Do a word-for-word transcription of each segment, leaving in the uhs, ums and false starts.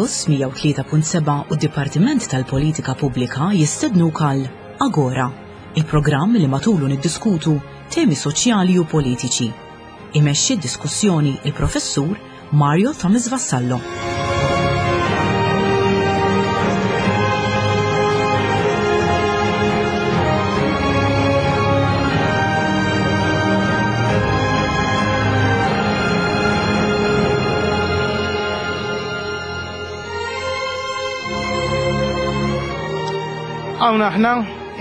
Campus mija u tlieta punt seba' u d-Dipartiment tal-Politika Pubblika jistednuk għal Agora, il-programm li matulu niddiskutu temi soċjali u politiċi. Imexxi d-diskussjoni il-Professur Mario Thomas Vassallo. Hawn aħna,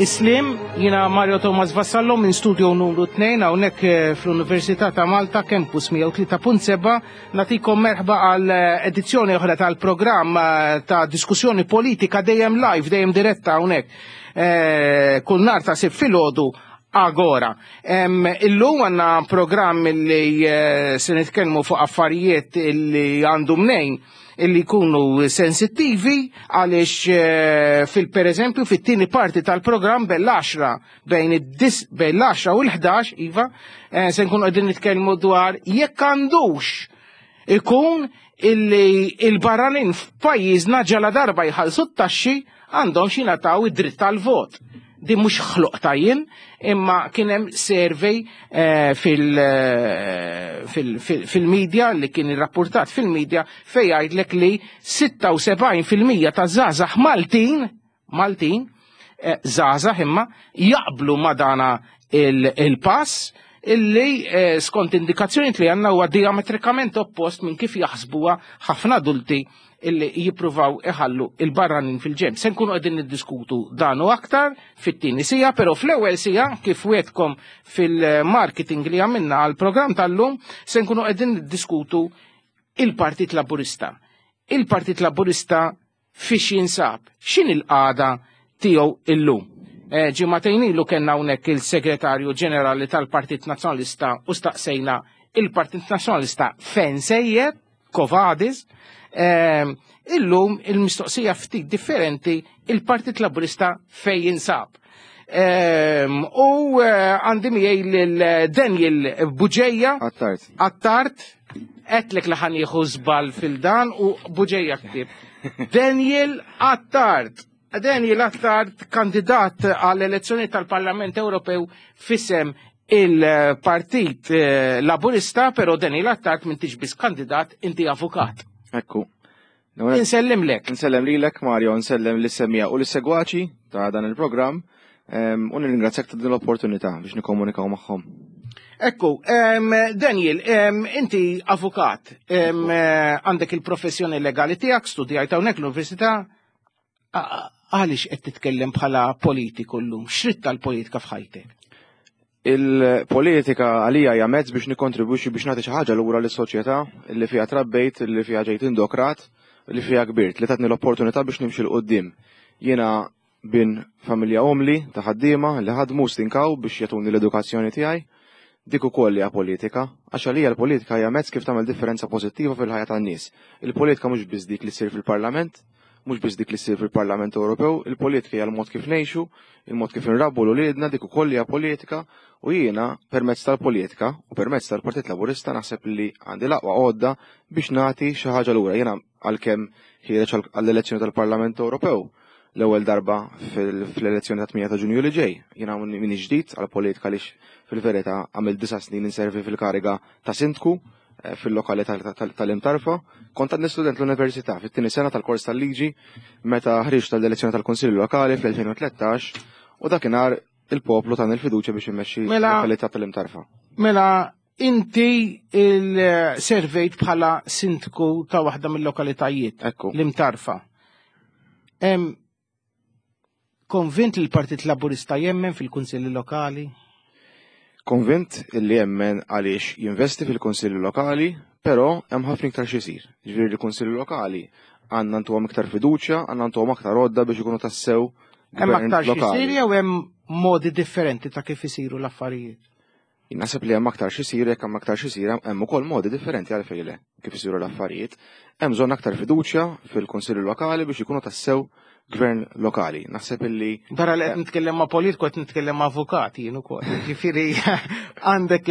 Islim, jiena Mario Thomas Vassallo minn studio numru tnejn hawnhekk, eh, fl-Università ta' Malta, Campus mija u tlieta punt seba', nagħtikom merħba għal, eh, edizzjoni oħra tal-programm, eh, ta' diskussjoni politika dejjem live, dejjem diretta hawnhekk. Eh, kull nhar ta' Sibt filgħodu Agora. Em, illum għandna programm li, eh, se nitkellmu fuq affarijiet li għandu mnejn illi jkunu sensittivi għaliex, eh, fil per eżempju fit-tieni parti tal-programm bejn bejn id-dis, bejn l-għaxra u l-ħdax, iva, eh, se nkunu qegħdin nitkellmu dwar jekk għandux ikun illi il-barranin f'pajjiżna ġala darba jħallsu t-taxxi għandhom xi jingħataw id-dritt tal-vot. Din mhux ħloq tajjin, imma kien hemm survey, eh, fil-, eh, fil-, fil-, fil-media li kien irrapportat fil-media fejn jgħidlek li sitta u sebgħin fil-mija ta' żgħażagħ Maltin, Maltin, eh, żgħażagħ imma jaqblu ma' dana il-, il-pass illi, eh, skont indikazzjoni li għandna huwa diametrikament oppost minn kif jaħsbuha ħafna adulti illi jippruvaw iħallu il-barranin fil-ġenb. Se nkunu qegħdin niddiskutu dan u aktar fit-tieni sija, però fl-ewwel sija kif wetkom fil-marketing li għamilna għall-programm tal-lum se nkunu qegħdin niddiskutu il-Partit Laburista. Il-Partit Laburista fiex jinsab, x'in il-qagħda tiegħu illum. Eh, ġimagħtejn ilu kellna hawnhekk il-Segretarju Ġenerali tal-Partit Nazzjonalista u staqsejna il-Partit Nazzjonalista fejn sejjer, Kovadis. Ehm, illum il-mistoqsija ftit differenti, il-Partit Laburista fejn jinsab. Ehm, u, eh, għandi miegħi lil Daniel Bugeja. Attard. Attard, għedtlek li ħan jieħu żball fil-dan u Bugeja ktib. Daniel Attard. Daniel Attard, kandidat għall-elezzjoni tal-Parlament Ewropew fisem il-Partit, eh, Laburista, però Daniel Attard m'intix biss kandidat, inti avukat. Ekku. Insellimlek. Insellem lilek, Mario, insellem lis-semija u lis-segwaċi ta' dan il-programm, ehm, u nirringrazzjak ta' din l-opportunità biex nikkomunikaw magħhom. Ekku, ehm, Daniel, ehm, inti avukat, ehm, eh, għandek il-professjoni legali tiegħek, studjajt hawnhekk l-università, a-, għaliex qed titkellem bħala politiku llum? X'rid tal-politika f'ħajtek? Il-politika għalija hija mezz biex nikkontribwixxi biex nagħti xi ħaġa lura lis-soċjetà li fiha trabbejt, li fiha ġejt indokrat, li fiha kbirt, li tatni l-opportunità biex nimxi 'l quddiem. Jiena bin familja umli ta' ħaddiema li ħadmu stinkaw biex jagħtuni l-edukazzjoni tiegħi. Dik ukoll hija politika, għax għalija l-politika hija mezz kif tagħmel differenza pożittiva fil-ħajja tan-nies. Il-politika mhux biss dik li ssir fil-Parlament, mhux biss dik li ssir fil-Parlament Ewropew, il-politika hija l-mod kif ngħixu, il-mod kif inrabbu l uliedna, dik ukoll hija politika, u jiena permezz tal-politika u permezz tal-Partit Laburista naħseb li għandi l-aqwa għodda biex nagħti xi ħaġa lura. Jiena għalkemm ħiereġ għal-, għall-elezzjoni tal-Parlament Ewropew l-ewwel darba fil-, fl-elezzjoni ta' tmienja ta' Ġunju li ġej. Jiena min ġdid għall-politika għaliex fil-verità għamilt disa' snin inservi fil-kariga ta' sindku, eh, fil-lokalità tal-, tal-, tal-Imtarfa. Kont għadni student l-università fit-tieni sena tal-kors tal-liġi meta ħriġt tal-elezzjoni tal-Kunsill Lokali fl-elfejn u tlettax u dakinhar il-poplu tani l-fiduċja biex immexxi Mela l-lokalità tal-Imtarfa. Mela inti il-servejt bħala sindku ta' waħda mill-lokalitajiet, Ekku. l-Imtarfa. Em, konvint li l-Partit Laburista jemmen fil-Kunsilli Lokali? Konvint li jemmen għaliex jinvesti fil-Kunsilli Lokali, però hemm ħafna iktar xi jsir. Ġifieri l-Kunsilli Lokali Għandna ntuhom iktar fiduċja, għandna ntuhom aktar għodda biex ikunu tassew Hemm aktar x'isir jew hemm modi differenti ta' kif isiru l-affarijiet? Naħseb li hemm aktar x'isir, jekk hemm aktar x'isir hemm ukoll modi differenti għalfejn le kif isiru l-affarijiet. Hemm bżonn aktar fiduċja fil-Kunsilli Lokali biex ikunu tassew gvern lokali. Naħseb illi. Barra li qed nitkellem ma' politiku qed nitkellem ma' avukat jien ukoll. Ġifieri għandek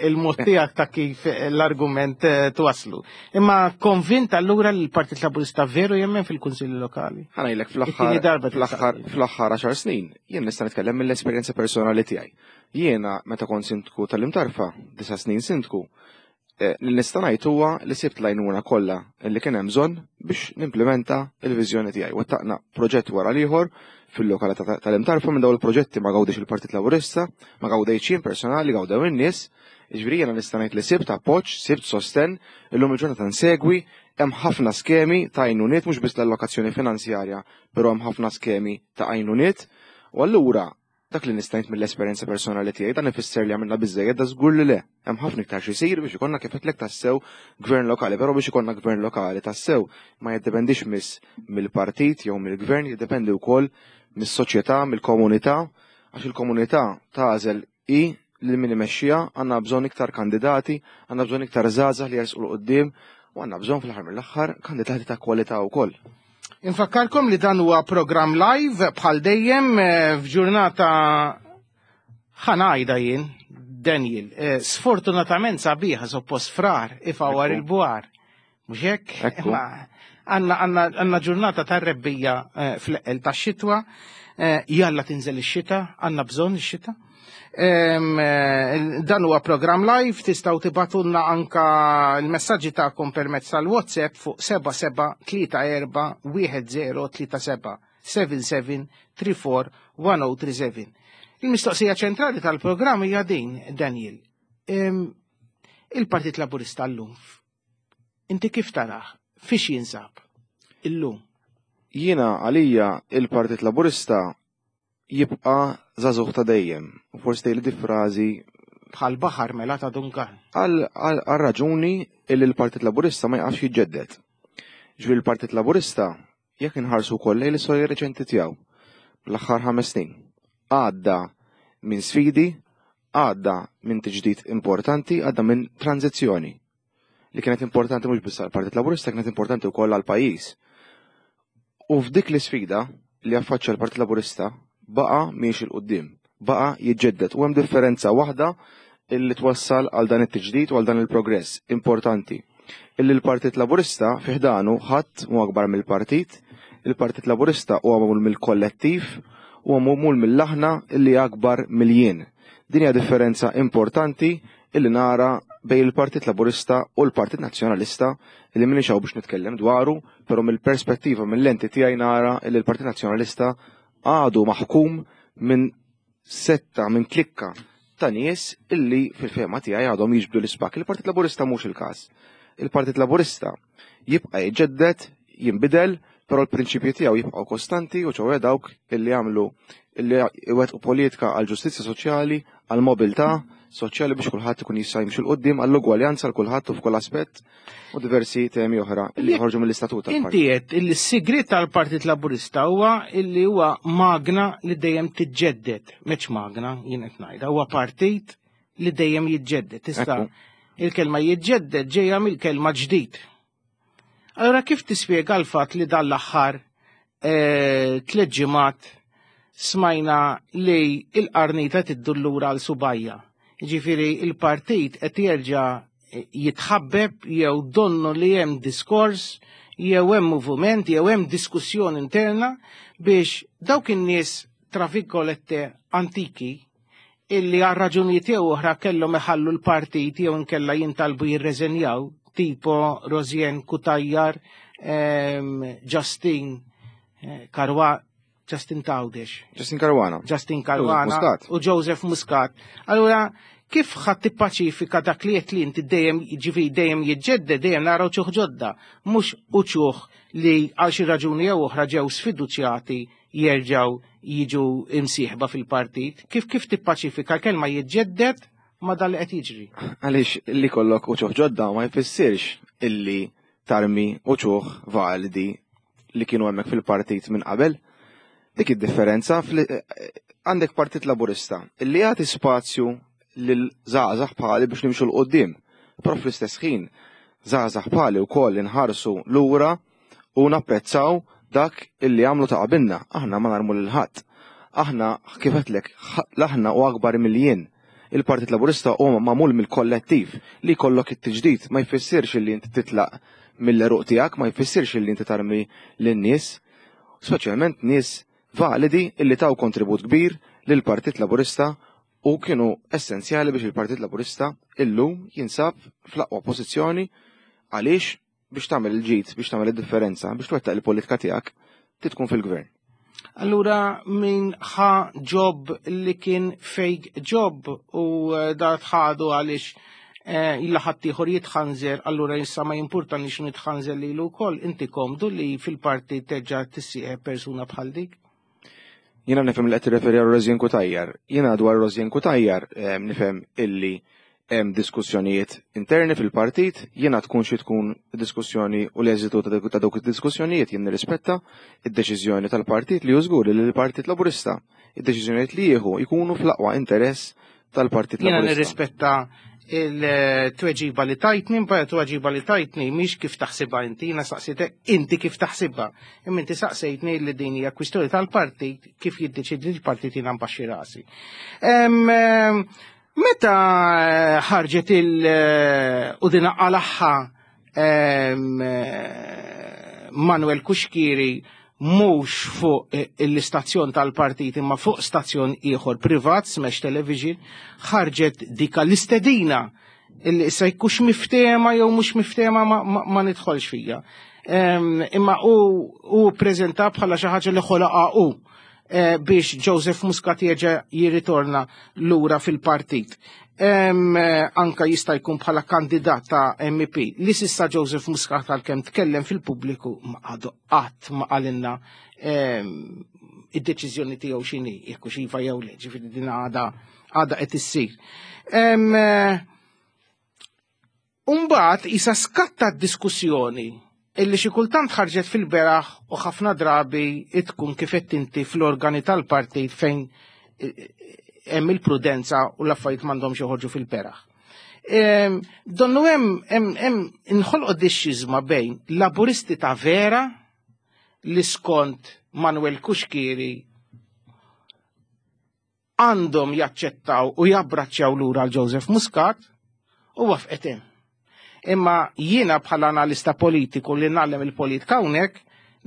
il-mod tiegħek ta' kif l-argument eh, twaslu. Imma konvint allura li l-Partit Laburista veru jemmen fil-Kunsilli Lokali? Ħa ngħidlek fl-aħħar fl-aħħar fl-aħħar għaxar snin jien nista' nitkellem mill-esperjenza personali tiegħi. Jiena meta kont sindku tal-Imtarfa, disa' snin sindku, eh, li nista' ngħid huwa li sibt l-għajnuna kollha li kien hemm bżonn biex nimplementa l-viżjoni tiegħi. Wettaqna proġett wara l-ieħor fil-lokalità tal-Imtarfa. Minn dawn il-proġetti ma gawdix il-Partit Laburista, ma gawdejx jien personali, gawdew in-nies. Jiġifieri jiena nista' ngħid li sibt appoġġ, sibt sostenn, illum il-ġurnata nsegwi, hemm ħafna skemi ta' għajnuniet, mhux biss l-allokazzjoni finanzjarja, però hemm ħafna skemi ta' għajnuniet. U allura dak li nista' ngħid mill-esperjenza personali tiegħi, dan ifisser li għamilna biżejjed? Da żgur li le. Hemm ħafna iktar xi jsir biex ikollna, kif għedtlek, tassew gvern lokali, però biex ikollna gvern lokali tassew ma jiddependix miss mill-partit jew mill-gvern, jiddependi wkoll mis-soċjetà, mill-komunità, għax il-komunità tagħżel i lil min imexxiha. Għandna bżonn iktar kandidati, għandna bżonn iktar żgħażagħ li jersqu 'l quddiem u għandna bżonn fl-aħħar mill-aħħar kandidati ta' kwalità wkoll. Infakkarkom li dan huwa programm live bħal dejjem eh, f'ġurnata, ħa ngħidha jien, Daniel, eh, sfortunatament sabiħa, suppost Frar ifawar il-bwar. Mhux hekk? Għandna għandna ġurnata tar-rebbiegħa eh, fl-eqqel tax-xitwa, jalla tinżel ix-xita, għandna bżonn ix-xita. Dan huwa programm live, tistgħu tibagħtulna anka l-messaġġi tagħkom permezz tal-WhatsApp fuq seba' seba' tlieta erba' wieħed zero tlieta seba', seven seven three four one zero three seven. Il-mistoqsija ċentrali tal-programm hija din, Daniel. Il-Partit Laburista llum, inti kif tarah? Fiex jinsab illum? Jiena għalija il-Partit Laburista jibqa' żagħżugħ ta' dejjem. U forsi tgħidli di frażi Bħal baħar mela ta' Duncan. Għal raġuni illi l-Partit Laburista ma jaqafx jiġġedded. Ġifieri l-Partit Laburista, jekk inħarsu wkoll lejn l-istorja reċenti tiegħu, l-aħħar ħames snin, għadda minn sfidi, għadda minn tiġdid importanti, għadda minn tranzizzjoni li kienet importanti mhux biss għall-Partit Laburista, kienet importanti wkoll għall-pajjiż. U f'dik l-isfida li affaċċja l-Partit Laburista baqa' miexi 'l quddiem, baqa' jiġġedded u hemm differenza waħda illi twassal għal dan it-tiġdid u għal dan il-progress importanti. Illi l-Partit Laburista fi ħdanu ħadd mhu akbar mill-partit, il-Partit Laburista huwa magħmul mill-kollettiv, huwa magħmul mill-aħna illi akbar mill-jien. Din hija differenza importanti illi nara bejn il-Partit Laburista u l-Partit Nazzjonalista, illi m'iniex hawn biex nitkellem dwaru, però mill-perspettiva, mill-lenti tiegħi nara illi l-Partit Nazzjonalista għadu maħkum minn setta, minn klikka ta' nies illi fil-fehma tiegħi għadhom jiġbdu l-ispakk. Il-Partit Laburista mhux il-każ. Il-Partit Laburista jibqa' jiġġedded, jinbidel, però l-prinċipji tiegħu jibqgħu kostanti u ċoè dawk illi jagħmlu illi iwettqu politika għal ġustizzja soċjali, għal mobilità soċjali biex kulħadd ikun jista' jimxi 'l quddiem, għall-ugwaljanza għal kulħadd u f'kull aspett u diversi temi oħra li joħorġu mill-istatut tal-partit. Inti qed illi s-sigriet tal-Partit Laburista huwa illi huwa magna li dejjem tiġġedded, mhux magna jien qed ngħidha, huwa partit li dejjem jiġġedded. Tista' il-kelma jiġġedded ġejja mill-kelma ġdid. Allora kif tispjega l-fatt li dan l-aħħar eh, tliet ġimgħat smajna li il-qarnita tiddur lura għal subgħajha? Ġifieri il-partit qed jerġa' jitħabbeb jew donnu li hemm diskors jew hemm moviment jew hemm diskussjoni interna biex dawk in-nies, tra virgolette, antiki illi għal raġunijiet jew oħra kellhom iħallu l-partit jew inkella jintalbu jirreżenjaw, tipo Rosianne Cutajar, ehm, Justin eh, Karwa, Justin Tawdex. Justin Caruana. Justin Caruana Muscat. U Joseph Muscat. Allura, kif ħadd tippaċifika dak li qed li inti dejjem, ġifieri dejjem jiġġedded, dejjem naraw uċuħ ġodda, mhux uċuħ li għal xi raġuni jew oħra ġew sfiduċjati jerġgħu jiġu imsieħba fil-partit? Kif kif tippaċifika kelma jiġġedded ma dan li qed jiġri? Għaliex li kollok uċuħ ġodda ma jfissirx illi tarmi uċuħ validi li kienu hemmhekk fil-partit minn qabel. Dik id-differenza għandek Partit Laburista illi jagħti spazju lil żgħażagħ bħali biex nimxu 'l quddiem. Però fl-istess ħin żgħażagħ bħali wkoll inħarsu lura u napprezzaw dak illi għamlu ta' qabilna. Aħna ma narmu lil ħadd. Aħna kif għedtlek, aħna u akbar mill-jien. Il-Partit Laburista huwa magħmul mill-kollettiv li jkollok it-tiġdid ma jfissirx illi inti titlaq mill-eruq tiegħek, ma jfissirx illi inti tarmi lin-nies, speċjalment nies validi illi taw kontribut kbir lill-Partit Laburista u kienu essenzjali biex il-Partit Laburista illum jinsab fl-aqwa pożizzjoni għaliex biex tagħmel il-ġid, biex tagħmel id-differenza, biex twettaq il-politika tiegħek, tkun fil-gvern. Allura min ħa job li kien fake job u da tħadu għaliex illa ħaddieħor jitħanżer, allura issa ma jimpurtanix nitħanżer lilu wkoll, inti komdu li fil-partit terġa' tissieħeb persuna bħal dik? Jiena nifhem li qed tirreferi għal Rosianne Cutajar. Jiena dwar Rosianne Cutajar nifhem illi hemm diskussjonijiet interni fil-partit, jiena tkun xi tkun diskussjoni u l-eżitu ta' dawk id-diskussjonijiet jien nirrispetta id-deċiżjoni tal-partit li żgur li l-Partit Laburista id-deċiżjonijiet li jieħu jkunu fl-aqwa interess tal-Partit Jiena Laburista. nirrispetta il-tweġiba li tajtni, mbagħad tweġiba li tajtni mhix kif taħsibha inti, jiena saqsitek inti kif taħsibha. Imma inti saqsejtni li din hija kwistjoni tal-partit kif jiddeċidi l-partit jiena nbaxxi rasi. Meta ħarġet il u din għalaħħa Manuel Cuschieri mhux fuq l-istazzjon tal-partit imma fuq stazzjon ieħor privat, Smash Television, ħarġet dika l-istedina illi issa jkux miftema jew mhux miftema ma, ma, ma nidħolx fija. Imma u, u preżenta bħala xi ħaġa li ħolaqa u biex Joseph Muscat jerġa' jirritorna lura fil-partit. Anka jista' jkun bħala kandidat ta' M P li sissa Joseph Muscat għalkemm tkellem fil-pubbliku ma għadu qatt ma qalilna id-deċiżjoni tiegħu x'inhi, jekk hux iva jew le, ġifieri din għada għada qed issir. Umbagħad isa skatta d-diskussjoni illi xi kultant ħarġet fil-beraħ u ħafna drabi tkun kif qed inti fl-organi tal-partit fejn hemm il-prudenza u l-affarijiet m'għandhomx joħorġu fil-beraħ. Donnu hemm hemm inħolqot dixxiżma bejn laburisti ta' vera li skont Manuel Cuschieri għandhom jaċċettaw u jabbraċċjaw lura għal Joseph Muscat u wafqet hemm. Imma jiena bħala analista politiku li nagħlem il-politika hawnhekk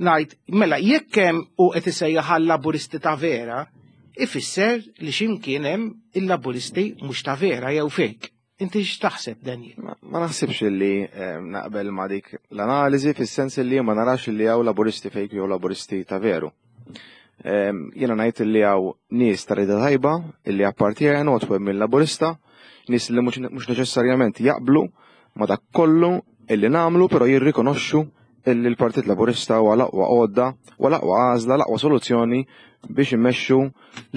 ngħid mela jekk hemm u qed isejjaħ għal laburisti ta' vera, ifisser li x'imkien hemm il-laburisti mhux ta' vera jew fake. Inti x'taħseb, Daniel? Ma, ma naħsibx li naqbel ma dik l-analiżi fis-sens li ma narax li hawn laburisti fake jew laburisti ta' veru. Jiena ngħid li hawn nies ta' rida tajba illi appartjenu għatwem mill-laburista, nies li mhux neċessarjament jaqblu ma dak kollu illi nagħmlu, però jirrikonoxxu illi l-Partit Laburista huwa l-aqwa għodda, huwa l-aqwa għażla, l-aqwa soluzzjoni biex immexxu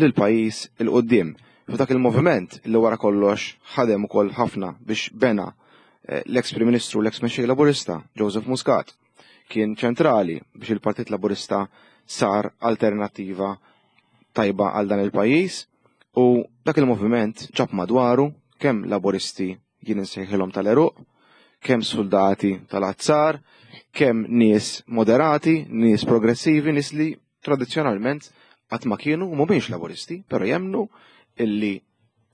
lil pajjiż il quddiem. F'dak il-moviment li wara kollox ħadem ukoll ħafna biex bena l-ex Prim Ministru u l-ex Mexxej Laburista Joseph Muscat kien ċentrali biex il-Partit Laburista sar alternattiva tajba għal dan il-pajjiż u dak il-moviment ġab madwaru kemm laburisti jien insejħilhom tal-eruq, kemm soldati tal-azzar, kemm nies moderati, nies progressivi, nies li tradizzjonalment qatt ma kienu u mhumiex laburisti, però jemnu illi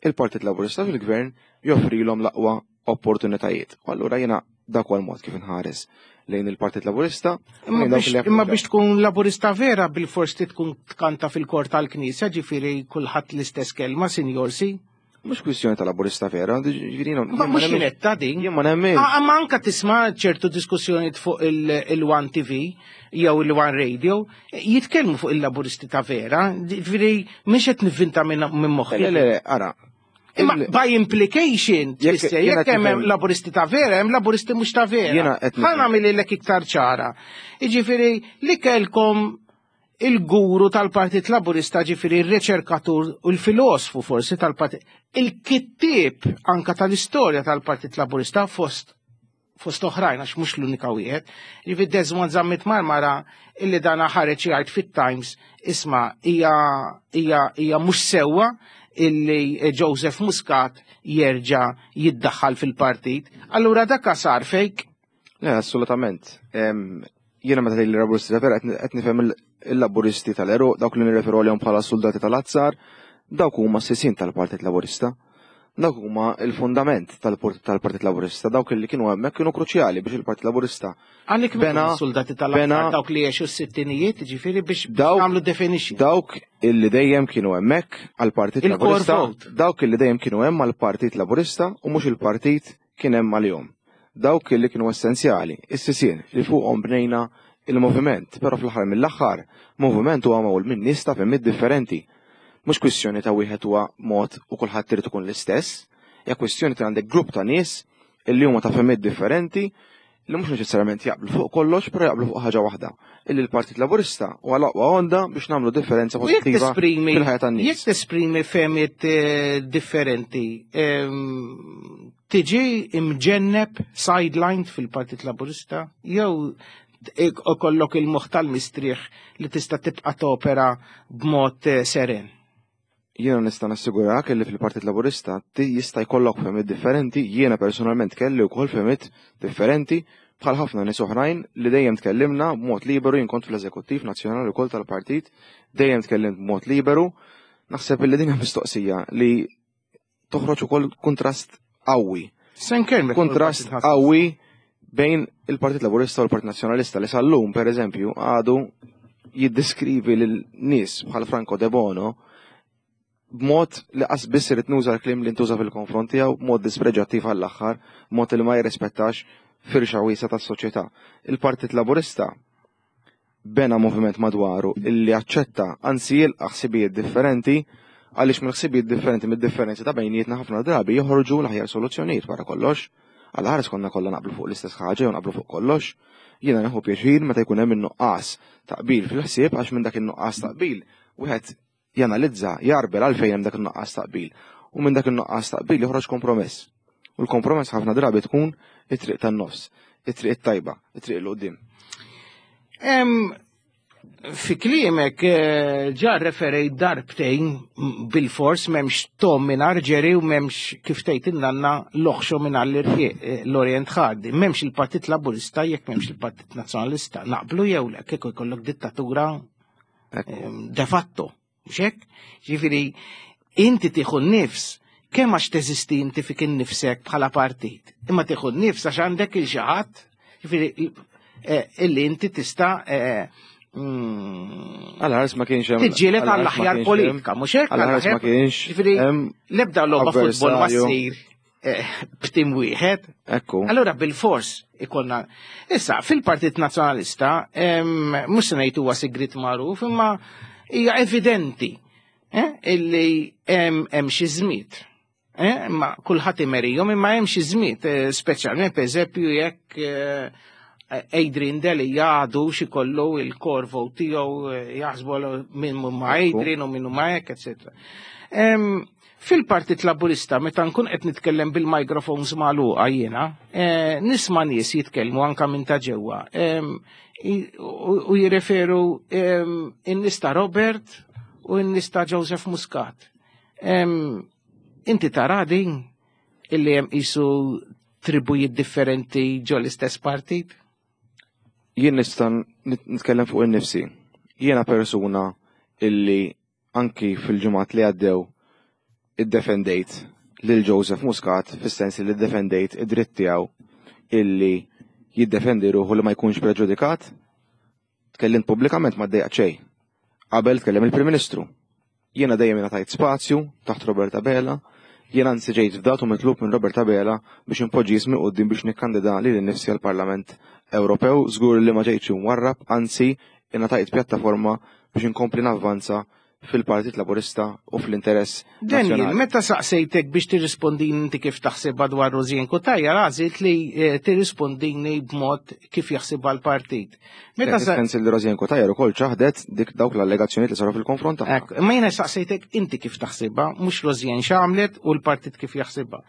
il-Partit Laburista fil-gvern joffrilhom l-aqwa opportunitajiet. U allura jiena dak huwa l-mod kif inħares lejn il-Partit Laburista. Imma Lejn dawk biex li imma jappoġġjaw. biex tkun laburista vera bil-fors tkun tkanta fil-kor tal-Knisja, ġifieri kulħadd l-istess kelma, sinjorsi. Mhux kwistjoni ta' laburista vera, ġifieri jiena Ma jien ma mhux nemminx. jinetta din. Jien ma nemminx. Ah, ma anka tisma' ċertu diskussjonijiet fuq il-One T V jew il-One Radio, jitkellmu fuq il-laburisti ta' vera, ġifieri mhux qed nivvinta minn minn moħħi. Le, le, le, ara. Imma Il- by implication, Jekk tfisser, jiena jekk hemm tifhem- laburisti ta' vera, hemm laburisti mhux ta' vera. Jiena qed Ħa nifhem. nagħmililek iktar ċara. Jiġifieri li kelkom il-guru tal-Partit Laburista, ġifieri il-riċerkatur u l-filosfu forsi tal-Partit, il-kittieb anka tal-istorja tal-Partit Laburista fost Fost oħrajn, għax mhux l-unika wieħed. Jiġifieri Desmond Zammit Marmara illi dana ħareġ jgħid fit-Times, isma' hija hija hija mhux sewwa illi Joseph Muscat jerġa' jiddaħħal fil-partit. Allura dak sar fake? Le, assolutament. Jiena meta tgħid Laburisti ta' vera qed nifhem il-Laburisti tal-għeruq, dawk li nirreferu għalihom bħala soldati tal-azzar, dawk huma s-sisien tal-Partit Laburista. Dawk huma il-fundament tal-Partit Laburista, dawk li kienu hemmhekk kienu kruċjali biex il-Partit Laburista. Għalik bena soldati tal-azzar dawk li għexu s-sittinijiet, ġifieri biex nagħmlu definition. Dawk illi dejjem kienu hemmhekk għall-Partit Laburista, dawk illi dejjem kienu hemm għall-Partit Laburista u mhux il-partit kien hemm għalihom. Dawk illi kienu essenzjali, is-sisien li fuqhom bnejna il-moviment, però fl-aħħar mill-aħħar, moviment huwa magħmul minn nies ta' fehmiet differenti. Mhux kwistjoni ta' wieħed huwa mod u kulħadd irid ikun l-istess, hija kwistjoni ta' għandek grupp ta' nies illi huma ta' fehmiet differenti li mhux neċessarjament jaqblu fuq kollox, però jaqblu fuq ħaġa waħda. Illi l-Partit Laburista huwa l-aqwa għodda biex nagħmlu differenza pożittiva fil-ħajja tan-nies. Jekk tesprimi fehmiet differenti, tiġi imġenneb sidelined fil-Partit Laburista jew ikollok il-moħħ tal-mistrieħ li tista' tibqa' topera b'mod seren? Jiena nista' nassigurak li fil-Partit Laburista jista' jkollok fehmiet differenti, jiena personalment kelli wkoll fehmiet differenti bħal ħafna nies oħrajn li dejjem tkellimna b'mod liberu, jien kont fl-eżekuttiv nazzjonali wkoll tal-partit, dejjem tkellimt b'mod liberu. Naħseb li din hija mistoqsija li toħroġ ukoll kuntrast qawwi. Kuntrast qawwi bejn il-Partit Laburista u l-Partit Nazzjonalista li sal-lum, per eżempju, għadu jiddeskrivi lil nies bħal Franco Debono b'mod li qas biss irid nuża l-kliem li ntuża fil-konfront tiegħu, b'mod dispreġattiv għall-aħħar, b'mod li ma jirrispettax firxa wiesgħa tas-soċjetà. Il-Partit Laburista bena moviment madwaru illi aċċetta, anzi jilqa' ħsibijiet differenti, għaliex mill-ħsibijiet differenti, mid-differenzi ta' bejnietna ħafna drabi joħorġu l-aħjar soluzzjonijiet wara kollox. Għal ħares konna kollha naqblu fuq l-istess ħaġa jew naqblu fuq kollox. Jiena nieħu pjaċir meta jkun hemm in-nuqqas ta' qbil fil-ħsieb, għax minn dak in-nuqqas ta' qbil wieħed janalizza, jarbel għalfejn hemm dak in-nuqqas ta' qbil. U minn dak in-nuqqas ta' qbil joħroġ kompromess. U l-kompromess ħafna drabi tkun it-triq tan-nofs, it-triq it-tajba, it-triq 'l quddiem. Fi kliemek ġa referejt darbtejn bil-fors m'hemmx Tom mingħajr Jerry u m'hemmx kif tgħid in-nanna l-oħxo mingħajr l-irqiq l-Orient Hardy. M'hemmx il-Partit Laburista jekk m'hemmx il-Partit Nazzjonalista. Naqblu jew le, kieku jkollok dittatura de facto. Mhux hekk? Ġifieri inti tieħu n-nifs kemm għax teżisti inti fik innifsek bħala partit. Imma tieħu n-nifs għax għandek il xi ħadd, ġifieri illi inti tista' Għal ħares ma kienx hemm. Tiġġieled għall-aħjar politika, mhux hekk? Għal ħares ma kienx. Ġifieri l-ebda logħba futbol ma ssir b'tim wieħed. Ekku. Allura bil-fors ikollna. Issa, fil-Partit Nazzjonalista, mhux se ngħid huwa sigriet magħruf, imma hija evidenti illi hemm xi żmiet. Imma kulħadd imerihom, imma hemm xi żmiet, speċjalment pereżempju jekk Adrian Delia għadu xikollu il-core vote tiegħu jaħsbu minn ma Adrian u minn ma hekk, eċetera. Fil-Partit Laburista, meta nkun qed nitkellem bil-microphones magħluqa jiena, nisma' nies jitkellmu anka minn ta' ġewwa u jirreferu in-nies ta' Robert u n-nies ta' Joseph Muscat. Inti tara din illi hemm qisu tribujiet differenti ġo l-istess partit? Jien nista' nitkellem fuq in-nifsi. Jiena persuna illi anki fil-ġimgħat li għaddew iddefendejt lil Joseph Muscat, fis-sens li ddefendejt id-dritt tiegħu illi jiddefendi ruħu li ma jkunx preġudikat. Tkellimt pubblikament, ma ddejjaq xejn. Qabel tkellem il-Prim Ministru. Jiena dejjem ingħatajt spazju taħt Robert Abela, jiena anzi ġejt fdat u mitlub minn Robert Abela biex inpoġġi ismi quddiem biex nikkandida lili nnifsi għall-Parlament Ewropew, żgur li ma ġejtx imwarrab, anzi ingħatajt pjattaforma biex inkompli navvanza fil-Partit Laburista u fl-interess Daniel, nazzjonali. Meta saqsejtek biex tirrispondini inti kif taħsibha dwar Rosianne Cutajar, għażilt li eh, tirrispondini b'mod kif jaħsibha l-partit. Meta Meta sa- Sens li Rosianne Cutajar ukoll ċaħdet dik dawk l-allegazzjonijiet li saru fil-konfront tagħha. Ekk, ma jiena saqsejtek inti kif taħsibha, mhux Rosianne x'għamlet u l-partit kif jaħsibha.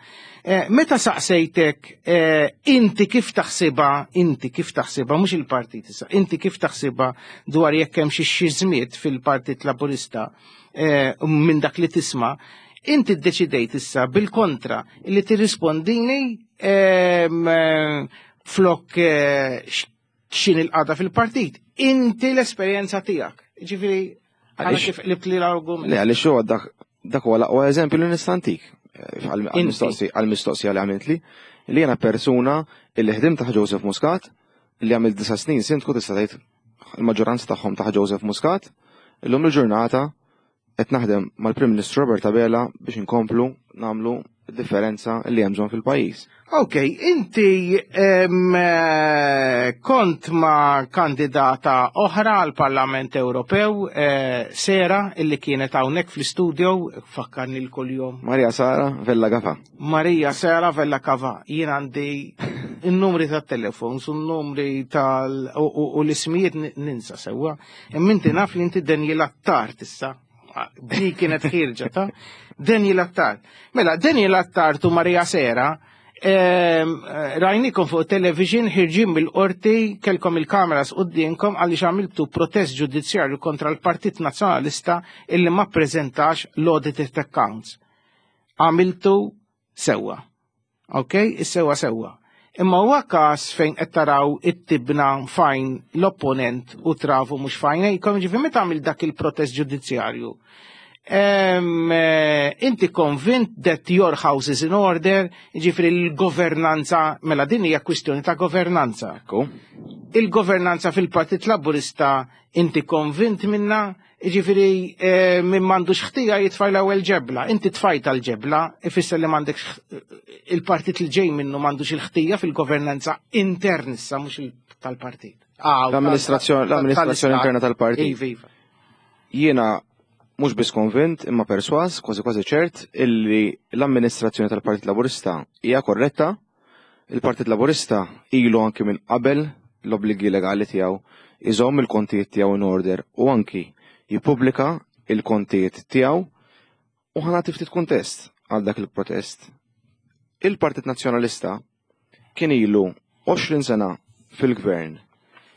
Eh, Meta saqsejtek eh, inti kif taħsibha, inti kif taħsibha, mhux il-partit issa, inti kif taħsibha dwar jekk hemm xi xiżmiet fil-Partit Laburista eh, minn dak li tisma', inti ddeċidejt issa bil-kontra li tirrispondini ehm, eh, flok eh, x'inhi l-qagħda fil-partit. Inti l-esperjenza tiegħek. Ġifieri, għala Għaliex- kif qlibt li l-argument. Le, għaliex huwa dak dak huwa l-aqwa eżempju li nista' ntik eh, għal- Inti. għal-mistoqsi- għal-mistoqsija li għamilt li li jiena persuna li ħdimt taħt Joseph Muscat, li għamilt disa snin sindku, tista' tgħid il-maġġoranza tagħhom taħt Joseph Muscat, illum il-ġurnata qed naħdem mal-Prim Ministru Robert Abela biex inkomplu nagħmlu differenza li hemm bżonn fil-pajjiż. Ok, inti em, eh, kont ma' kandidata oħra għal Parlament Ewropew, eh, Sera, illi kienet hawnhekk fl-studio, fakkarni l-kuljum. Maria Sara Vella Gafa. Maria Sara Vella Kava, jien għandi il-numri tat-telefon, su numri tal u, u, u l-ismijiet n- ninsa sewwa. Imma inti naf li inti Daniel Attard issa. Di kienet ħirġa ta' Daniel Attard. Mela, Daniel Attard u Maria Sera ehm, eh, rajnikom fuq television ħirġin mill-qorti, kelkom il-kameras qudiemkom għaliex għamiltu protest ġudizzjarju kontra l-Partit Nazzjonalista illi ma prezentax l-audited accounts. Għamiltu sewwa. Ok, is-sewwa sewwa. Imma huwa każ fejn qed taraw it-tibna f'għajn l-opponent u travu mhux f'għajnejkom, ġifieri meta għamil dak il-protest ġudizzjarju. Em, eh, inti konvint that your house is in order, ġifieri l-governanza, mela din hija kwistjoni ta' governanza. Ekku. Il-governanza fil-Partit Laburista inti konvint minna, ġifieri eh, minn m'għandux ħtija jitfa' l-ewwel ġebla. Inti tfajta l-ġebla, ifisser li m'għandekx il-partit li ġej minnu m'għandux il-ħtija fil-governanza intern issa, mhux il- tal-partit. Ah, L-amministrazzjoni- tal- l-amministrazzjoni tal-istat. interna tal-partit. Iva, iva. Jiena mhux biss konvint imma perswas, kważi kważi ċert, illi l-amministrazzjoni tal-Partit Laburista hija korretta. Il-Partit Laburista ilu anki minn qabel l-obbligi legali tiegħu iżomm il-kontijiet tiegħu in order u anki jippubblika il-kontijiet tiegħu, u ħa nagħti ftit kuntest għal dak il-protest. Il-Partit Nazzjonalista kien ilu għoxrin sena fil-gvern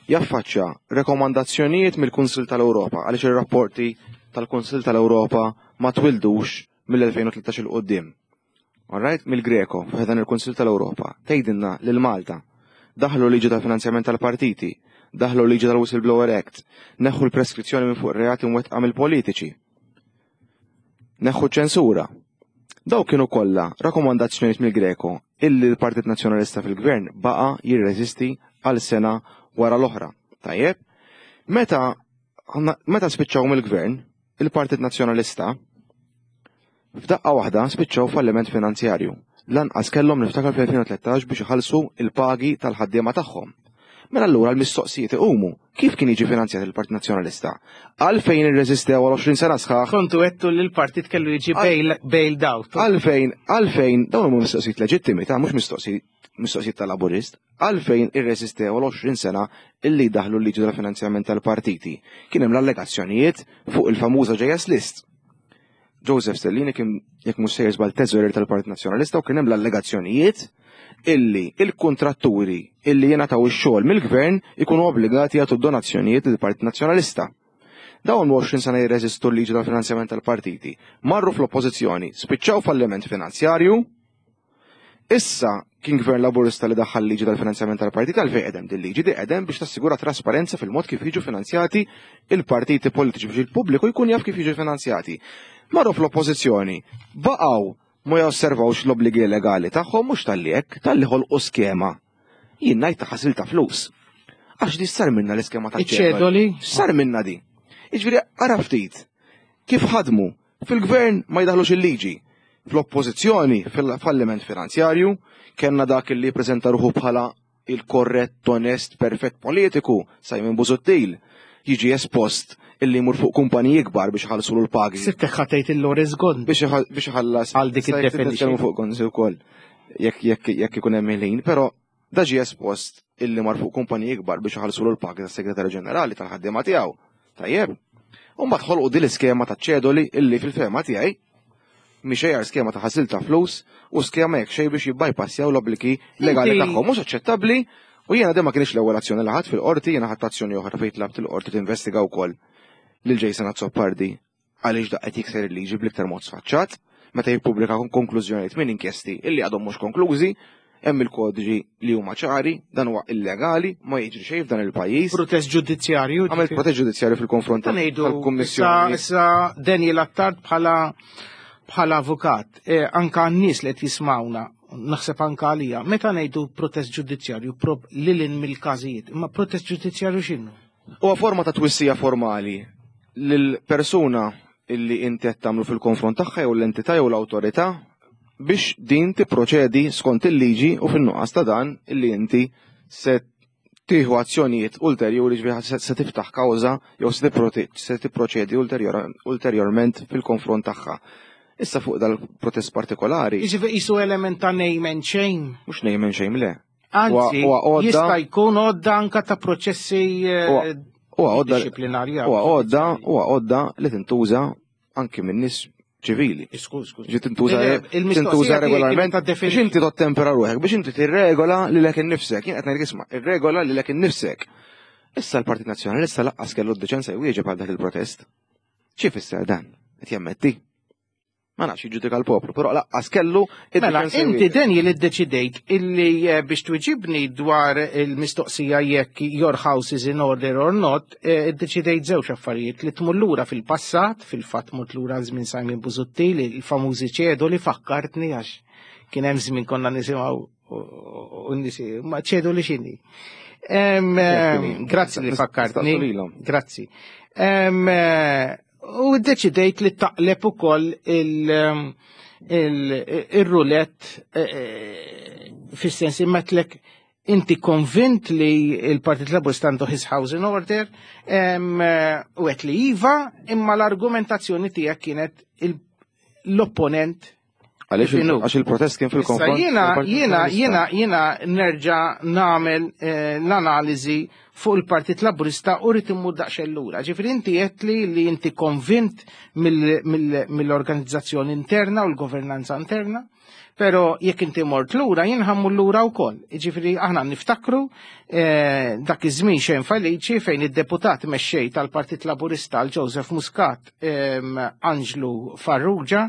jaffaċċja rekomandazzjonijiet mill-Kunsil tal-Ewropa, għaliex ir-rapporti tal-Kunsil tal-Ewropa ma twildux mill-elfejn u tlettax 'il quddiem. Alright, mill-Greco, f'dan il-Kunsil tal-Ewropa, tgħidilna lil Malta daħlu liġi tal-finanzjament tal-partiti, daħlu liġi tal-Whistleblower Act, neħħu l-preskrizzjoni minn fuq reati mwettqa mill-politiċi, neħħu ċensura. Daw kienu kollha rakkomandazzjonijiet mill-Greco illi l-Partit Nazzjonalista fil-Gvern baqa' jirreżisti għal sena wara l-oħra. Tajjeb, meta meta spiċċaw mill-Gvern, il-Partit Nazzjonalista f'daqqa waħda spiċċaw falliment finanzjarju. Lanqas kellhom, niftakar fl-elfejn u tlettax, biex iħallsu il-pagi tal-ħaddiema tagħhom. Mela allura l-mistoqsijiet iqumu: kif kien jiġi finanzjat il-Partit Nazzjonalista? Għalfejn irreżistew għal għoxrin sena sħaħ? Kontu għedtu li l-partit kellu jiġi bailed out. Għalfejn, għalfejn, dawn huma mistoqsijiet leġittimi, ta' mhux mistoqsijiet mistoqsijiet tal-Laburist, għalfejn irreżistew għal għoxrin sena illi daħlu l-liġi tal-finanzjament tal-partiti? Kien hemm l-allegazzjonijiet fuq il-famuża J S List. Joseph Stellini kien, jekk mhux sejjer żball, teżorier tal-Partit Nazzjonalista u kien hemm l-allegazzjonijiet illi il-kontratturi illi jingħataw ix-xogħol mill-gvern ikunu obbligati jagħtu donazzjonijiet lill-Partit Nazzjonalista. Dawn għoxrin sena jirreżistu l-liġi tal-finanzjament tal-partiti. Marru fl-oppożizzjoni, spiċċaw falliment finanzjarju. Issa kien gvern Laburista li daħħal liġi tal-finanzjament tal-partiti. Għalfejn qegħdem din liġi? Di qegħdem biex tassigura trasparenza fil-mod kif jiġu finanzjati il-partiti politiċi, biex il-pubbliku jkun jaf kif jiġu finanzjati. Marru fl-oppożizzjoni, baqgħu ma josservawx l-obbligi legali tagħhom, mhux talli hekk, talli ħolqu skema. Jien ngħid ta' ħasil ta' flus. Għax di sar minna l-iskema ta' Iċ-ċedoli? Sar minna di. Jiġifieri ara ftit kif ħadmu fil-gvern, ma jdaħlux il-liġi. Fl-oppożizzjoni fil-falliment finanzjarju, kellna dak li prezenta ruħu bħala il-korrett, onest, perfett politiku, Simon Busuttil, jiġi espost illi jmur fuq kumpaniji kbar biex iħallsu l-pagi. Sittek ħatejt il-Lawrence Gonzi. Biex iħallas. Għal dik id-definition. Fuq Gonzi wkoll jekk jekk jekk ikun hemm il-ħin, però da ġie espost illi mar fuq kumpaniji kbar biex iħallsu l-pagi tas-segretarju ġenerali tal-ħaddiema tiegħu. Tajjeb. U mbagħad ħolqu din l-iskema ta' ċedoli illi fil-fehma tiegħi mhix xejn skema ta' ħasil ta' flus u skema jekk xejn biex jibbypassjaw l-obbligi legali tagħhom mhux aċċettabbli. U jiena ma kienx l-ewwel azzjoni li ħadd fil-qorti, jiena ħadd azzjoni oħra fejn tlabt il-qorti tinvestiga wkoll lil Jason Azzopardi għaliex da qed jikser il-liġi bl-iktar mod sfaċċat meta jippubblika konklużjonijiet minn inkjesti illi għadhom mhux konklużi, hemm il-kodiġi li huma ċari, dan huwa illegali, ma jiġri xejn f'dan il-pajjiż. Protest ġudizzjarju. Għamel protest ġudizzjarju fil-konfront tal-Kummissjoni. Issa Daniel Attard bħala bħala avukat, eh, anka n-nies li qed jismawna, naħseb anka għalija, meta ngħidu protest ġudizzjarju prob lilin mill-każijiet, imma protest ġudizzjarju x'inhu? Huwa forma ta' twissija formali lil persuna illi inti qed tagħmlu fil-konfront tagħha jew l-entità jew l-awtorità biex din tipproċedi skont il-liġi u fin-nuqqas ta' dan illi inti se tieħu azzjonijiet ulterjuri ġifieri se tiftaħ kawża jew se tipproċedi ulterjorment fil-konfront tagħha. Issa fuq dal-protest partikolari. Jiġifieri qisu element ta' name and shame. Mhux name and shame le. Anzi, jista' jkun għodda anka ta' proċessi disciplinarja. Huwa għodda, huwa għodda li tintuża anki minn nies ċivili. Ġi tintuża tintuża regolarment biex inti tottempera ruħek, biex inti tirregola lilek innifsek. Jien qed ngħid isma' irregola lilek innifsek. Issa l-Partit Nazzjonalista laqqas kellu d-deċenza jwieġeb għal dak il-protest. Xi fisser dan? Qed jammetti. Ma nafx jiġġudika l-poplu, però laqqas kellu. Mela, inti Daniel iddeċidejt illi biex twiġibni dwar il-mistoqsija jekk your house is in order or not, iddeċidejt żewġ affarijiet li tmur lura fil-passat, fil-fatt mort lura żmien Simon Busuttil, il-famużi ċedu li fakkartni għax kien hemm żmien konna nisimgħu u nisi, ma ċedu li x'inhi. Grazzi li fakkartni. Grazzi. U ddeċidejt li taqleb ukoll il-roulette fis-sens immetlek inti konvint li il-Partit Laburista għandu his house in order u għedt li iva, imma l-argumentazzjoni tiegħek kienet l-opponent. Għaliex il-protest kien fil-konfront. Jiena jiena jiena jiena nerġa' nagħmel l-analiżi fuq il-Partit Laburista u rrid immur daqsxejn lura. Ġifieri inti qed li li inti konvint mill-organizzazzjoni interna u l-governanza interna, però jekk inti mort lura jien ħammur lura wkoll. Ġifieri aħna niftakru dak iż-żmien xejn feliċi fejn id-deputat mexxej tal-Partit Laburista għal Joseph Muscat, Anġlu Farrugia,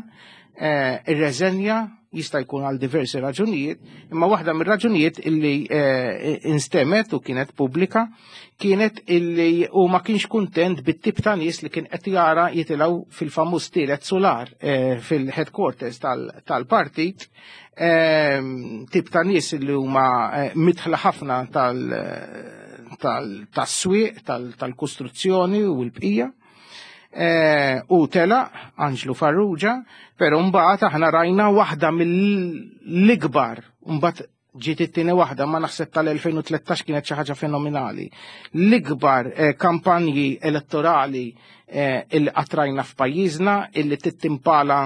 irreżenja, jista' jkun għal diversi raġunijiet, imma waħda mir-raġunijiet illi instemet u kienet pubblika kienet illi u ma kienx kuntent bit-tip ta' nies li kien qed jara jitilgħu fil-famuż tielet solar fil-headquarters tal-partit, tip ta' nies li huma midħla ħafna tas-swieq, tal-kostruzzjoni u l-bqija. U tela Anġlu Farrugia, pero mbagħad aħna rajna waħda mill-ikbar, mbagħad ġiet it-tieni waħda, ma naħseb tal-elfejn u tlettax kienet xi ħaġa fenomenali. L-ikbar kampanji elettorali illi qatt rajna f'pajjiżna illi tittimpala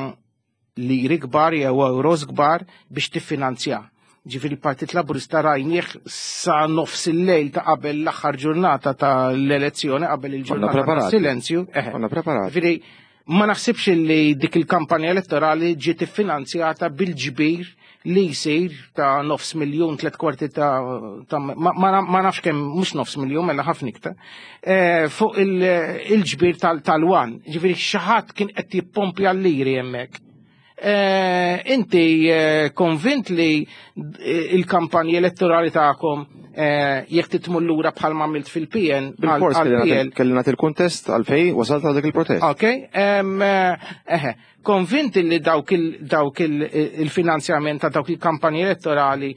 liri kbar jew euros kbar biex tiffinanzja. Ġifieri il-Partit Laburista rajnieh sa nofs il-lejl ta' qabel l-aħħar ġurnata tal-elezzjoni, qabel il-ġurnata ta' silenzju. Konna preparati. Ġifieri ma naħsibx li dik il-kampanja elettorali ġiet iffinanzjata bil-ġbir li jsir ta' nofs miljun, tliet kwarti ta' ma nafx kemm, mhux nofs miljun, mela ħafna iktar, fuq il-ġbir tal-wan. Ġifieri xi ħadd kien qed jippompja l-liri hemmhekk. Inti konvint li il-kampanji elettorali tagħkom jekk titmur lura bħal ma għamilt fil-P N. Bil-fors kelli nagħti il-kuntest għalfej wasalt għal dak il-protest. Ok, eħe, konvint li dawk il-finanzjament ta' dawk il-kampanji elettorali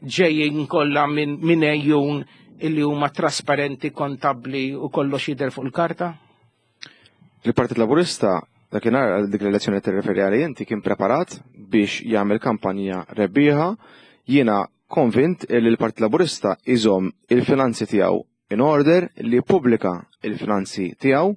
ġejjin kollha minn ejjun illi huma trasparenti, kontabbli u kollox jidher fuq il-karta? Il-Partit Laburista dakinhar għal dik l-elezzjoni li tirreferi għalija inti kien preparat biex jagħmel kampanja rebbieħa. Jiena konvint li l-Partit Laburista iżomm il-finanzi tiegħu in order, li jippubblika il-finanzi tiegħu.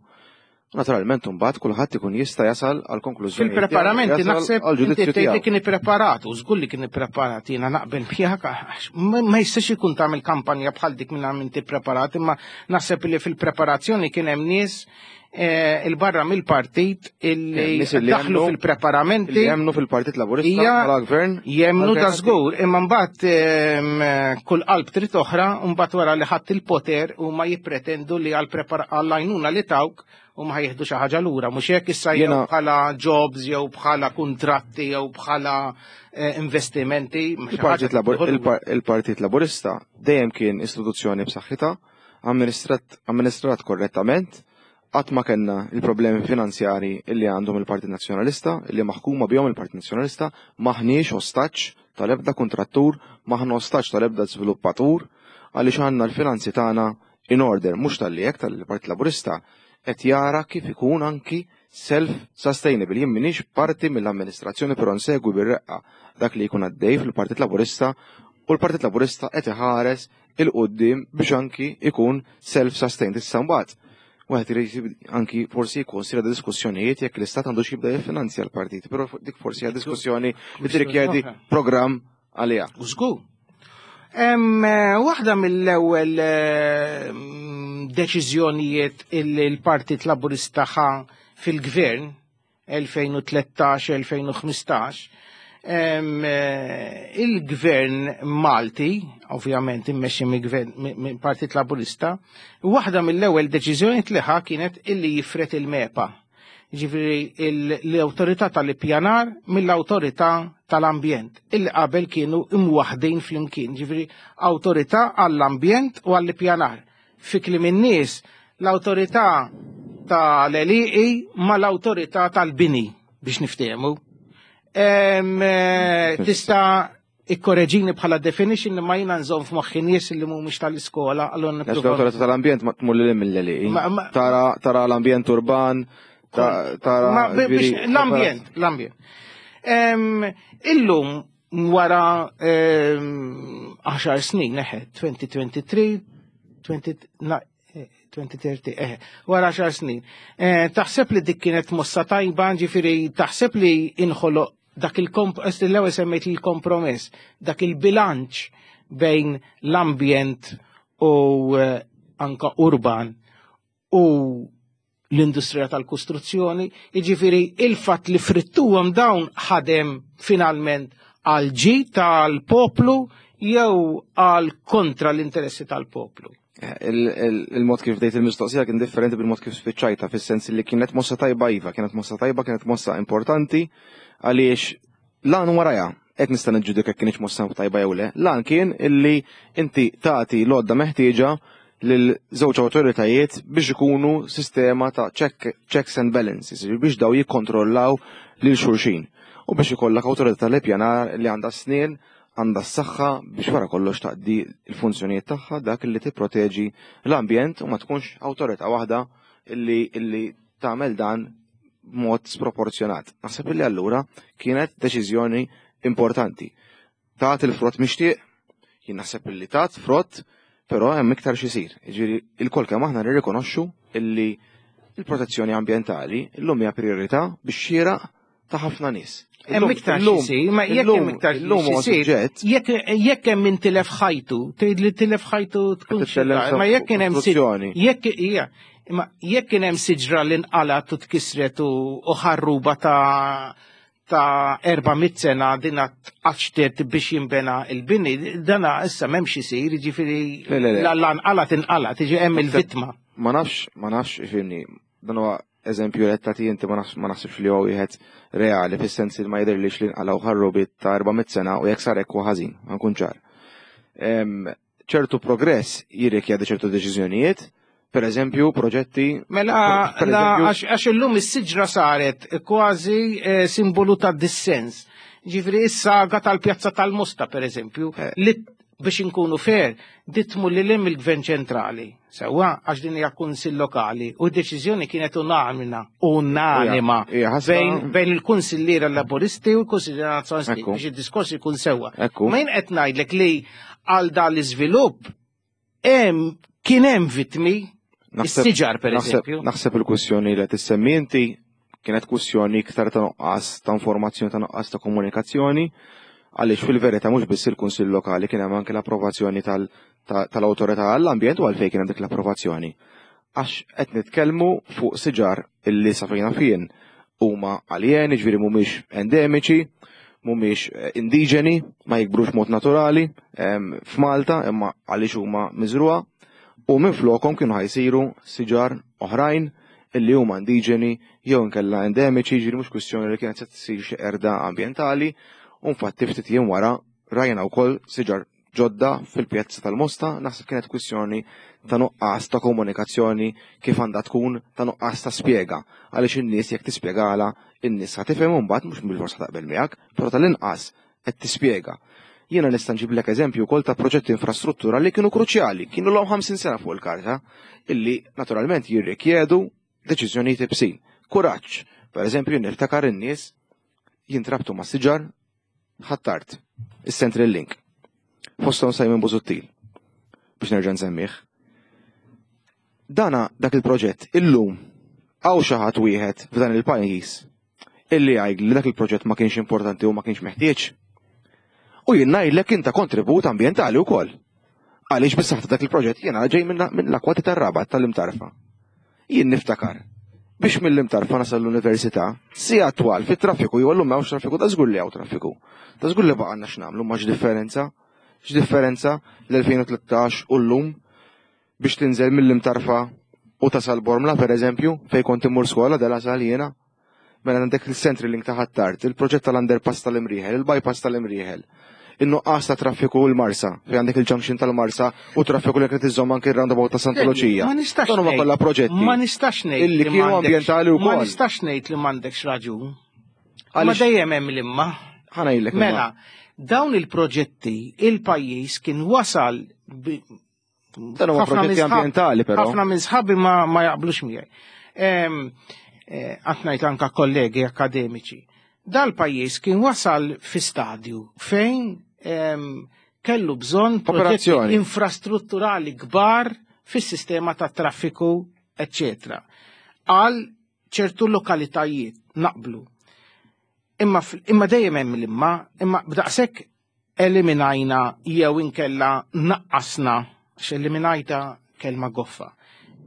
Naturalment imbagħad kulħadd ikun jista' jasal għal konklużjoni. Fil-preparamenti naħseb inti tgħid li kien ippreparat, u żgur li kien ippreparat, jiena naqbel miegħek għax ma jistax ikun tagħmel kampanja bħal dik minn inti preparat, imma naħseb li fil-preparazzjoni kien hemm nies il-barra mill-partit illi daħlu fil-preparamenti. Jemnu fil-Partit Laburista bħala gvern. Jemnu da żgur, imma mbagħad kull qalb trid oħra, mbagħad wara li ħadd il-poter u ma jippretendu li għall-għajnuna li tawk u ma jieħdu xi ħaġa lura, mhux hekk issa jew bħala jobs jew bħala kuntratti jew bħala investimenti. Il-Partit Laburista dejjem kien istituzzjoni b'saħħitha, amministrat korrettament, qatt ma kellna il-problemi finanzjari illi għandhom il-Partit Nazzjonalista, illi maħkuma bihom il-Partit Nazzjonalista, maħniex ostaġġ tal-ebda kontrattur, maħna ostaġġ tal-ebda żviluppatur, għaliex għandna l-finanzi tagħna in order, mhux tal-li hekk tal-Partit Laburista qed jara kif ikun anki self-sustainable. Jien m'iniex parti mill-amministrazzjoni, però nsegwi bir-reqqa dak li jkun għaddej fil-Partit Laburista, u l-Partit Laburista qed iħares il-qudiem biex anki ikun self-sustained. Issa mbagħad wieħed irid anki forsi jikkonsidra diskussjonijiet jekk l-Istat għandux jibda jiffinanzja l-partit, però dik forsi hija diskussjoni li tirrikjedi programm għaliha. U żgur. Waħda mill-ewwel deċiżjonijiet illi l-Partit Laburista ħa fil-gvern elfejn u tlettax elfejn u ħmistax, il-gvern Malti, ovvjament immexxi mill-gvern Partit Laburista, waħda mill-ewwel deċiżjonijiet li ħa kienet illi jifret il-MEPA. Ġifieri l-awtorità tal-ippjanar mill-awtorità tal-ambjent, illi qabel kienu imwaħdin flimkien, ġifieri awtorità għall-ambjent u għall-ippjanar. Fi kliem in-nies, l-awtorità tal-għelieqi ma l-awtorità tal-bini biex niftehmu. Tista' ikkoreġini bħala definition ma jiena nżomm f'moħħi nies li mhumiex tal-iskola, allura nipprova. L-awtorità tal-ambjent ma tmur lil mill-għelieqi. Tara l-ambjent urban, tara l-ambjent, l-ambjent. Illum wara għaxar snin, eħe, twenty twenty-three, twenty thirty, eħe, wara għaxar snin. Taħseb li dik kienet mossa tajba, ġifieri taħseb li inħoloq dak il-komp, l-ewwel semmejt il-kompromess, dak il-bilanċ bejn l-ambjent u anka urban u l-industrija tal-kostruzzjoni, jiġifieri il-fatt li frittuhom dawn ħadem finalment għal ġid tal-poplu jew għal kontra l-interessi tal-poplu. Il-mod kif dejt il-mistoqsija kien differenti bil-mod kif spiċċajta, fis-sens li kienet mossa tajba iva, kienet mossa tajba, kienet mossa importanti, għaliex lan waraja, qed nista' niġġudika kienx mossa tajba jew le, lan kien illi inti tagħti l-għodda meħtieġa lil żewġ awtoritajiet biex ikunu sistema ta' checks and balances, biex daw jikkontrollaw lil xulxin. U biex ikollok awtorità tal-ippjanar li għandha snien, għandha s-saħħa biex wara kollox taqdi l-funzjonijiet tagħha, dak li tipproteġi l-ambjent u ma tkunx awtorità waħda illi, illi tagħmel dan b'mod sproporzjonat. Naħseb illi allura kienet deċiżjoni importanti. Tat il-frott mixtieq, jien naħseb illi tat frott, però hemm iktar x'isir. Jiġifieri il-kol kemm aħna nirrikonoxxu illi il-protezzjoni ambjentali illum hija priorità biex xieraq ta' ħafna nies. Hemm iktar x'isir, ma jekk hemm iktar x'isir, jekk hemm min tilef ħajtu, tgħid li tilef ħajtu tkun xi, ma jekk kien hemm jekk hija, imma jekk kien hemm siġra li nqalat u tkisret u ħarruba ta' ta' erba' mitt sena dina tqaċtet biex jinbena il-bini, dana issa m'hemmx isir, jiġifieri la nqalat inqalat, jiġi hemm il-vittma. Ma nafx, ma nafx, ifhimni, dan huwa eżempju li qed inti ma naħsibx li huwa wieħed reali, fis-sens li ma jidhirlix li nqalgħu ħarrubiet ta' erba' mitt sena u jekk sar hekk huwa ħażin, ma nkun ċar. Ċertu progress jirrikjedi ċertu deċiżjonijiet, per eżempju proġetti. Mela, għax illum is-siġra saret kważi simbolu ta' dissens. Ġifieri is-saga tal-Pjazza tal-Mosta, per eżempju, li biex inkunu fair, ditmu li lim il-Gvern ċentrali. Sewwa, għax din hija kunsill lokali u d-deċiżjoni kienet unanima, unanima bejn il-kunsilliera Laburisti u l-kunsilliera Nazzjonalisti biex id-diskors ikun sewwa. Ma jien qed ngħidlek li għal dan l-iżvilupp hemm kien hemm vittmi. Is-siġar, per eżempju. Naħseb il-kwistjoni li tissemmi inti kienet kwistjoni iktar ta' nuqqas ta' informazzjoni, ta' nuqqas ta' komunikazzjoni, għaliex fil-verità mhux biss il-Kunsill Lokali, kien hemm anke l-approvazzjoni tal-Awtorità għall-Ambjent. U għalfejn kien hemm dik l-approvazzjoni? Għax qed nitkellmu fuq siġar illi sa fejn fien huma aljeni, ġifieri mhumiex endemiċi, mhumiex eh, indiġeni, ma jikbrux mod naturali f'Malta, imma għaliex huma miżruha u minn flokhom kienu ħa jsiru siġar oħrajn illi huma indiġeni jew inkella endemiċi, ġifieri mhux kwistjoni li kienet se tsir xi qerda ambjentali, u infatti ftit jiem wara rajna wkoll siġar ġodda fil-pjazza tal-Mosta. Naħseb kienet kwistjoni ta' nuqqas ta' komunikazzjoni kif għandha tkun, ta' nuqqas ta' spjega. Għaliex in-nies jekk tispjegala, in-nies ħa tifhem, mbagħad mhux bil-forsa taqbel miegħek, però tal-inqas qed tispjega. Jiena nista' nġiblek eżempju wkoll ta' proġetti infrastruttura li kienu kruċjali, kienu ilhom ħamsin sena fuq il-karta, illi naturalment jirrikjedu deċiżjonijiet iebsin. Kuraġġ, per eżempju, niftakar in-nies jintrabtu ma' siġar Ħ'Attard, is-Central Link. Fosthom Simon Busuttil, biex nerġa' nsemmih. Dana dak il-proġett illum hawn xi ħadd wieħed f'dan il-pajjiż illi jgħid li dak il-proġett ma kienx importanti u ma kienx meħtieġ? U jien ngħidlek inta kontribut ambjentali wkoll. Għaliex bis-saħħa dak il-proġett, jiena ġej minn l-akwati tar-Rabat, tal-Imtarfa. Jien niftakar biex mill-Imtarfa nasal l-università, siegħa twal fit-traffiku, jew llum m'hawnx traffiku, ta' żgur li hawn traffiku. Ta' żgur li baqgħalna x'nagħmlu, ma x'differenza? X'differenza l-elfejn u tlettax u llum biex tinżel mill-Imtarfa u tasal Bormla, per eżempju, fej kont immur skola De La Salle jiena? Mela għandek il-Central Link ta' Ħ'Attard, il-proġett tal-underpass tal-Imrieħel, il-bypass tal-Imrieħel, in-nuqqas ta' traffiku l-Marsa, fej għandek il-junction tal-Marsa u traffiku li qed iżomm anke il-roundabout ta' Santa Luċija. Ma nistax Dan huma ngħid- kollha proġetti Ma nistax ngħid illi li kienu m'għandekx- ambjentali Ma wkoll. nistax ngħid li m'għandekx raġun. Ma Għaliex dejjem hemm l-imma. ħa ngħidlek imma. Mela, dawn il-proġetti, il-pajjiż kien wasal bi- Dan huma ħafna proġetti minn sħab- ambjentali però. Ħafna minn sħabi ma, ma jaqblux miegħi. Em, eh, Qed ngħid anka kollegi akademiċi. Dal-pajjiż kien wasal fi stadju fejn em, kellu bżonn proġetti Operazzjoni. infrastrutturali kbar fis-sistema ta' traffiku, eccetera. Għal ċertu lokalitajiet naqblu. Imma, fil- imma dejjem hemm l-imma, imma b'daqshekk eliminajna jew inkella naqqasna, x'eliminajta kelma goffa,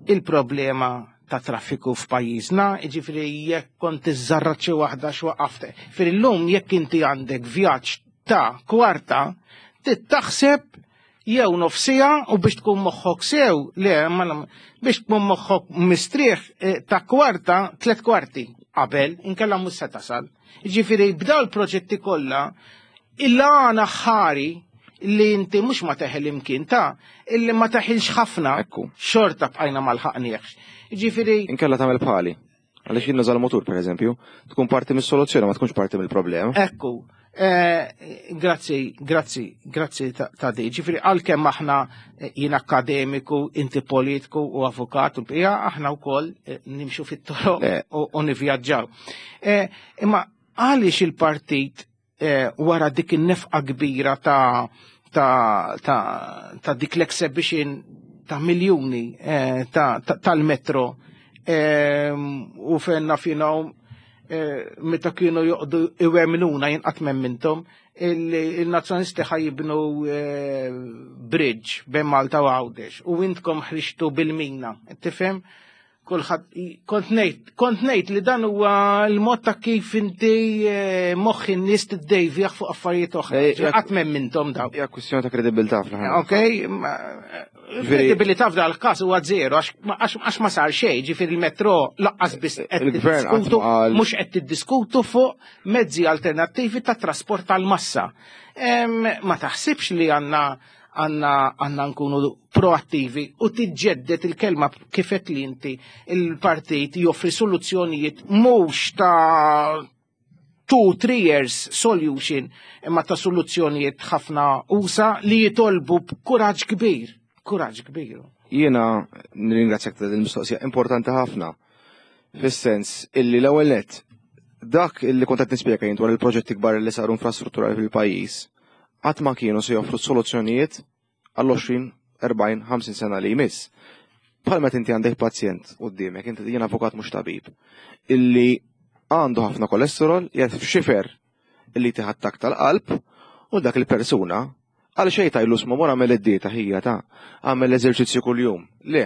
il-problema ta' traffiku f'pajjiżna, jiġifieri jekk kont iżżarrat xi waħda x'waqaft. Fir illum jekk inti għandek vjaġġ ta' kwarta, taħseb jew nofs siegħa u biex tkun moħħok sew, le, ma biex tkun moħħok mistrieħ eh, ta' kwarta, tlet kwarti qabel, inkella mhux se tasal. Ġifieri b'daw il-proġetti kollha, il-għana ħari li inti mhux ma teħel imkien ta' illi ma teħilx ħafna, Ekku. xorta bqajna ma lħaqniex. Ġifieri Inkella tagħmel bħali. Għaliex jien nuża l-motur, per eżempju, tkun parti mis-soluzzjoni, ma tkunx parti mill-problema. Ekku, eh, grazzi, grazzi, grazzi ta' ta' di. Ġifieri għalkemm aħna eh, jien akademiku, inti politiku u avukat u l-bqija, aħna wkoll eh, nimxu fit-toroq Eh. u u nivvjaġġaw. Eh, Imma għaliex il-partit eh, wara dik in-nefqa kbira ta' ta' ta' ta' dik l-exhibition ta' miljuni eh, ta' ta- tal-metro eh, u fenna finaw eh, meta kienu joqdu iwemnuna jinqat mintom il-nazzjonisti ħa jibnu eh, bridge bejn Malta u Għawdex u intkom ħriġtu bil-mina, tifhem? Kulħadd kont ngħid kont ngħid li dan huwa l-mod ta' kif inti eh, moħħ in-nies tiddejvjaħ fuq affarijiet oħra. Eh, jak- Qatt mintom daw. Hija kwistjoni ta' kredibilità fl-aħħar. Ok, ma- kredibilità f'dal każ huwa zero għax għax għax ma sar xejn, ġifieri il-metro lanqas biss qed Il-gvern qatt tiddiskutu ma qal- mhux qed tiddiskutu fuq mezzi alternattivi ta' trasport tal-massa. Em, Ma taħsibx li għandna għandna għandna nkunu proattivi u tiġġedded il-kelma kifet li inti il-partit joffri soluzzjonijiet mhux ta' two, three years solution, imma ta' soluzzjonijiet ħafna usa li jitolbu b'kuraġġ kbir. Kuraġġ kbir. Jiena nirringrazzjak ta' din il-mistoqsija importanti ħafna. Fis-sens illi l-ewwel nett dak illi kont qed nispjega jien dwar il-proġetti kbar li saru infrastrutturali fil-pajjiż qatt ma kienu se joffru soluzzjonijiet għall-għoxrin, erbgħin, ħamsin sena li jmiss. Bħal meta inti għandek pazjent quddiemek, inti jien avukat mhux tabib, illi għandu ħafna kolesterol, qiegħed f'xifer illi tih attakk tal-qalb, u dak il-persuna għal xejn tgħidlu isma' mur għamel id-dieta ħija ta' għamel eżerċizzju kuljum. Le,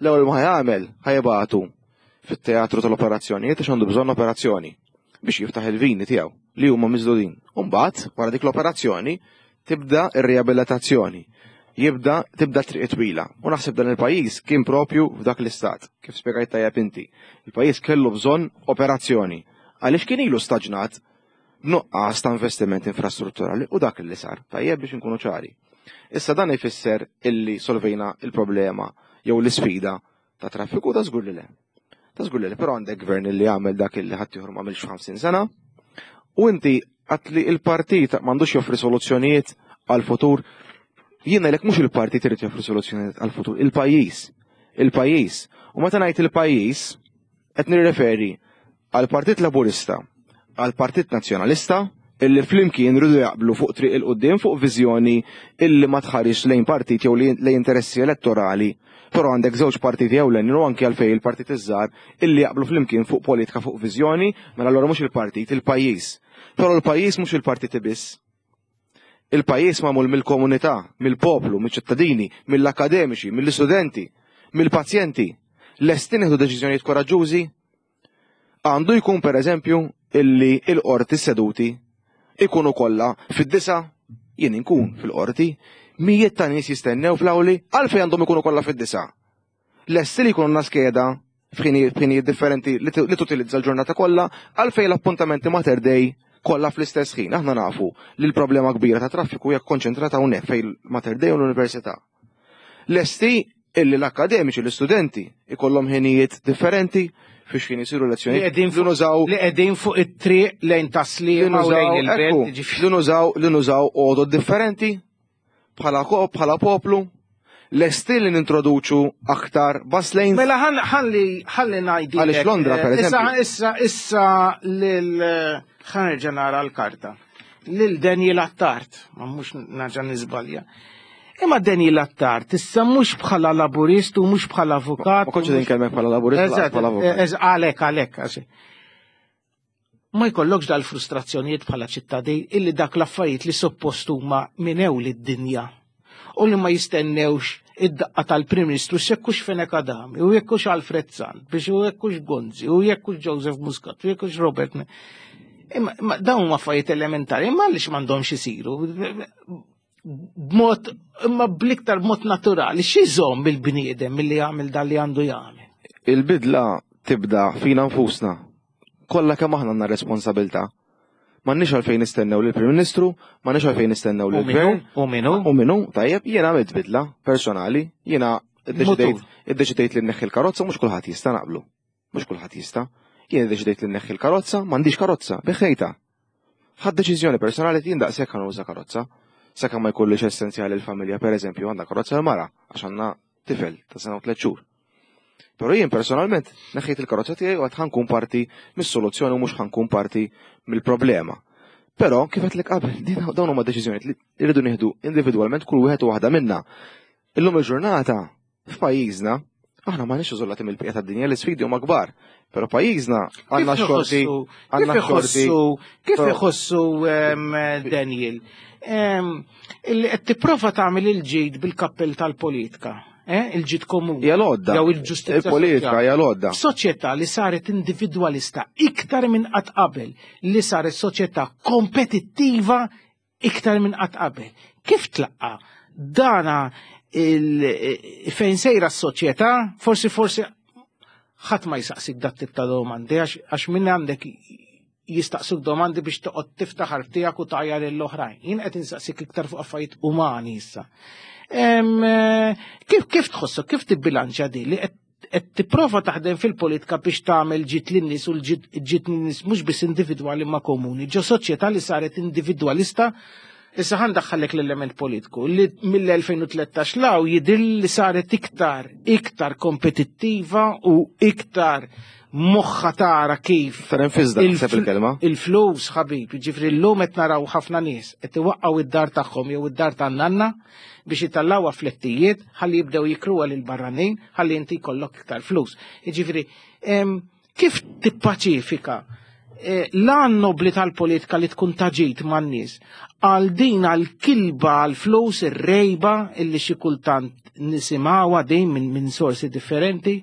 l-ewwel ma ħa jagħmel ħa jibagħtu fit-teatru tal-operazzjonijiet għax għandu bżonn operazzjoni biex jiftaħ il-vini tiegħu li huma miżdudin. U mbagħad wara dik l-operazzjoni tibda ir-riabilitazzjoni. Jibda tibda triq twila. U naħseb dan il-pajjiż kien propju f'dak l-istat, kif spjegajt tajjeb inti. Il-pajjiż kellu bżonn operazzjoni. Għaliex kien ilu staġnat b'nuqqas ta' investiment infrastrutturali u dak li sar. Tajjeb biex inkunu ċari. Issa dan ifisser illi solvejna il-problema jew l-isfida ta' traffiku ta' żgur li le. Ta' żgur li le, però għandek gvern li għamel dak illi ħadd ieħor m'għamilx f'ħamsin sena. U inti għedt li il-partit m'għandux joffri soluzzjonijiet għal-futur. Jiena lek mhux il-partit irid joffri soluzzjonijiet għal-futur, il-pajjiż. Il-pajjiż. U meta ngħid il-pajjiż, qed nirreferi għal-Partit Laburista, għal-Partit Nazzjonalista, illi flimkien rridu jaqblu fuq triq 'il quddiem fuq viżjoni illi ma tħares lejn partit jew lejn interessi elettorali. Però għandek żewġ partiti ewlenin u anke għalfejn il-partit iż-żgħar illi jaqblu flimkien fuq politika fuq viżjoni, mela allura mhux il-partit, il-pajjiż. Però l-pajjiż mhux il-partiti biss. Il-pajjiż magħmul mill-komunità, mill-poplu, mill-ċittadini, mill-akademiċi, mill-istudenti, mill-pazjenti. Lesti nieħdu deċiżjonijiet koraġġużi? Għandu jkun per eżempju illi il-qorti seduti ikunu kollha fid-disa jien inkun fil-qorti, mijiet ta' nies jistennew fl-awli għalfejn għandhom ikunu kollha fid-disa. Lesti li jkunu skeda f'ħinijiet differenti li tutilizza l-ġurnata kollha għalfejn l-appuntamenti Mater Dei kollha fl-istess ħin. Aħna nafu li l-problema kbira ta' traffiku hija konċentrata hawnhekk fejn Mater Dei u l-Università. Lesti illi l-akademiċi, l-istudenti ikollhom ħinijiet differenti fiex kien isiru lezzjonijiet. Li nużaw li qegħdin fuq it-triq lejn Taslima u lejn il-belt. Li nużaw li nużaw għodod differenti bħala bħala poplu. Lesti li nintroduċu aktar bus lanes. Mela ħalli ħalli ngħidilek. Għaliex Londra, per eżempju. Issa issa lil ħa nerġa' nara l-karta. Lil Daniel Attard, ma mhux nerġa' niżbalja. Imma Daniel Attard, issa mhux bħala laburist u mhux bħala avukat. Ma kontx inkellmek bħala laburist, bħala avukat. Għalek, għalek, għaxi. Ma jkollokx dal-frustrazzjonijiet bħala ċittadin illi dak l-affarijiet li suppost huma minew lid-dinja u li ma jistennewx id-daqqa tal-Prim Ministru jekkux Fenech Adami, u jekkux Alfred Sant, biex u jekkux Gonzi, u jekkux Joseph Muscat, u jekkux Robert. Imma dawn huma affarijiet elementari, imma għaliex m'għandhomx isiru b'mod imma bl-iktar b'mod naturali, x'iżomm il-bniedem milli jagħmel dan li għandu jagħmel? Il-bidla tibda fina nfusna. Kollha kemm aħna għandna responsabilità. M'għandniex għalfejn nistennew lill-Prim Ministru, m'għandniex għalfejn nistennew lill-Gvern. U minu? U minu, tajjeb, jiena għamilt bidla personali, jiena iddeċidejt li nneħħi l-karozza, mhux kulħadd jista' naqblu. Mhux kulħadd jista'. Jien iddeċidejt li nneħħi l-karozza, m'għandix karozza, bigħtha. Ħadt deċiżjoni personali jien daqshekk ħa nuża karozza. Sakemm ma jkollix essenzjali l-familja, per eżempju, għandha karozza l-mara, għax għandna tifel ta' sena u tliet xhur. Però jien personalment neħħejt il-karozza tiegħi u għad ħa nkun parti mis-soluzzjoni u mhux ħa nkun parti mill-problema. Però kif qed qabel, din dawn huma deċiżjonijiet li rridu nieħdu individwalment kull wieħed u waħda minna. Illum il-ġurnata f'pajjiżna aħna m'aħniex iżolati mill-bqija tad-dinja, l-isfidi huma kbar. Però pajjiżna għandna xorti għandna xorti. Kif iħossu Daniel? Illi qed tipprova tagħmel il-ġid bil-kappell tal-politika. Eh, il-ġid komuni. Hija l-għodda. Jew il-ġustizzja. Il-politika hija l-għodda. Soċjetà li saret individwalista iktar minn qatt qabel, li saret soċjetà kompetittiva iktar minn qatt qabel. Kif tlaqqa dana fejn sejra s-soċjetà, forsi forsi ħadd ma jsaqsik dat tip ta' domandi għax minn għandek jistaqsuk domandi biex toqgħod tiftaħar tiegħek u tgħajjar lill-oħrajn. Jien qed insaqsik iktar fuq affarijiet umani issa. Kif kif tħossok, kif tibbilanċja di li qed tipprova taħdem fil-politika biex tagħmel ġid lin-nies u l-ġid lin-nies mhux biss individwali ma komuni, ġo soċjetà li saret individwalista Issa ħa ndaħħallek l-element politiku li mill-elfejn u tlettax 'l hawn jidher li saret iktar, iktar kompetittiva u iktar moħħa tara kif Iktar infizda, naħseb il-kelma. Il-flus, ħabib, ġifieri llum qed naraw ħafna nies qed iwaqqgħu id-dar tagħhom jew id-dar tan-nanna biex itellgħuha flettijiet ħalli jibdew jikruha lil barranin ħalli inti jkollok iktar flus. Ġifieri, em, kif tippaċifika eh, l-għan nobli tal-politika li tkun taġit man-nies għal din għal-kilba għal-flus ir-rejba illi xi kultant nisimgħuha din minn min sorsi differenti,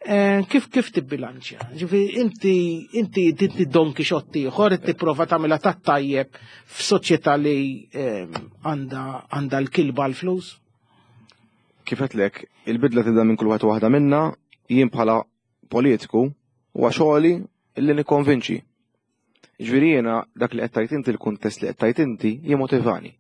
eh, kif kif tibbilanċja? Ġifieri inti inti inti Don Quixote ieħor qed tipprova tagħmilha tat-tajjeb f'soċjetà li eh, għandha għandha l-kilba għal-flus? Kif għedtlek, il-bidla tibda minn kull wieħed u waħda minna, jien bħala politiku huwa xogħli illi nikkonvinċi. Ġifieri jiena dak li qed tgħid inti, il-kuntest li qed tgħid inti jimmotivani.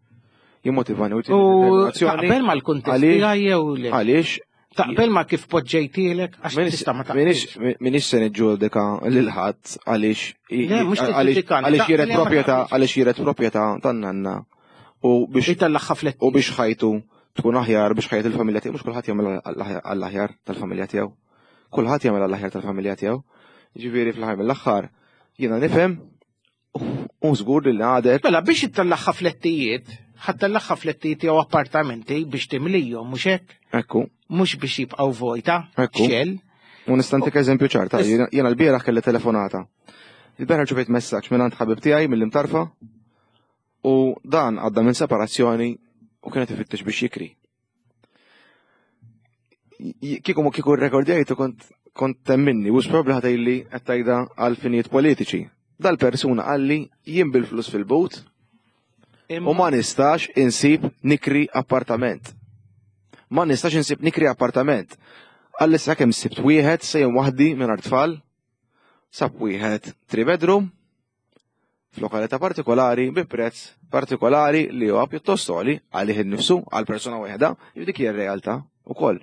Jimmotivani u U determinazzjoni. taqbel mal-kuntest Għaliex- tiegħi jew le? Għaliex Taqbel ma kif poġġejtielek għax tista' ma Minix taqbilx. Minix se niġġudika lil ħadd għaliex Le, mhux għaliex tiġġudikani, għaliex jiret taqbel ma proprjetà taqbilx. għaliex jiret proprjetà tan-nanna u biex Itellagħha fletti. u biex ħajtu tkun aħjar, biex ħajt il-familja tiegħu, mhux kulħadd jagħmel għall-aħjar tal-familja tiegħu. Kulħadd jagħmel għall-aħjar tal-familja tiegħu. Ġifieri fl-aħħar mill-aħħar jiena nifhem u żgur li għadek Mela biex ittellagħha flettijiet, ħa ttellagħha flettijiet jew appartamenti biex timlijhom, mhux hekk? Ekku. Mhux biex jibqgħu vojta, Ekku. xell. U nista' ntik eżempju ċar, ta' Is- jiena jiena l-bieraħ kelli telefonata. Il-bieraħ ġibejt messaġġ minn għand ħabib tiegħi mill-Imtarfa u dan għadda minn separazzjoni u kienet ifittex biex jikri. J- Kieku ma kieku rrekordjajtu kont kont temminni, u probabbli ħa tgħidli qed tgħidha għal finijiet politiċi. Dal-persuna qalli jien bil-flus fil-but u ma nistax insib nikri appartament. Ma nistax insib nikri appartament. Qalli sa kemm sibt wieħed sejjem waħdi minn tfal, sab wieħed three bedroom f'lokalità partikolari bi prezz partikolari li huwa pjuttost għoli għalih innifsu għal persuna waħda, dik hija r-realtà ukoll.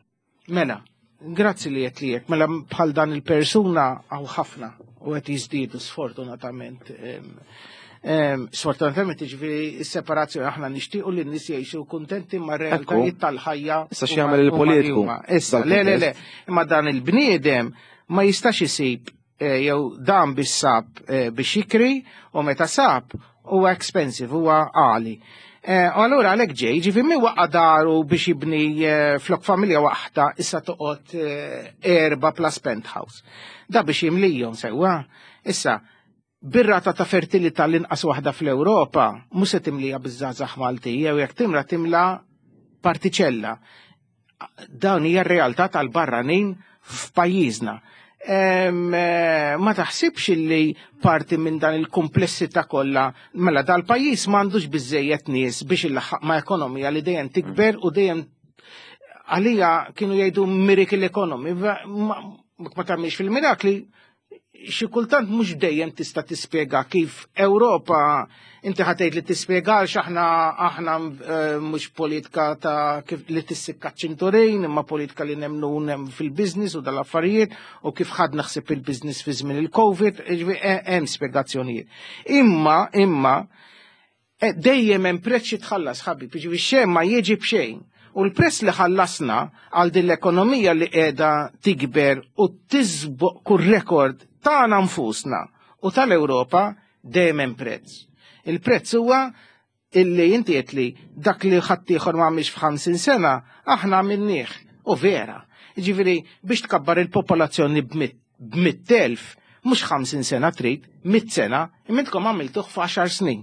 Mela, grazzi li qed li mela bħal dan il-persuna hawn ħafna u qed jiżdiedu sfortunatament. Em, em, Sfortunatament ġifieri s-separazzjoni aħna nixtiequ li n-nies jgħixu kuntenti ma' realtajiet tal-ħajja. Issa huma- x'jagħmel huma il-politiku li huma. Issa, le, le, le, imma dan il-bniedem ma jistax isib eh, jew dan biex sab eh, biex jikri u meta sab huwa expensive, huwa għali. Eh, U allura għalhekk ġej, ġifieri mi waqqa daru biex jibni eh, flok familja waħda issa toqgħod eh, erba plus penthouse. Da biex jimlijhom sewwa. Issa, bir-rata ta' fertilità l-inqas waħda fl-Ewropa, mhux se timlija biż-żgħażagħ Maltija, jew jekk timla timla partiċella. Dawn hija r-realtà tal-barranin f'pajjiżna. Em, eh, Ma taħsibx li parti minn dan il-komplessità kollha, mela dal-pajjiż m'għandux biżejjed nies biex ilaħħaq ma' ekonomija li dejjem tikber u dejjem għalija kienu jgħidu miracle economy, ma ma tagħmilx fil-mirakli, xi kultant mhux dejjem tista' tispjega kif Ewropa inti ħa tgħid li tispjega għax aħna aħna eh, mhux politika ta' kif li tissikka ċinturin, imma politika li nemnu nem fil-business u dal-affarijiet u kif ħad naħseb il-business fi żmien il-Covid, ġifieri, eh, hemm spjegazzjonijiet. Imma imma eh, dejjem hemm prezz jitħallas ħabib, ġifieri xejn ma jiġi b'xejn. U l-prezz li ħallasna għal din l-ekonomija li qiegħda tikber u tisboq kull rekord tagħna nfusna u tal-Ewropa dejjem hemm prezz. Il-prezz huwa illi inti qed li dak li ħaddieħor ma għamilx f'ħamsin sena aħna għamilnieh. U vera. Ġifieri biex tkabbar il-popolazzjoni b'mitt elf, mhux ħamsin sena trid, mitt sena, imma intkom għamiltuh f'għaxar snin.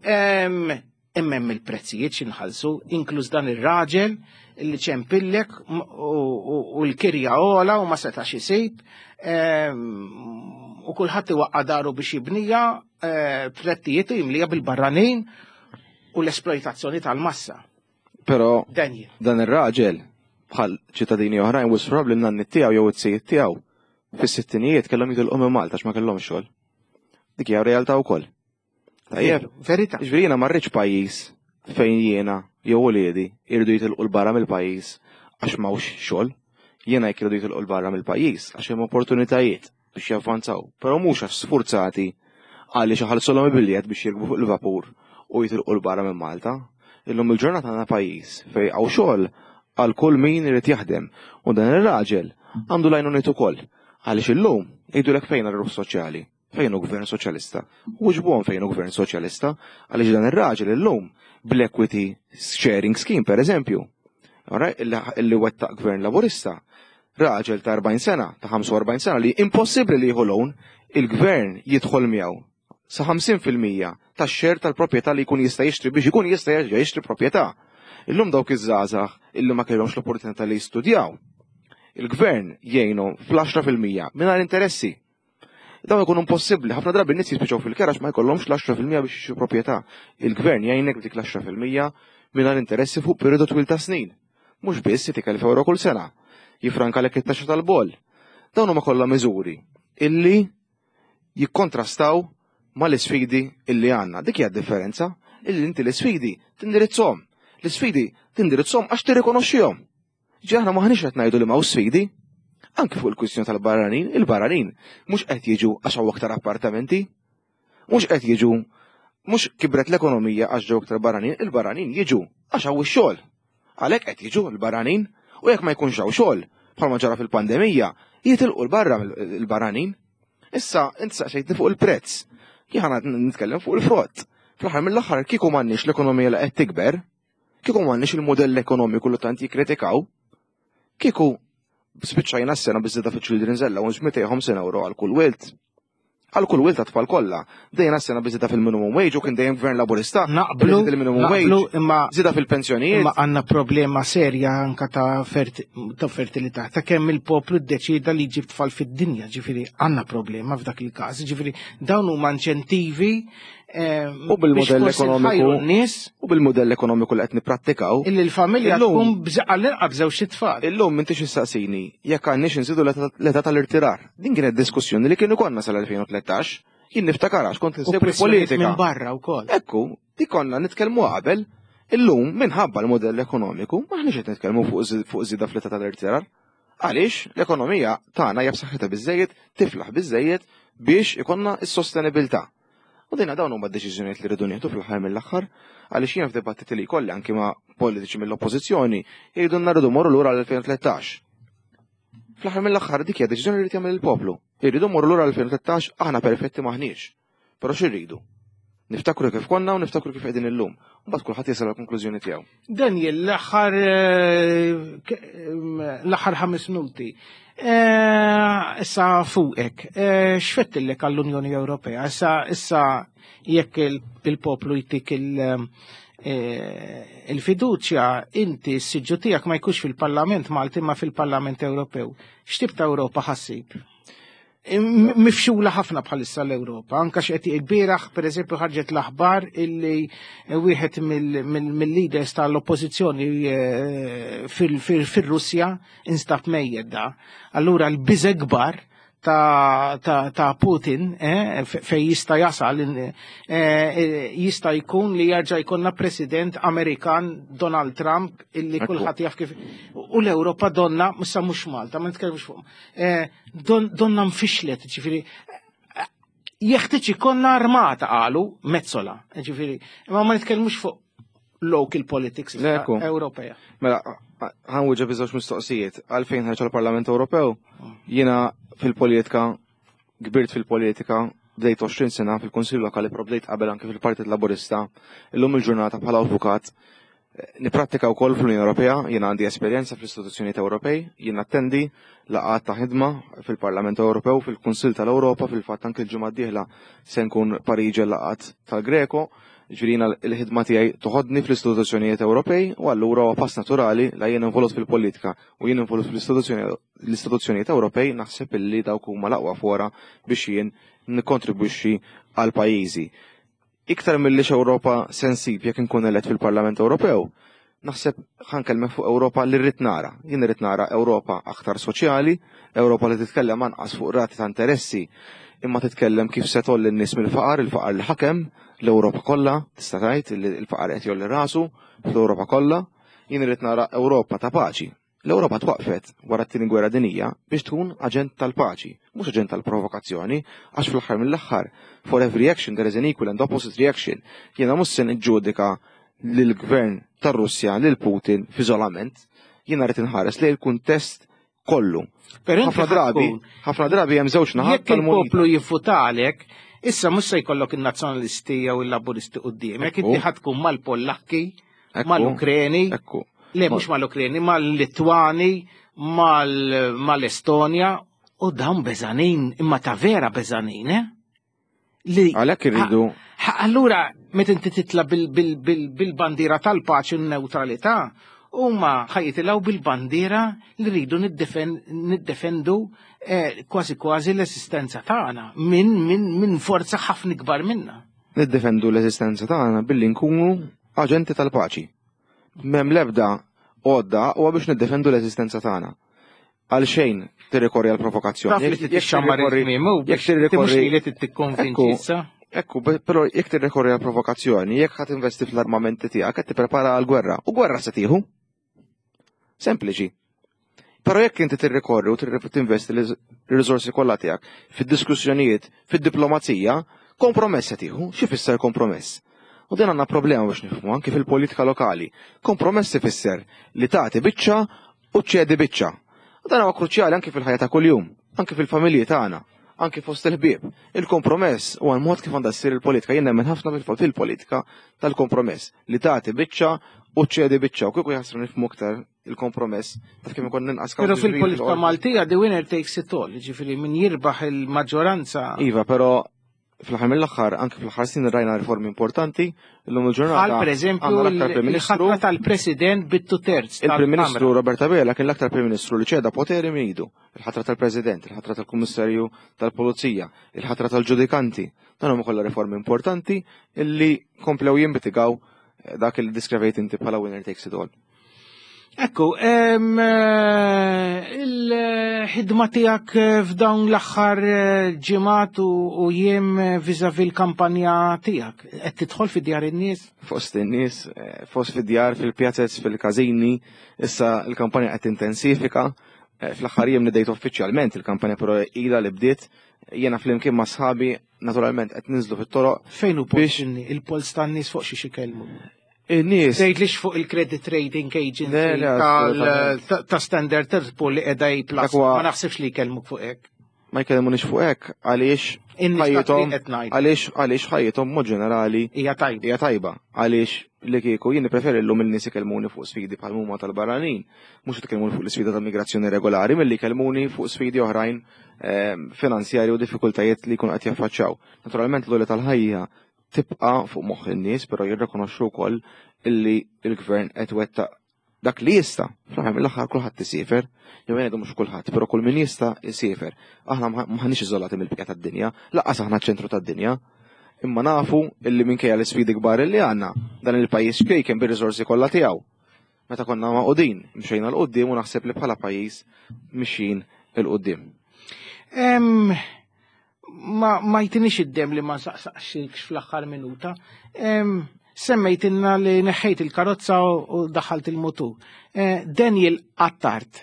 Em, Imma hemm il-prezzijiet x'inħallsu, inkluż dan ir-raġel li ċempillek m- u u- u l-kirja ola u ma setax isib. Em, U kulħadd iwaqqa daru biex jibnija eh, flettijiet u jimlija bil-barranin u l-esploitazzjoni tal-massa. Però Daniel. dan ir-raġel bħal ċittadini oħrajn wisq probabbli n-nanni tiegħu jew it-sijiet tiegħu fis-sittinijiet kellhom jitilqu minn Malta għax ma kellhomx xogħol. Dik hija realtà wkoll. Tajjeb. Verità. Ġifieri jiena ma rridx pajjiż fejn jiena jew uliedi jridu jitilqu 'l barra mill-pajjiż għax m'hawnx xogħol. Jiena jekk iridu jitilqu 'l barra mill-pajjiż għax hemm opportunitajiet biex javvanzaw, però mhux għax sfurzati għaliex iħallsulhom il-biljett biex jirkbu fuq il-vapur u jitilqu 'l barra minn Malta. Illum il-ġurnata għandna pajjiż fejn hawn xogħol għal kull min irid jaħdem u dan ir-raġel għandu l-għajnuniet ukoll. Għaliex illum jgħidulek fejn ir-ruħ soċjali, fejn hu gvern soċjalista. Wiġbuhom fejn hu gvern soċjalista, għaliex dan ir-raġel illum bl-equity sharing scheme per eżempju, illi wettaq gvern laburista, raġel ta' erbgħin sena, ta' ħamsa u erbgħin sena li impossibbli li jieħu loan, il-gvern jidħol miegħu sa ħamsin fil-mija tax-share tal-proprjetà li jkun jista' jixtri biex ikun jista' jerġa' jixtri proprjetà. Illum dawk iż-żgħażagħ illi ma kellhomx l-opportunità li jistudjaw, il-gvern jgħinhom fl-għaxra fil-mija mingħajr interessi. Dawn ikunu impossibbli, ħafna drabi n-nies jispiċċaw fil-kera għax ma jkollhomx l-għaxra fil-mija biex jixtru proprjetà. Il-gvern jgħinek b'dik l-għaxra fil-mija mingħajr interessi fuq perjodu twil ta' snin. Mhux biss jtik elf euro kull sena, jifrankalek it-taxxa tal-boll. Dawn huma kollha miżuri illi jikkontrastaw mal-isfidi illi għandna. Dik hija d-differenza, illi inti l-isfidi tindirizzhom. L-isfidi tindirizzhom għax tirrikonoxxihom. Ġi aħna maħniex qed ngħidu li m'hawn sfidi. Anki fuq il-kwistjoni tal-barranin, il-barranin mhux qed jiġu għax hawn aktar appartamenti, mhux qed jiġu, mhux kibret l-ekonomija għax ġew aktar barranin, il-barranin jiġu għax hawn ix-xogħol. Għalhekk qed jiġu l-barranin, u jekk ma jkunx hawn xogħol, bħalma ġara fil-pandemija, jitilqu l-barra l-barranin. Issa inti saqsejtni fuq il-prezz. Jien ħa nitkellem fuq il-frott. Fl-aħħar mill-aħħar kieku m'għandniex l-ekonomija li qed tikber, kieku m'għandniex il-modell ekonomiku li tant jikkritikaw, kieku spiċċajna s-sena biżżejjed fil-Children's Allowance mitejn u ħamsin euro għal kull wild. Għal kull wild ta' tfal kollha. Dejna s-sena biżżejjed fil-minimum wage u kien dejjem gvern laburista. Naqblu, il-minimum naqblu, wage, imma żieda fil-pensjonijiet. Imma għandna problema serja anka ta' ferti-, ta' fertilità, ta' kemm il-poplu ddeċida li jġib tfal fid-dinja, ġifieri għandna problema f'dak il-każ, ġifieri dawn huma inċentivi, eh, U bil-modell biex forsi ekonomiku nħajru n-nies u bil-modell ekonomiku li qed nipprattikaw. Illi l-familja Illum tkun bż-, għall-inqas b'żewġ tfal. Illum m'intix issaqsini jekk għandniex inżidu l-età, l-età tal-irtirar. Din kienet diskussjoni li kienu konna sal-elfejn u tlettax. Jien niftakar għax kont U insegwi pressjonijiet politika. minn barra wkoll. Ekku, dik konna nitkellmu qabel. Illum minħabba l-modell ekonomiku maħniex qed nitkellmu fuq zi-, fuq żieda fl-età tal-irtirar. Għaliex l-ekonomija tagħna hija b'saħħitha biżejjed, tiflaħ biżejjed biex ikonna s-sostenibilità. U dejna dawn huma d-deċiżjonijiet li rridu nieħdu fl-aħħar mill-aħħar, għaliex jiena f'dibattiti li jkolli anki ma' politiċi mill-oppożizzjoni jgħidu rridu morru lura l-elfejn u tlettax. Fl-aħħar mill-aħħar dik hija deċiżjoni li jrid jagħmel il-poplu. Irridu morru lura l-elfejn u tlettax, aħna perfetti maħniex. Però x'irridu? Niftakru kif konna u niftakru kif qegħdin illum. U mbagħad kulħadd jasal għall-konklużjoni tiegħu. Daniel, l-aħħar, eh, k-, em, l-aħħar ħames minuti. Eh, issa fuqek, eh, x'fettillek għall-Unjoni Ewropea? Issa, issa jekk il-, il-poplu jtik il-, eh, il-fiduċja, inti s-siġġu tiegħek ma jkunx fil-Parlament Malti ma fil-Parlament Ewropew. X'tip ta' Ewropa ħassib? M-, mifxula ħafna bħalissa l-Ewropa, anka x'qed il-bieraħ pereżempju ħarġet l-aħbar illi wieħed mill-, mill-, mill-leaders tal-oppożizzjoni, eh, fil-, fil-, fir-Russja instab mejjed da. Allura l-biża' kbar ta', ta', ta' Putin, eh, fe-, fej jista' jasal, eh, eh, jista' jkun li jerġa' jkollna President Amerikan Donald Trump illi Ekku. kulħadd jaf kif. U l-Ewropa donna, issa mhux Malta, ma nitkellmux fuq, eh, don-, donna mfixlet, ġifieri, eh, jeħtieġ ikollna armata qalu Metsola, ġifieri, imma ma nitkellmux fuq local politics Ekku. Ewropea. Mela, ħanwieġeb iż-żewġ mistoqsijiet. Għalfejn ħarġ għall-Parlament Ewropew? Jiena fil-politika, kbirt fil-politika, bdejt għoxrin sena fil-Kunsill Lokali, però bdejt qabel anke fil-Partit Laburista. Illum il-ġurnata bħala avukat niprattika wkoll fl-Unjoni Ewropea, jiena għandi esperjenza fl-istituzzjonijiet Ewropej, jien attendi laqgħat ta' ħidma fil-Parlament Ewropew, fil-Kunsill tal-Ewropa, fil-fatt anke l-ġimgħa d-dieħla se nkun Pariġi laqgħat tal-Greco. Ġifieri jiena l-ħidma tiegħi toħodni fl-istituzzjonijiet Ewropej u allura huwa pass naturali la jien involut fil-politika u jien involut fl-istituzzjoni, l-istituzzjonijiet Ewropej, naħseb illi dawk huma l-aqwa fora biex jien nikkontribwixxi għal pajjiżi. Iktar milli x'Ewropa sensib jekk inkun elett fil-Parlament Ewropew, naħseb ħankellmek fuq Ewropa li rrid nara. Jien irrid nara Ewropa aktar soċjali, Ewropa li titkellem anqas fuq rati ta' interessi, imma titkellem kif se tolli n-nies mill-faqar, il-faqar li ħakem l-Ewropa kollha, tista' tgħid li l-faqar qed jolli rasu fl-Ewropa kollha. Jien irrid nara Ewropa ta' paċi. L-Ewropa twaqfet wara t-tieni gwerra dinija biex tkun aġent tal-paċi, mhux aġent tal-provokazzjoni, għax fl-aħħar mill-aħħar, for every action there is an equal and opposite reaction. Jiena mhux se niġġudika lill-gvern tar-Russja, lil Putin f'iżolament, jiena rrid inħares lejn il-kuntest kollu. Ħafna drabi, ħafna drabi hemm żewġ naħat. Jekk il-poplu jivvutalek, issa mhux se jkollok in-nazzjonalisti jew il-Laburisti quddiemek, inti ħa tkun mal-Pollakki, mal-Ukreni, le mhux mal-Ukreni, mal-Litwani, mal-Estonja, u dawn beżanin, imma ta' vera beżanin, eh? Għalhekk irridu. Allura, meta inti titla bil-bandiera tal-paċi u n-neutralità, huma ħa jitilgħu bil-bandiera li rridu niddefendu eh, kważi kważi l-esistenza tagħna minn min, min forza ħafna ikbar minna. Niddefendu l-esistenza tagħna billi nkunu aġenti tal-paċi. M'hemm l-ebda għodda huwa biex niddefendu l-esistenza tagħna. Għal xejn tirrikorri għal provokazzjoni. Taf li tixxammar il-kmiem, jekk tirrikorri li tikkonvinċi issa. Ekku, però jekk tirrikorri għal provokazzjoni, jekk ħa tinvesti fl-armamenti tiegħek qed tipprepara għal gwerra. U gwerra se tieħu. Sempliċi. Però jekk inti tirrikorri u tinvesti l-riżorsi kollha tiegħek fid-diskussjonijiet, fid-diplomazija, kompromess se tieħu. Xi fisser kompromess? U din għandna problema biex nifhmu anke fil-politika lokali. Kompromess ifisser li tagħti biċċa u ċedi biċċa. U dan huwa kruċjali anke fil-ħajja ta' kuljum, anke fil-familji tagħna, anke fost il-ħbieb. Il-kompromess huwa l-mod kif għandha ssir il-politika. Jien nemmen ħafna fil-politika tal-kompromess li tagħti biċċa u ċedi biċċa u kieku jaħsru nifhmu aktar il-kompromess taf kemm ikun inqas. Però fil-politika Maltija the winner takes it all, ġifieri min jirbaħ il-maġġoranza. Iva, però fl-aħħar mill-aħħar, anke fl-aħħar snin rajna riformi importanti, illum il-ġurnata. Għal per eżempju il-ħatra tal-President bit-two terz. Il-Prim Ministru Robert Abela kien l-aktar Prim Ministru li ċeda poteri minn idu. Il-ħatra tal-President, il-ħatra tal-Kummissarju tal-Pulizija, il-ħatra tal-Ġudikanti. Dan huma kollha riformi importanti illi komplew jimmitigaw dak li ddiskrivejt inti bħala winner takes it all. Ekku, il-ħidma tiegħek f'dawn l-aħħar ġimgħat u jiem vis-à-vis l-kampanja tiegħek, qed tidħol fi djar in-nies? Fost in-nies, fost fi djar, fil-pjazez, fil-każini, issa l-kampanja qed intensifika. Fl-aħħar jiem nidejt uffiċjalment il-kampanja, però ila li bdiet, jiena flimkien ma' sħabi naturalment qed ninżlu fit-toroq. Fejn hu il-polls tan-nies, fuq xi xikellmu? In-nies. Tgħidlix fuq il-Credit Rating Agency ta' Standard Poor's li qiegħda A plus. Ma naħsibx li jkellmuk fuq hekk. Ma jkellimunix fuq hekk għaliex ħajjithom għaliex għaliex ħajjithom mod ġenerali hija tajba. Hija tajba. Għaliex li kieku jien preferi llum il-nies ikellmuni fuq sfidi bħal huma tal-barranin, mhux ikellmuni fuq l-isfida tal-migrazzjoni regolari, milli jkellmuni fuq sfidi oħrajn ehm, finanzjari u diffikultajiet li jkunu qed jaffaċċjaw. Naturalment l tal-ħajja tibqa' fuq moħħ in-nies, però jirrikonoxxu wkoll illi l-gvern qed wettaq dak li jista'. Fl-aħħar mill-aħħar kulħadd isiefer, jew ngħidu mhux kulħadd, però kull min jista' isiefer. Aħna m'aħniex iżolati mill-bqija tad-dinja, lanqas aħna ċentru tad-dinja. Imma nafu illi minkejja l-isfidi kbar li għandna, dan il-pajjiż kien bir-riżorsi kollha tiegħu. Meta konna magħqudin, mxejna 'l quddiem u naħseb li bħala pajjiż mixjin 'il quddiem. Ma, ma jtinix id-dem li ma saqsaqxikx fl-aħħar minuta. Semmejtinna li neħħejt il-karozza u daħalt il-mutur. Eh, Daniel Attard,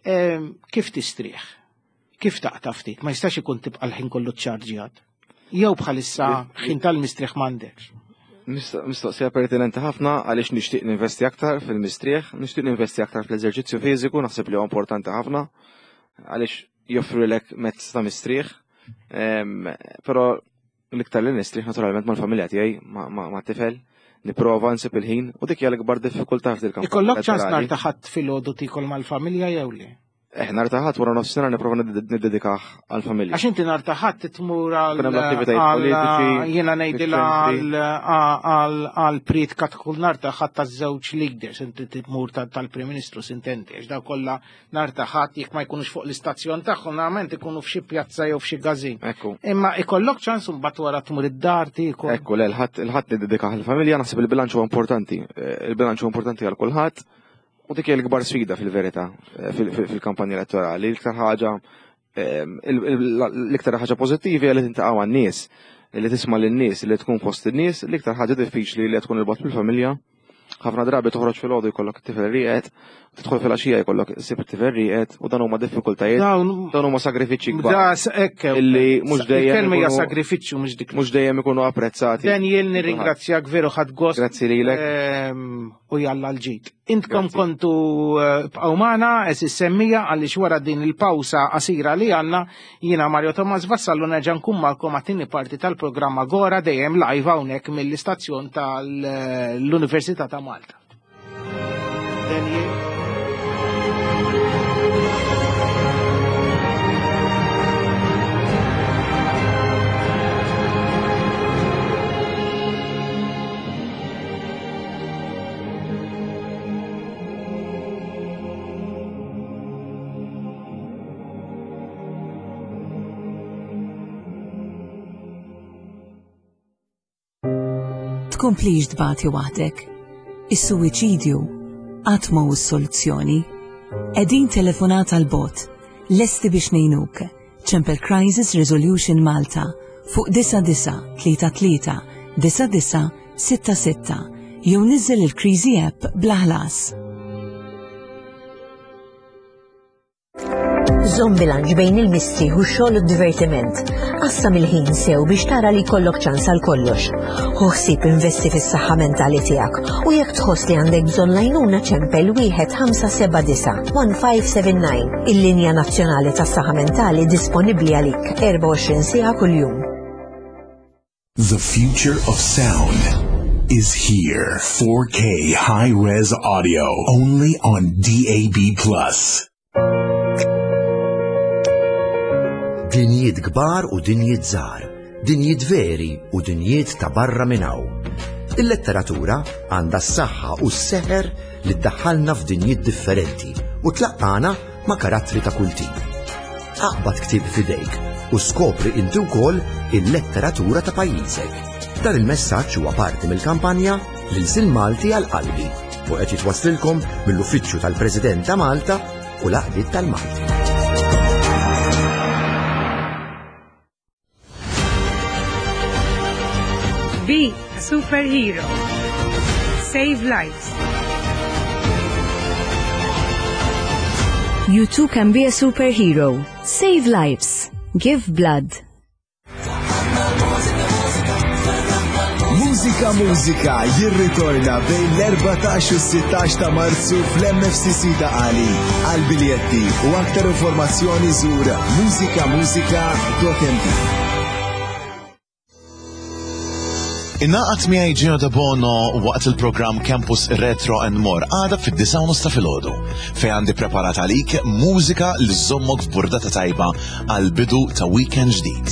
kif tistrieħ? Kif taqta' ftit? Ma jistax ikun tibqa' l-ħin kollu ċarġjat. Jew bħalissa ħin tal-mistrieħ m'għandekx. Mistoqsija pertinenti ħafna għaliex nixtieq ninvesti aktar fil-mistrieħ, nixtieq ninvesti aktar fl-eżerċizzju fiżiku, naħseb li huwa importanti ħafna għaliex joffrilek mezz ta' mistrieħ. Però l-iktar li nistrieħ naturalment mal-familja tiegħi, ma' tifel, nipprova nsib il-ħin u dik hija l-ikbar diffikultà f'dil-kampanja. Ikollok ċans nhar ta' Ħadd filgħodu tikol mal-familja jew le? Eh, nhar ta' Ħadd wara nofsinhar nipprova niddedikah għall-familja. Għax inti nhar ta' Ħadd tmur għal Kun hemm l-attivitajiet politiċi, jiena ngħidilha fiċ-ċentri. għal priedka tkun nhar ta' Ħadd taż-żewġ leaders, inti tmur tal-Prim Ministru sintendi, għax daw kollha nhar ta' Ħadd jekk ma jkunux fuq l-istazzjon tagħhom normalment ikunu f'xi pjazza jew f'xi każin. Ekku. Imma ikollok ċans mbagħad wara tmur id-dar tiekol. Ekku, le, il-Ħadd il-Ħadd niddedikah għall-familja, naħseb il-bilanċ huwa importanti. Eh, Il-bilanċ huwa importanti għal kulħadd. U dik hija l-ikbar sfida fil-verità eh, fil-kampanja elettorali. L-iktar ħaġa ehm, l-iktar ħaġa pożittivi hija li tintaqa' man-nies, li tisma' lin-nies, li tkun fost in-nies, l-iktar ħaġa diffiċli li tkun 'il bogħod mill-familja, Ħafna drabi toħroġ filgħodu jkollok it-tifel rieqed, tidħol filgħaxija jkollok issib it-tifel rieqed u dan huma diffikultajiet, dawn huma sagrifiċċji kbar. Illi mhux dejjem. Il-kelma hija sagrifiċċju mhux dik. Mhux dejjem ikunu apprezzati. Daniel, nirringrazzjak veru, ħadt gost. Grazzi lilek. U jalla l-ġid. Intkom kontu bqgħu magħna għeżież semmiegħa għaliex wara din il-pawsa qasira li għandna jiena Mario Thomas Vassallo nerġa' nkun magħkom għat-tieni parti tal-programm Agora dejjem live hawnhekk mill-istazzjon tal-Università ta' Malta. Daniel. Tkomplix tbati waħdek. Is-suwiċidju qatt ma hu s-soluzzjoni. Qegħdin telefonata 'l bogħod, lesti biex ngħinuk. Ċempel Crisis Resolution Malta fuq disa disa tlieta tlieta disa disa sitta sitta jew niżżel il-Kriżi app bla ħlas. Żomm bilanċ bejn il-mistrieħ u x-xogħol u d-divertiment. Qassam il-ħin sew biex tara li jkollok ċans għal kollox. Ħu ħsieb investi fis-saħħa mentali tiegħek u jekk tħoss li għandek bżonn l-għajnuna ċempel wieħed ħamsa seba' disa' one five seven nine. Il-linja nazzjonali tas-saħħa mentali disponibbli għalik erbgħa u għoxrin siegħa kuljum. The future of sound is here. four K high-res audio only on D A B plus. Dinjiet kbar u dinjiet żgħar, dinjiet veri u dinjiet ta' barra minn hawn. Il-letteratura għandha s-saħħa u s-seħer li ddaħħalna f'dinjiet differenti u tlaqqana ma' karattri ta' kull tip. Aqbad ktieb f'idejk u skopri inti wkoll il-letteratura ta' pajjiżek. Dan il-messaġġ huwa parti mill-kampanja L-Ilsien Malti għal qalbi u qed jitwasslilkom mill-Uffiċċju tal-President ta' Malta u l-Għaqdiet tal-Malti. Be a superhero. Save lives. You too can be a superhero. Save lives. Give blood. Mużika Mużika jirritorna bejn l-erbatax u s-sittax ta' Marzu fl-M F C C ta' Qali. Għal biljetti u aktar informazzjoni żur mużika mużika dot M T. Ingħaqad miegħi Gino Debono waqt il-programm Campus Retro and More għada fid-disgħa u nofs ta' filgħodu fejn għandi preparat għalik mużika li żommok f'burdata tajba għal bidu ta' weekend ġdid.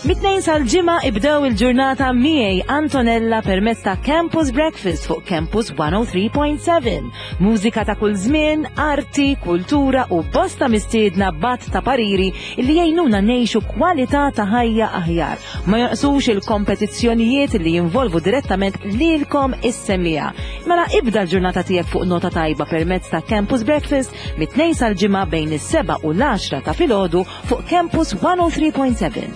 Mit-tnejn sal-ġimgħa ibdew il-ġurnata miegħi Antonella permezz ta' Campus Breakfast fuq Campus one oh three point seven. Mużika ta' kull żmien, arti, kultura u bosta mistiedna bat ta' pariri li jgħinuna ngħixu kwalità ta' ħajja aħjar. Ma jonqsux il-kompetizzjonijiet li jinvolvu direttament lilkom is-semmiegħa. Mela ibda l-ġurnata tiegħek fuq nota tajba permezz ta' Campus Breakfast mit-tnejn sal-ġimgħa bejn is-seba' u l-għaxra ta' filgħodu fuq Campus one oh three point seven.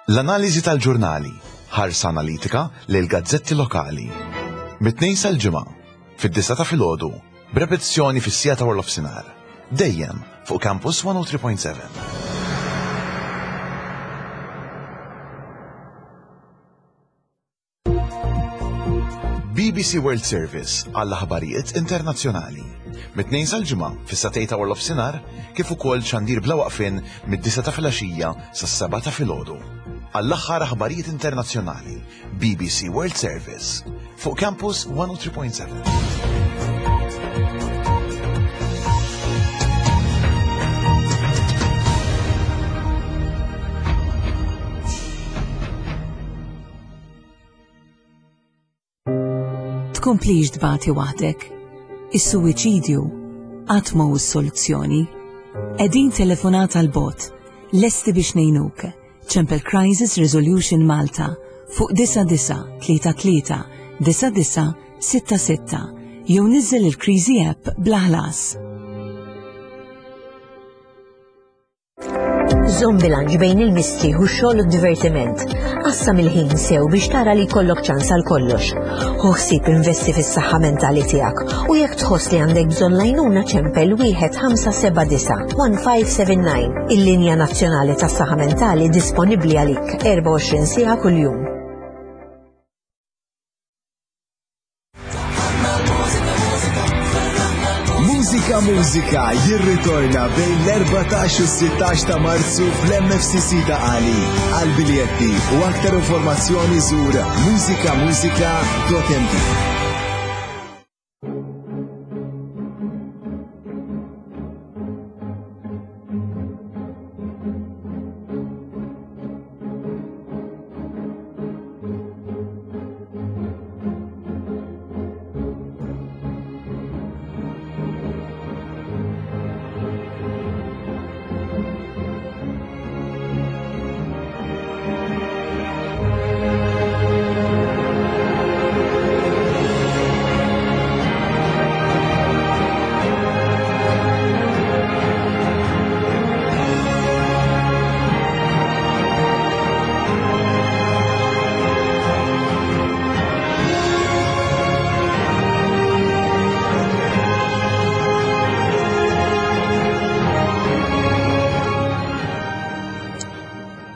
L-analiżi tal-ġurnali, ħarsa analitika lil gazzetti lokali. Mit-tnejn sal-ġimgħa, fid-disgħa ta' filgħodu, b'repetizzjoni fis-siegħa ta' warlofsinhar. Dejjem fuq Campus one oh three point seven. B B C World Service għall-aħbarijiet internazzjonali. Mit-tnejn sal-ġimgħa fis-satej ta' warlofsinhar kif ukoll xandir bla waqfien mid-disgħa ta' filgħaxija sas-sebgħa ta' filgħodu. Għall-aħħar aħbarijiet internazzjonali, B B C World Service fuq Campus one oh three point seven. Tkomplix tbati waħdek. Is-suwiċidju qatt ma hu s-soluzzjoni. Qegħdin telefonata 'l bogħod, lesti biex ngħinuk. Ċempel Crisis Resolution Malta fuq disa disa tlieta tlieta disa disa sitta sitta jew niżżel il-Kriżi app bla ħlas. Żomm bilanċ bejn il-mistrieħ u x-xogħol u d-divertiment. Qassam il-ħin sew biex tara li jkollok ċans għal kollox. Ħu ħsieb investi fis-saħħa mentali tiegħek u jekk tħoss li għandek bżonn l-għajnuna ċempel wieħed ħamsa seba' disa' one five seven nine. Il-linja nazzjonali tas-saħħa mentali disponibbli għalik erbgħa u għoxrin siegħa kuljum. Mużika Mużika jirritorna bejn l-erbatax u s-sittax ta' Marzu fl-M F C C ta' Qali. Għal biljetti u aktar informazzjoni żur mużika mużika dot M T.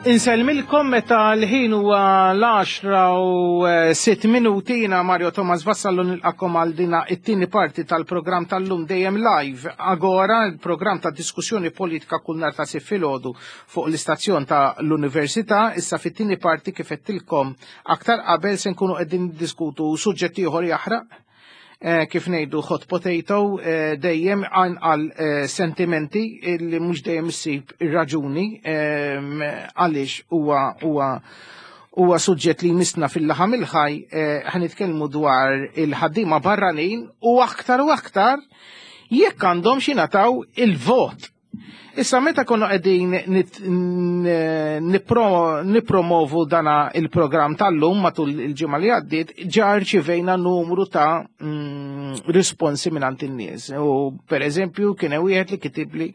Insellmilkom meta l-ħin huwa l-għaxra u sitt minuti. Jiena Mario Thomas Vassallo nilqakom għal dina it-tieni parti tal-programm tal-lum dejjem live Agora, il-programm ta' diskussjoni politika kull nhar ta' sitt filgħodu fuq l-istazzjon ta' l-Università. Issa fit-tieni parti kif qedtilkom aktar qabel se nkunu qegħdin niddiskutu suġġett ieħor jaħraq. Eh, kif ngħidu hot potato, eh, dejjem għal eh, sentimenti li mhux dejjem issib ir-raġuni għaliex huwa huwa huwa suġġett li jmissna fil-laħam il-ħaj. Ħanitkellmu dwar il-ħaddiema barranin u aktar u aktar jekk għandhom xi ngħataw il-vot. Issa meta konna qegħdin nippromovu dana il-programm tal-lum matul il-ġimgħa li għaddiet, ġa rċivejna numru ta' mm, risponsi mingħand in-nies. U pereżempju kien hemm wieħed li kitibli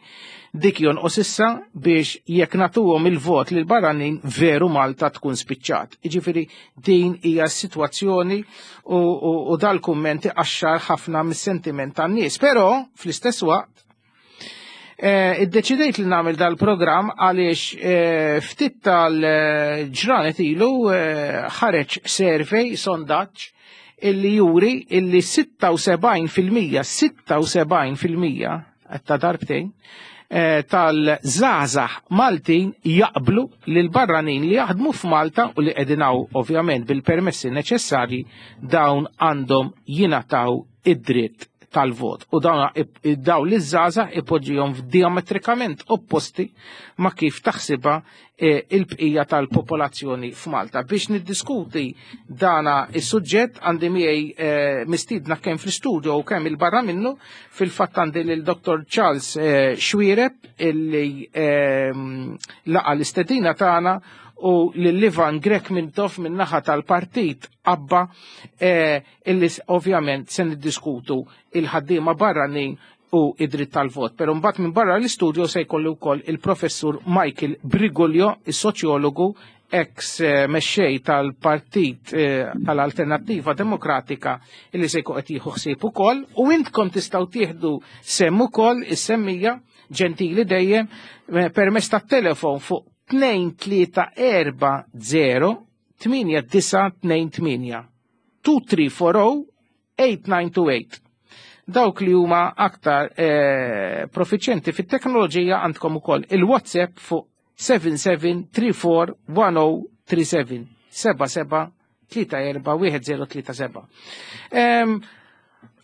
dik jonqos issa biex jekk nagħtuhom il-vot lil barranin veru Malta tkun spiċċat. Jiġifieri din hija s-sitwazzjoni u, u, u dal-kumment iqaxxar ħafna mis-sentiment tan-nies. Però fl-istess waqt Eh, iddeċidejt li nagħmel dal-programm għaliex eh, ftit tal-ġranet ilu eh, ħareġ survey, sondaġġ, illi juri illi sitta u sebgħin fil-mija, sitta u sebgħin fil-mija, ta' darbtejn, tal-żgħażagħ Maltin jaqblu li l-barranin li jaħdmu f'Malta u li qegħdin hawn ovvjament bil-permessi neċessarji dawn għandhom jingħataw id-dritt tal-vot. U dawn dawn li żgħażagħ ipoġġihom diametrikament opposti ma' kif taħsibha il-bqija tal-popolazzjoni f'Malta. Biex niddiskuti dana is-suġġett għandi miegħi mistiedna kemm fl-istudio u kemm il-barra minnu. Fil-fatt għandi lil Doktor Charles Xuereb illi laqa l-istedina tagħna u lil Ivan Grech Mintoff min-naħa tal-partit Abba, illi ovvjament se niddiskutu il-ħaddiema barranin u id-dritt tal-vot. Però mbagħad minn barra l-istudio se jkollu wkoll il-professur Michael Briguglio, is-soċjologu, ex mexxej tal-partit tal-Alternattiva Demokratika, illi se jkun qed jieħu ħsieb ukoll, u intkom tistgħu tieħdu semm ukoll is-semmija ġentili dejjem permezz tat-telefon fuq tnejn tlieta erba' zero tmienja disa' tnejn tmienja, two three four oh eight nine two eight. Dawk li huma aktar eh, profiċjenti fit-teknoloġija għandkom ukoll il-WhatsApp fuq seven seven three four one oh three seven, seba' seba' tlieta erba' wieħed zero tlieta seba'.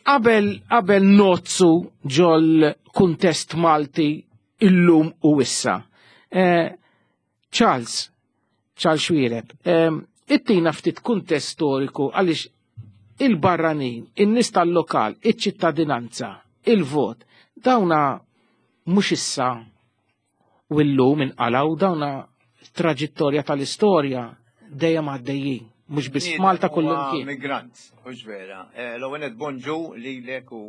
Qabel, qabel nozzu ġol kuntest Malti illum u issa. Eh, Charles, Charles Xuereb, ittina ftit kuntest storiku għaliex il-barranin, in-nies tal-lokal, iċ-ċittadinanza, il-vot, dawna mhux issa u llum inqalgħu, dawna traġittorja tal-istorja, dejjem għaddejjin, mhux biss f'Malta, kullimkien. Migrant, hux vera. Eh, l-ewwel nett bonġu lilek u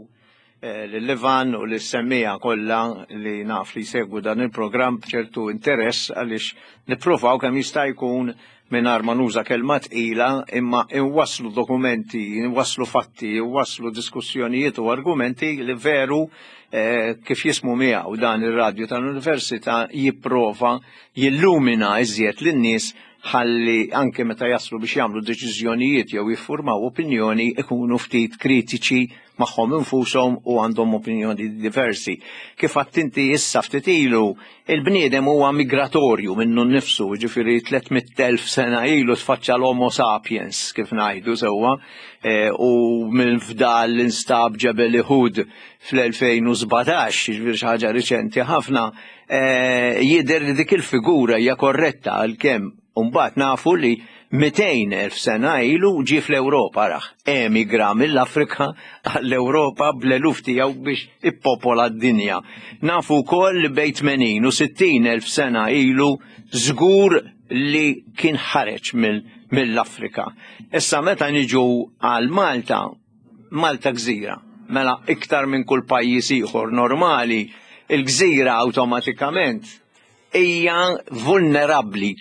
eh, lil Ivan u lis-semmiegħa kollha li naf li jsegwu dan il-programm b'ċertu interess, għaliex nippruvaw kemm jista' jkun, mingħajr ma nuża kelma tqila, imma inwasslu dokumenti, inwasslu fatti, inwasslu diskussjonijiet u argumenti li veru eh, kif jismu miegħu dan ir-radju tal-Università jipprova jillumina iżjed lin-nies, ħalli anke meta jaslu biex jagħmlu deċiżjonijiet jew jiffurmaw opinjoni ikunu ftit kritiċi magħhom infushom u għandhom opinjoni diversi. Kif għedt inti issa ftit ilu, il-bniedem huwa migratorju minnu nnifsu, ġifieri tliet mitt elf sena ilu tfaċċa l-Homo sapiens, kif ngħidu sewwa, eh, u minn fdal l-instab Ġebel Ihud fl-elfejn u sbatax, ġifieri xi ħaġa riċenti ħafna, eh, jidher li dik il-figura hija korretta, għalkemm mbagħad nafu li mitejn elf sena ilu ġie fl-Ewropa, raħ, emigra mill-Afrika għall-Ewropa bl-eluf tiegħu biex ippopola d-dinja. Nafu wkoll li bejn tmenin u sittin elf sena ilu żgur li kien ħareġ mill-Afrika. Issa meta niġu għal Malta, Malta gżira, mela iktar minn kull pajjiż ieħor normali, il-gżira awtomatikament hija vulnerabbli.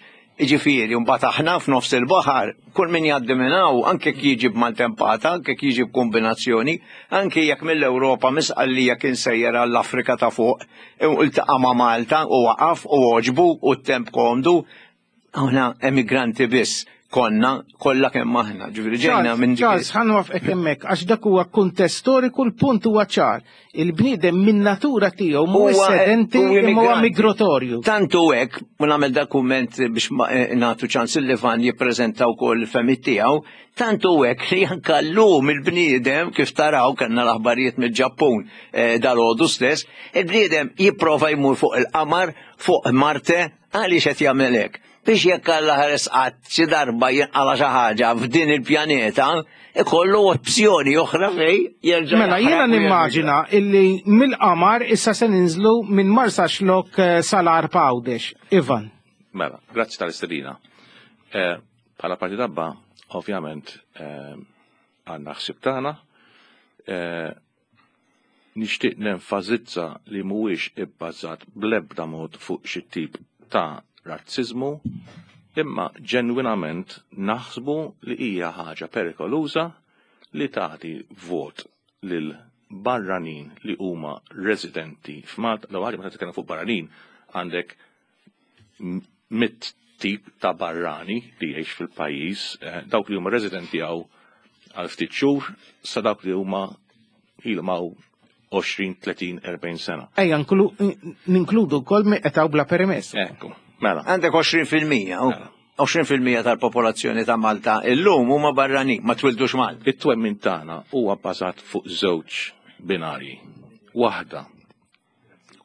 Ġifieri, mbagħad aħna f'nofs il-baħar, kull min jgħaddi minn hawn, anke jekk jiġi b'maltempata, anke jekk jiġi b'kombinazzjoni, anke jekk mill-Ewropa misqallija kien sejjer għall-Afrika ta' fuq, u iltaqa' ma' Malta u waqaf u għoġbu u t-temp komdu, aħna emigranti biss konna kollha kemm aħna. Ġifieri ġejna minn dik. Charles, ħa nwaqqfek hemmhekk, għax dak huwa kuntest storiku, l-punt huwa ċar. Il-bniedem min natura tiegħu mhuwiex Huwa- sedenti huwa imma huwa immigranti. migratorju. Tantu hekk, u nagħmel dokument biex ma- eh, nagħtu ċans il-Ivan jippreżenta wkoll il-fehmiet tiegħu, tantu hekk li anke llum il-bniedem, kif taraw kellna l-aħbarijiet mill-Ġappun eh, dalgħodu stess, il-bniedem jipprova jmur fuq il-qamar, fuq Marte, għaliex qed jagħmel hekk? Biex jekk Alla ħares qatt xi darba jinqala xi ħaġa f'din il-pjaneta, ikollu opzjoni oħra fej jerġa' Mela, jiena jaħraq u nimmaġina illi mill-qamar issa se ninżlu minn Marsaxlokk eh, sal-Għarb Għawdex. Ivan. Mela, grazzi tal-istedina. Eh, Bħala Partit ABBA, ovvjament, eh, għandna ħsib tagħna. Eh, Nixtieq nenfasizza li mhuwiex ibbażat bl-ebda mod fuq xi tip ta' razzizmu, imma ġenwinament naħsbu li hija ħaġa perikoluża li tagħti vot lil barranin li huma residenti f'Malta. L ħaġa, meta titkellem fuq barranin, għandek m- mitt tip ta' barrani li jgħix fil-pajjiż, eh, dawk li huma residenti hawn għal ftit xhur sa dawk li huma ilhom hawn għoxrin, tletin, erbgħin sena. Ejja, nklu- ninkludu wkoll min qed hawn bla permess. Ekku, mela. Għandek għoxrin fil-mija, u għoxrin fil-mija tal-popolazzjoni ta' Malta illum huma barranin, ma twildux Malta. It-twemmin tagħna huwa bbażat fuq żewġ binarji. Waħda,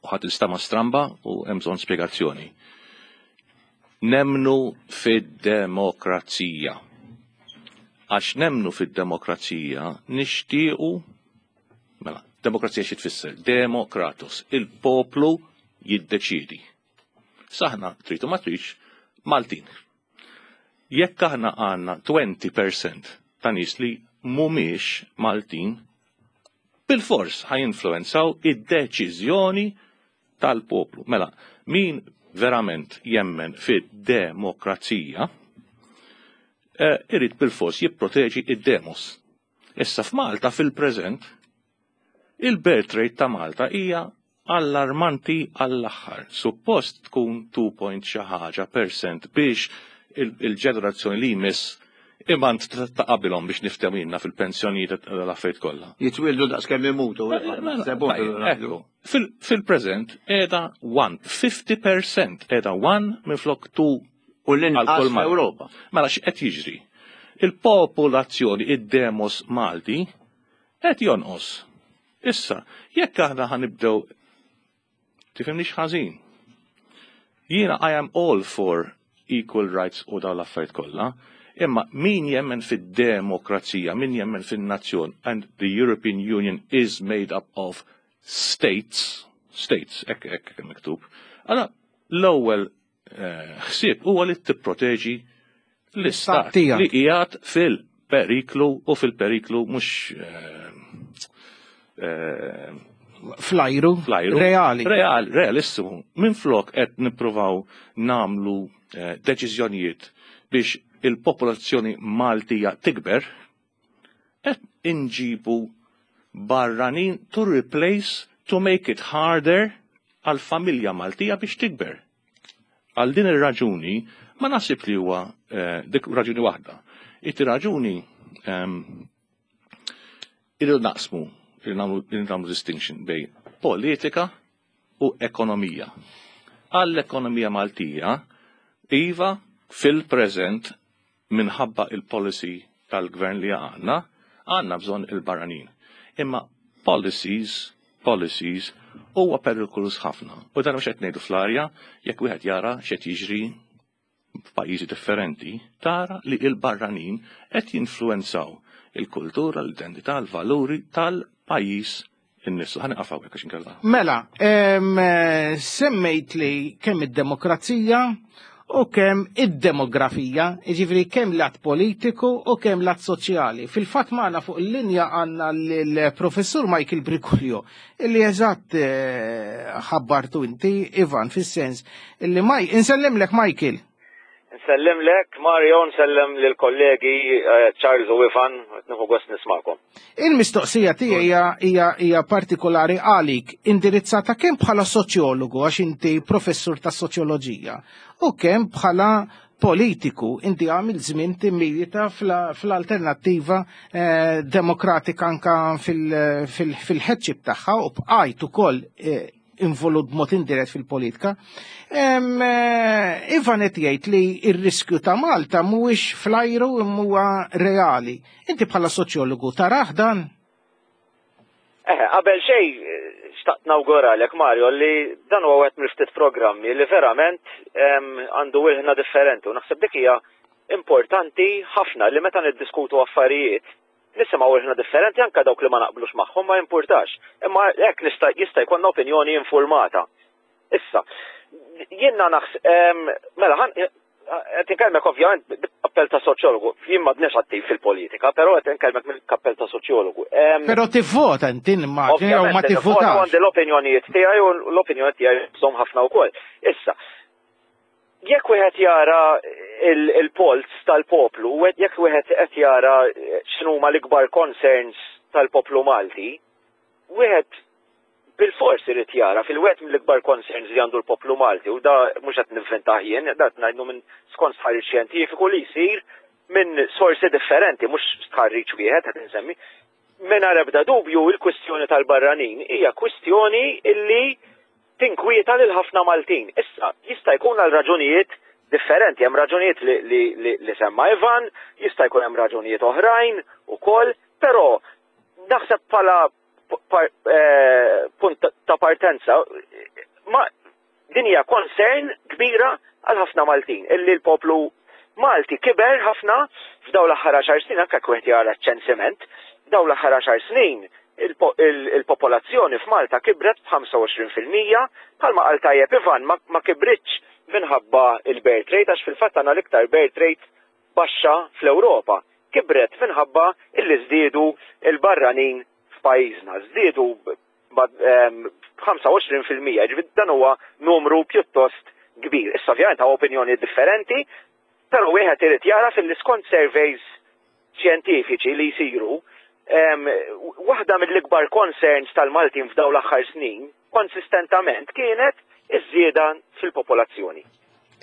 u ħadd tinstama' stramba u hemm bżonn spjegazzjoni. Nemnu fid-demokrazija. Għax nemnu fid-demokrazija nixtiequ. Mela, demokrazija xi tfisser? Demokratos, il-poplu jiddeċidi. Aħna tridu ma tridx Maltin. Jekk aħna għandna għoxrin fil-mija ta' nies li mhumiex Maltin, bil-fors ħa jinfluenzaw id-deċiżjoni tal-poplu. Mela, min verament jemmen fid-demokrazija, eh, irid bil-fors jipproteġi id-demos. Issa f'Malta fil-preżent, il-birth rate ta' Malta hija allarmanti għall-aħħar. Suppost tkun two point xi ħaġa percent biex il-ġenerazzjoni li jmiss imant ta' qabilhom biex niftehmu fil-pensjonijiet l-affarijiet kollha. Jitwildu daqs kemm imutu. Ekku, fil-preżent qiegħda wieħed, fifty percent qiegħda wieħed minflok tnejn. U l-inqas fl-Ewropa. Mela x'qed jiġri? Il-popolazzjoni, id-demos Malti, qed jonqos. Issa, jekk aħna ħa nibdew, tifhimnix ħażin. Jiena I am all for equal rights u dawn l-affarijiet kollha, imma min jemmen fid-demokrazija, min jemmen fin-nazzjon, and the European Union is made up of states, states, hekk hekk miktub. Allura, l-ewwel eh, ħsieb huwa li tipproteġi L-istat tiegħek. Li qiegħed fil-periklu u fil-periklu mhux eh, eh, Flajru. Flajru. Reali. Real, realissimu. Minn flok qed nippruvaw namlu eh, deċiżjonijiet biex il-popolazzjoni Maltija tikber, qed inġibu barranin to replace, to make it harder għal familja Maltija biex tikber. Għal din ir-raġuni ma naħsib li huwa eh, dik raġuni waħda. It raġuni ehm, irridu naqsmu, irridu nagħmlu irridu nagħmlu distinction bejn politika u ekonomija. Għall-ekonomija Maltija, iva, fil-preżent, minħabba il-policy tal-gvern li għandna, għandna bżonn il-barranin. Imma policies, policies, huwa perikolus ħafna. U dan mhux qed ngħidu fl-arja, jekk wieħed jara x'qed jiġri f'pajjiżi differenti, tara li il-barranin qed jinfluenzaw il-kultura, l-identità, l-valuri tal-pajjiż innifsu. Ħa nieqaf hawnhekk għax inkella. Mela, em, eh, semmejt li kemm id-demokrazija u kemm id-demografija, jiġifieri kemm lat politiku u kemm lat soċjali. Fil-fatt magħna fuq il-linja għandna l-professur Michael Briguglio, illi eżatt eh, ħabbartu inti, Ivan, fis-sens, illi Maj, insellimlek, Michael. Nsellimlek, Mario, nsellem lill-kollegi eh, Charles u Ivan, nieħu gost nismagħkom. Il-mistoqsija tiegħi hija hija hija partikolari għalik, indirizzata kemm bħala soċjologu, għax inti professur ta' soċjoloġija, u kemm bħala politiku. Inti għamil żmien timmilita fl-Alternattiva eh, Demokratika anka fil-headship tagħha u bqajt ukoll eh, involut b'mod indirett fil-politika. Em, eh, Ivan qed jgħid li r-riskju ta' Malta mhuwiex flajru imma huwa reali. Inti bħala soċjologu tarah dan? Eh, qabel xej, eh, xtaqt nawguralek, Mario, li dan huwa wieħed mill-ftit programmi li verament em, għandu ilħna differenti u naħseb dik hija importanti ħafna li meta niddiskutu affarijiet nisimgħu ilħna differenti, anke dawk li ma naqblux magħhom ma jimpurtax. Imma hekk nista' jista' jkollna opinjoni informata. Issa, jiena naħs mela ħan qed inkellmek ovvjament bil-kappell ta' soċjologu. Jien m'għadniex attiv fil-politika, però qed inkellmek mill-kappell ta' soċjologu. Em, Però tivvota inti, nimmaġini, jew ma Ovvjament, tivvotax. għandi l-opinjonijiet tiegħi u l-opinjoni tiegħi bżonn ħafna wkoll. Issa, jekk wieħed jara il-polls tal-poplu, u jekk wieħed qed jara x'inhuma l-ikbar concerns tal-poplu Malti, wieħed bil-fors irid jara fil-wieħed mill-ikbar concerns li għandu l-poplu Malti, u da mhux qed nivventah jien, da qed ngħidu minn skont stħarriġ xjentifiku li jsir minn sorsi differenti, mhux stħarriġ wieħed qed insemmi. Mingħajr ebda dubju, il-kwistjoni tal-barranin hija kwistjoni illi tinkwieta lil ħafna Maltin. Issa, jista' jkun għal raġunijiet differenti, hemm raġunijiet li, li, li, li semma Ivan, jista' jkun hemm raġunijiet oħrajn ukoll, però naħseb bħala par, eh, punt ta' partenza ma din hija concern kbira għal ħafna Maltin, illi l-poplu Malti kiber ħafna f'dawn l-aħħar għaxar snin, anke wieħed jara ċensiment, dawn l-aħħar għaxar snin il-popolazzjoni f'Malta kibret b'ħamsa u għoxrin fil-mija. Bħalma qal tajjeb Ivan, ma, ma kibritx minħabba il-birth rate, għax fil-fatt għandna l-iktar birth rate baxxa fl-Ewropa. Kibret minħabba illi żdiedu il-barranin f'pajjiżna, żdiedu b'ħamsa u għoxrin fil-mija, ġifieri dan huwa numru pjuttost kbir. Issa ovvjament hawn opinjoni differenti, però wieħed irid jara fil-skont surveys xjentifiċi li jsiru, em, waħda mill-ikbar concerns tal-Maltin f'dawn l-aħħar snin konsistentament kienet iż-żieda fil-popolazzjoni.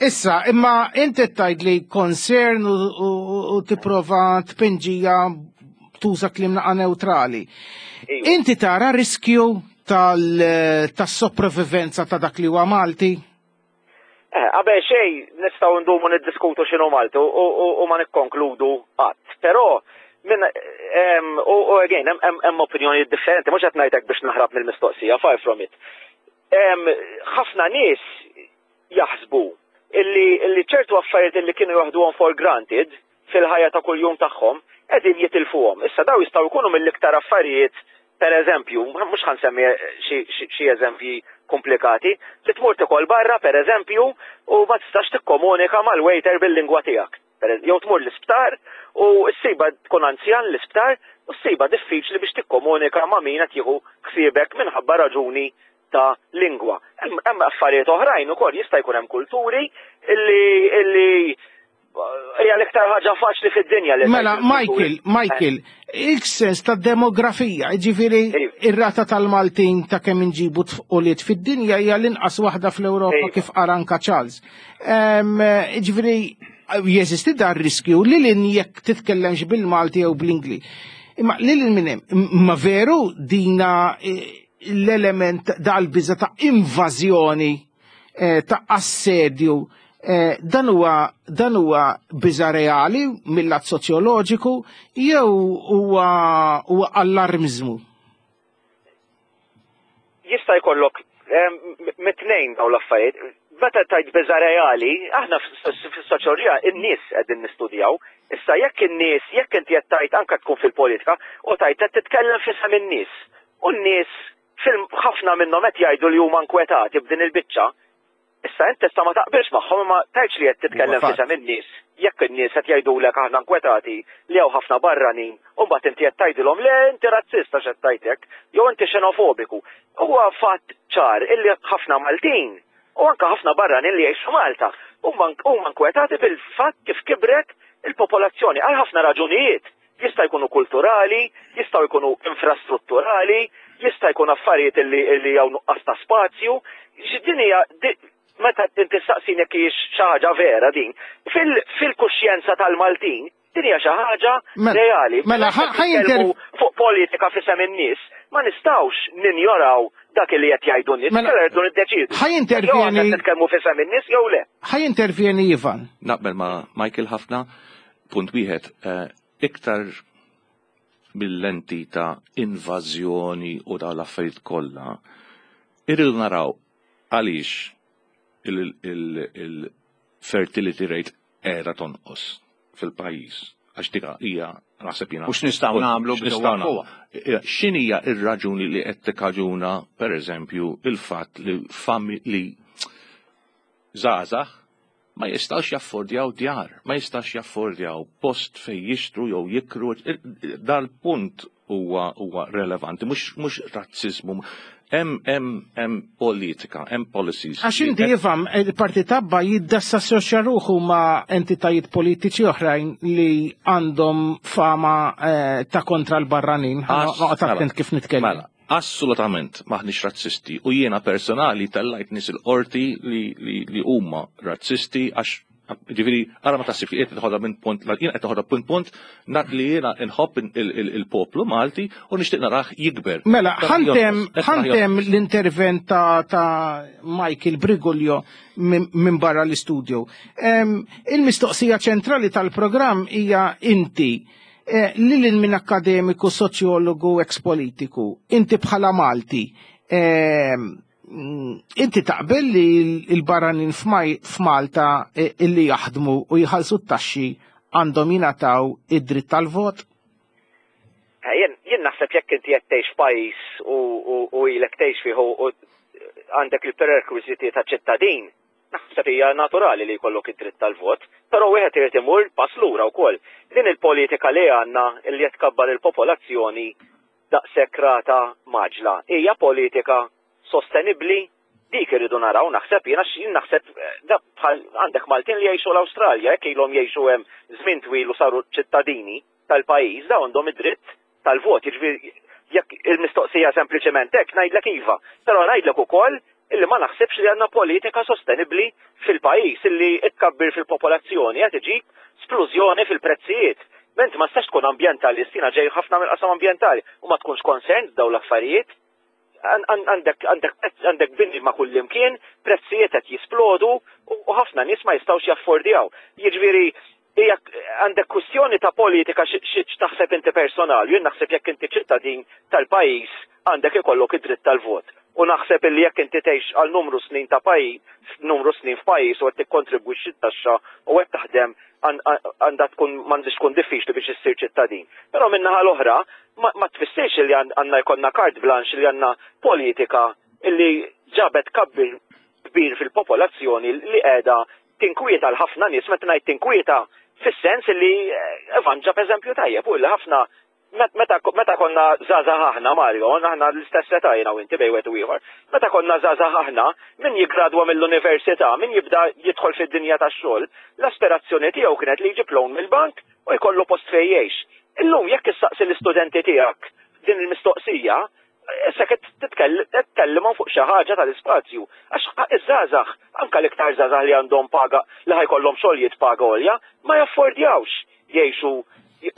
Issa, imma inti tgħid li concern u, u, u tipprova tpinġija, tuża kliem naqa neutrali. Inti tara riskju tal-sopravivenza ta' dak li huwa Malti? Eh, qabel xej nistgħu ndumu niddiskutu x'inhu Malti u, u, u ma nikkonkludu qatt. Però minn em, u, u again hemm hemm hemm opinjoni differenti, mhux qed ngħidlek biex naħrab mill-mistoqsija, far from it. Em, Ħafna nies jaħsbu illi, illi ċertu affarijiet illi kienu jaħduhom for granted fil-ħajja ta' kuljum tagħhom qegħdin jitilfuhom. Issa daw jistgħu jkunu mill-iktar affarijiet, per eżempju, mhux ħa nsemmi xi eżempji komplikati, li tmur tikol barra, per eżempju, u ma tistax tikkomunika mal-waiter bil-lingwa tiegħek. Jew tmur l-isptar u ssibha tkun anzjan l-isptar u ssibha diffiċli biex tikkomunika ma' min qed jieħu ħsiebek minħabba raġuni ta' lingwa. Hemm affarijiet oħrajn ukoll, jista' jkun hemm kulturi illi illi hija l-iktar ħaġa faċli fid-dinja li Mela, Michael, Michael, il-sens ta' demografija, ġifieri ir-rata tal-Maltin ta' kemm inġibu tfuliet fid-dinja hija l-inqas waħda fl-Ewropa kif qal anka Charles. Ġifieri jeżisti dar riskju li lin jekk titkellemx bil-Malti jew bl-Ingliż. Imma lil minn hemm, ma veru dina l-element dal-biża ta' invażjoni, ta' assedju, dan huwa dan huwa biża reali mill-lat soċjoloġiku jew huwa huwa allarmizmu? Jista' jkollok mit-tnejn dawn l-affarijiet. Meta tajt biża reali, aħna fis-soċjoloġija in-nies qegħdin nistudjaw. Issa jekk in-nies, jekk inti qed tajt anke tkun fil-politika u tajt qed titkellem f'isem in-nies. U n-nies ħafna minnhom qed jgħidu li huma nkwetati b'din il-biċċa. Issa inti tista' ma taqbilx magħhom, ma tgħidx li qed titkellem f'isem in-nies. Jekk in-nies qed jgħidulek aħna nkwetati li hawn ħafna barranin, u mbagħad inti qed tgħidilhom le inti razzista x'qed tgħidlek, jew inti xenofobiku. Huwa fatt ċar illi ħafna Maltin u anke ħafna barranin li jgħixu Malta huma nkwetati bil-fatt kif kibret il-popolazzjoni għal ħafna raġunijiet. Jista' jkunu kulturali, jistgħu jkunu infrastrutturali, jista' jkun affarijiet illi hawn nuqqas ta' spazju. Din hija meta inti staqsin jekk hijiex xi ħaġa vera din, fil-kuxjenza tal-Maltin din hija xi ħaġa reali. Mela ħa fuq politika f'isem in-nies, ma nistgħux ninjoraw dak li qed jgħidu n-nies, kellha rridu niddeċiedu. Ħa jintervjeni nitkellmu f'isem in-nies jew le. Ħa jintervjeni Ivan. Naqbel ma' Michael ħafna, punt wieħed, iktar mill-lenti ta' invażjoni u dawn l-affarijiet kollha, irridu naraw għaliex il-fertility rate qiegħda tonqos fil-pajjiż. Għax dik hija naħseb jiena. U x'nistgħu nagħmlu biex nwaqqfuha? X'inhija r-raġuni li qed tikkaġuna pereżempju il-fatt li li żgħażagħ ma jistgħux jaffordjaw djar, ma jistgħux jaffordjaw post fejn jixtru jew jikru. Dal-punt huwa huwa relevanti, mhux mhux razziżmu. Hemm hemm hemm politika, hemm policies. Għax inti jifhem il-Partit Abba jiddassoċja ruħu ma' entitajiet politiċi oħrajn li għandhom fama ta' kontra l-barranin. Noqgħod attent kif nitkellem. Mela, assolutament maħniex razzisti u jiena personali tellajt nies il-qorti li huma razzisti għax ġifieri ara ma taħsibx li qed noħodha minn punt, jiena qed noħodha punt punt li jiena nħobb il-poplu Malti u nixtieq narah jikber. Mela, ħantem ħantem l-intervent ta' Michael Briguglio minn barra l-istudio. Il-mistoqsija ċentrali tal-programm hija inti lil minn akademiku, soċjologu, ex-politiku, inti bħala Malti, inti taqbel li l-barranin f'Malta illi jaħdmu u jħallsu t-taxxi għandhom jingħataw id-dritt tal-vot? Jien naħseb jekk inti qed tgħix f'pajjiż u ilek tgħix fih u għandek il-prerekwiżiti ta' ċittadin, naħseb hija naturali li jkollok id-dritt tal-vot, però wieħed irid imur pass lura wkoll. Din il-politika li għandna li qed tkabbar il-popolazzjoni daqshekk rata maġla hija politika sostenibbli, dik irridu naraw, naħseb jiena jien naħseb bħal għandek Maltin li jgħixu l-Awstralja, jekk ilhom jgħixu hemm żmien twil u saru ċittadini tal-pajjiż, dawn għandhom id-dritt tal-vot. Jiġifieri jekk il-mistoqsija sempliċement hekk ngħidlek iva, però ngħidlek ukoll illi ma naħsibx li għandna politika sostenibbli fil-pajjiż illi tkabbir fil-popolazzjoni qed iġib splużjoni fil-prezzijiet. Ment ma tistax tkun ambjentalist, jiena ġej ħafna mill-qasam ambjentali u ma tkunx concerned dawn l-affarijiet. Għandek għandek bini ma' kull imkien, prezzijiet qed jisplodu u ħafna nies ma jistgħux jaffordjaw. Jiġifieri hija għandek kwistjoni ta' politika x'taħseb inti personali, jien naħseb jekk inti ċittadin tal-pajjiż għandek ikollok id-dritt tal-vot. U naħseb illi jekk inti tgħix għal numru snin ta' pajjiż, numru snin f'pajjiż u qed tikkontribwixxi t-taxxa u qed taħdem għandha tkun m'għandix tkun diffiċli biex issir ċittadin. Però min-naħa l-oħra ma tfissirx li għandna jkollna carte blanche li għandna politika illi ġabet kabbir kbir fil-popolazzjoni li qiegħda tinkwieta l ħafna nies. Meta ngħid tinkwieta Fis-sens li eh, Ivan ġab eżempju tajjeb u li ħafna meta meta konna żgħażagħ aħna Mario, aħna l-istess età jiena u inti bejn wieħed u ieħor. Meta konna żgħażagħ aħna, min jiggradwa mill-università, min jibda jidħol fid-dinja tax-xogħol, l-aspirazzjoni tiegħu kienet li jġib loan mill-bank u jkollu post fejn jgħix. Illum jekk issaqsi l-istudenti tiegħek din il-mistoqsija, issa qed titkellimhom fuq xi ħaġa tal-ispazju. Għax iż-żgħażagħ, anke l-iktar żgħażagħ li għandhom paga li ħa jkollhom xogħlijiet paga għolja, ma jaffordjawx jgħixu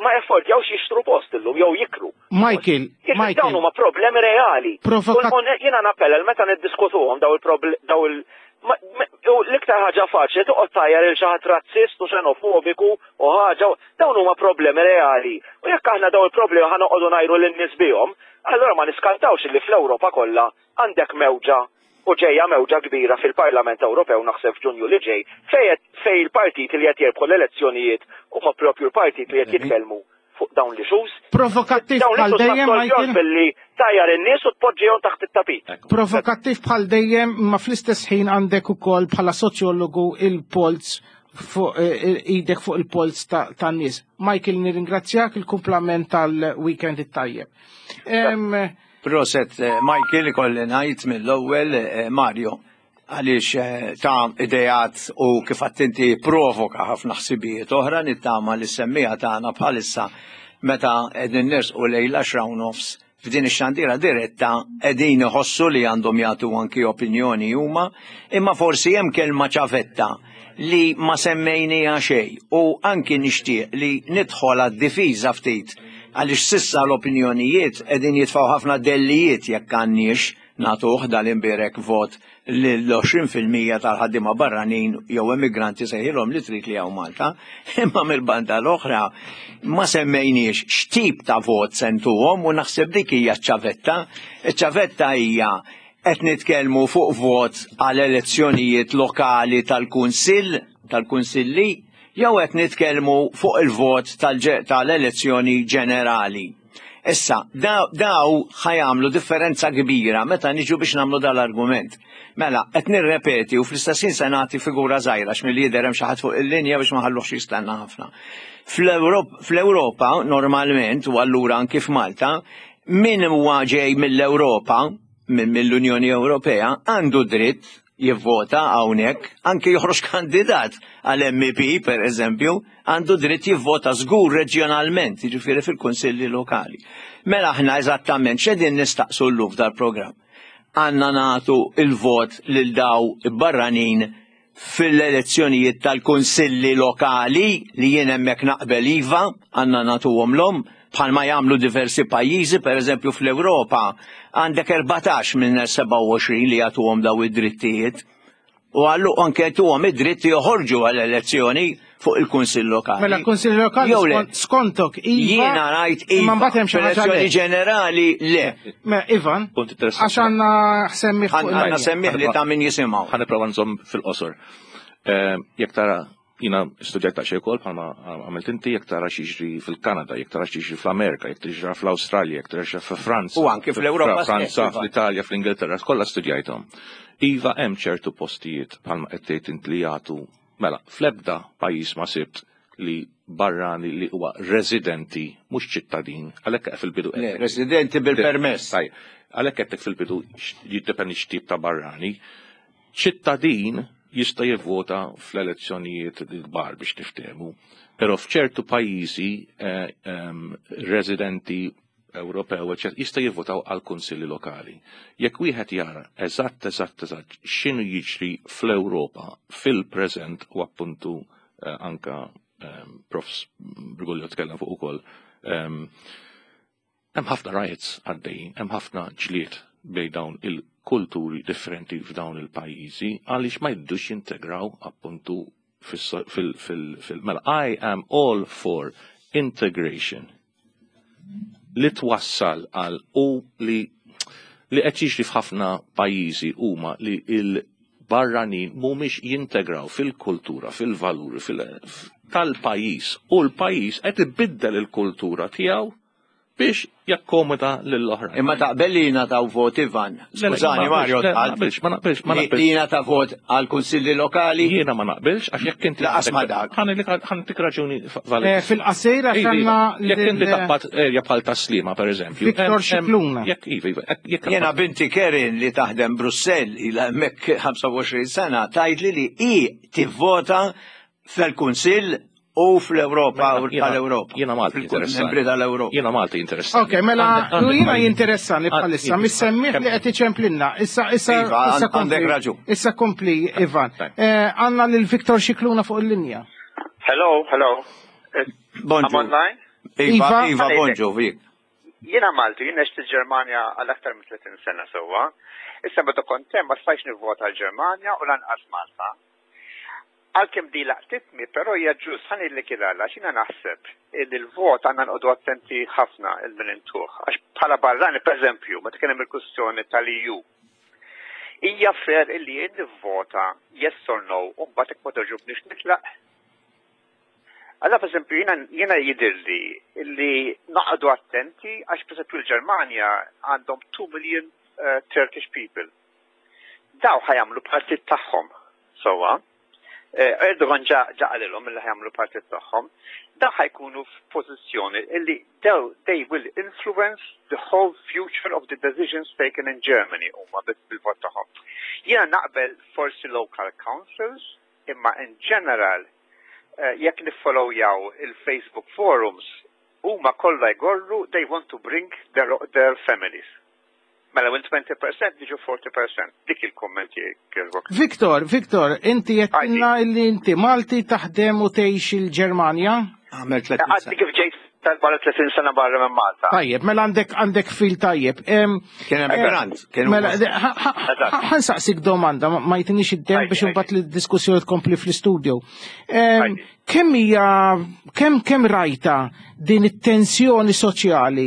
ma jaffordjawx jixtru post illum jew jikru. Michael, Michael. Dawn huma problemi reali. Jiena nappella meta niddiskutuhom daw il daw il l-iktar ħaġa faċli toqgħod tgħajjar lil xi ħadd razzist u xenofobiku u ħaġa dawn huma problemi reali. U jekk aħna daw il-problemi ħa noqogħdu ngħajru lin-nies bihom, allura ma niskantawx li fl-Ewropa kollha għandek mewġa u ġejja mewġa kbira fil-Parlament Ewropew naħseb f'Ġunju li ġej fej fej il-partit li qed jerbħu l-elezzjonijiet huma propju l-partit li qed jitkellmu fuq dawn l-issues. Provokattiv bħal dejjem, Michael. Billi tgħajjar in-nies u tpoġġihom taħt it-tapit. Provokattiv bħal dejjem, ma fl-istess ħin għandek ukoll bħala soċjologu il-polz fuq eh, idek fuq il-polz tan-nies. Michael, nirringrazzjak il-kumplament tal-weekend it-tajjeb. Proset, eh, Michael, ikolli ngħid mill-ewwel eh, Mario, għaliex eh, ta' idejat u kif inti provoka ħafna ħsibijiet oħra nittama li semmiegħa tagħna bħalissa meta qegħdin nersqu lejn l-għaxra u nofs f'din ix-xandira diretta qegħdin iħossu li għandhom jagħtu anki opinjoni huma, imma forsi hemm kelma ċavetta li ma semmejnija xejn u anki nixtieq li nidħol għad-difiża ftit għaliex s'issa l-opinjonijiet qegħdin jitfgħu ħafna dellijiet jekk għandniex nagħtuh dal-imbierek vot l-għoxrin fil-mija tal-ħaddiema barranin jew emigranti sejħilhom li trid li hawn Malta, imma mill-banda l-oħra ma semmejniex x'tip ta' vot se ntuhom u naħseb dik hija ċ-ċavetta. Iċ-ċavetta hija qed nitkellmu fuq vot għal elezzjonijiet lokali tal-Kunsill, tal-Kunsilli, jew qed nitkellmu fuq il-vot tal-elezzjoni ġenerali. Issa, daw ħa jagħmlu differenza kbira meta niġu biex nagħmlu dal-argument. Mela, qed nirrepeti u fl-istess ħin se nagħti figura żgħira x'milli jidher hemm xi ħadd fuq il-linja biex ma ħalluhx jistenna ħafna. Fl-Ewropa normalment u allura anki f'Malta, min huwa ġej mill-Ewropa, mill-Unjoni Ewropea, għandu dritt jivvota hawnhekk, anke joħroġ kandidat għal M E P per eżempju, għandu dritt jivvota żgur reġjonalment, jiġifieri fil-kunsilli lokali. Mela aħna eżattament x'qegħdin nistaqsu llum f'dal-programm? Għandna nagħtu il-vot lil daw barranin fil-elezzjonijiet tal-kunsilli lokali li jien hemmhekk naqbel iva, għandna nagħtuhom l-om, bħalma jagħmlu diversi pajjiżi, per eżempju fl-Ewropa għandek erbatax minn sebgħa u għoxrin li jagħtuhom daw id-drittijiet. U għallu anke tuhom id-dritt joħorġu għall-elezzjoni fuq il-Kunsill Lokali. Mela l-Kunsill Lokali Jew le. skont- skontok iva. Jiena ngħid Imma iva, mbagħad hemm xi ħaġa fl-elezzjoni le. ġenerali le. Me Ivan, Punt interessanti. għax għandna semmiħ fuq Għandna il-linja. semmiħ li ta' min jisimgħu. Ħa nipprova nżomm fil-qosor. Eh, Jekk tara, jiena studjajt ta' xejn bħalma għamilt inti, jekk tara x'jiġri fil-Kanada, jekk tara x'jiġri fl-Amerika, jekk tara fl-Awstralja, jekk tara fil-Franza. U anke fl-Ewropa Franza, stess, Iva. fl-Italja, fl-Ingilterra, kollha studjajthom. Iva, hemm ċertu postijiet bħalma qed tgħid int li jagħtu mela fl-ebda pajjiż ma sibt li barrani li huwa residenti mhux ċittadin, għalhekk fil-bidu Le, residenti bil-permess. Tajjeb, għalhekk qed fil-bidu jiddependi x'tip ta' barrani. Ċittadin jista' jivvota fl-elezzjonijiet l-kbar biex niftehmu, però f'ċertu pajjiżi eh, em, residenti Ewropew eċċetera, jista' jivvotaw għal kunsilli lokali. Jekk wieħed jara eżatt eżatt eżatt x'inhu jiġri fl-Ewropa fil-preżent u appuntu eh, anka um, Profs Briguglio tkellem fuq ukoll, em, hemm ħafna riots għaddejjin, hemm ħafna ġlied bejn dawn il-kulturi differenti f'dawn il-pajjiżi għaliex ma jridux jintegraw appuntu fis- fil- fil- fil- mela I am all for integration li twassal għal u li li qed jiġri f'ħafna pajjiżi huma li il-barranin mhumiex jintegraw fil-kultura, fil-valuri, fil tal-pajjiż u l-pajjiż qed ibiddel il-kultura tiegħu Biex jakkomoda lill-oħrajn. Imma taqbel li jingħataw vot, Ivan. Skużani, Mario, ma naqbilx, ma naqbilx, ma naqbilx. Li jingħata vot għal kunsilli lokali. Jiena ma naqbilx, għax jekk inti. Laqas ma dak. Ħa ntik raġuni valida. Eh, fil-qasir għax għandna Jekk inti taqbad erja bħal Tas-Sliema, per eżempju. Viktor Scicluna. Jekk iva, iva, jekk Jiena binti Kerin li taħdem Brussell ilha hemmhekk ħamsa u għoxrin sena tgħidli li hi tivvota fil-Kunsill u fl-Ewropa u tal-Ewropa. Jiena Malti interessani. Membri tal-Ewropa. Jiena Malti interessani. Ok, mela, jiena jinteressani bħalissa, mis-semmiegħ li qed iċemplinna. Issa, issa, Iva, issa kompli. għandek raġun. Issa kompli, Ivan. Eh, Għandna lil Viktor Scicluna fuq il-linja. Hello, hello. Bonġu. I'm online? Iva, Iva, bonġu, Vik. Jiena Malti, jien għext il-Ġermanja għal aktar minn tletin sena sewwa. Issa meta kont hemm ma stajtx nivvota l-Ġermanja u lanqas Malta. Għalkemm di laqtitni, però hija ġust ħa ngħidlek għala, x'jiena naħseb li l-vot għandna nqogħdu attenti ħafna lil min intuh. Għax bħala barrani, per eżempju, meta kien hemm il-kwistjoni tal-E U. Hija fair illi jien nivvota yes or no u mbagħad jekk ma togħġobniex nitlaq? Alla, per eżempju, jiena jiena jidirli illi noqogħdu attenti għax per eżempju l-Ġermanja għandhom two million uh, Turkish people. Daw ħa jagħmlu partit tagħhom. Sewwa. Eh, Erdogan ġa ġa qalilhom illi ħa jagħmlu partit tagħhom. Daw ħa jkunu f'pożizzjoni illi daw they will influence the whole future of the decisions taken in Germany huma bil-vot tagħhom. Jiena naqbel forsi local councils, imma in general eh, jekk niffollowjaw il-Facebook forums, huma kollha jgorru they want to bring their, their families. Mela, minn twenty percent diġu forty percent. Dik il-kommenti kieżbok. Viktor, Viktor, inti għedtilna illi inti Malti taħdem u tgħix il-Ġermanja? Għamel Għadni kif ġejt tal-barra tletin sena barra minn Malta. Tajjeb, mela għandek għandek fil tajjeb. Em, Kien emigrant. Kien Mela, ħa nsaqsik domanda, ma ma jtinix id-dem biex imbagħad li d-diskussjoni tkompli fl-istudio. Em, Kemm hija kemm kemm rajta din it-tensjoni soċjali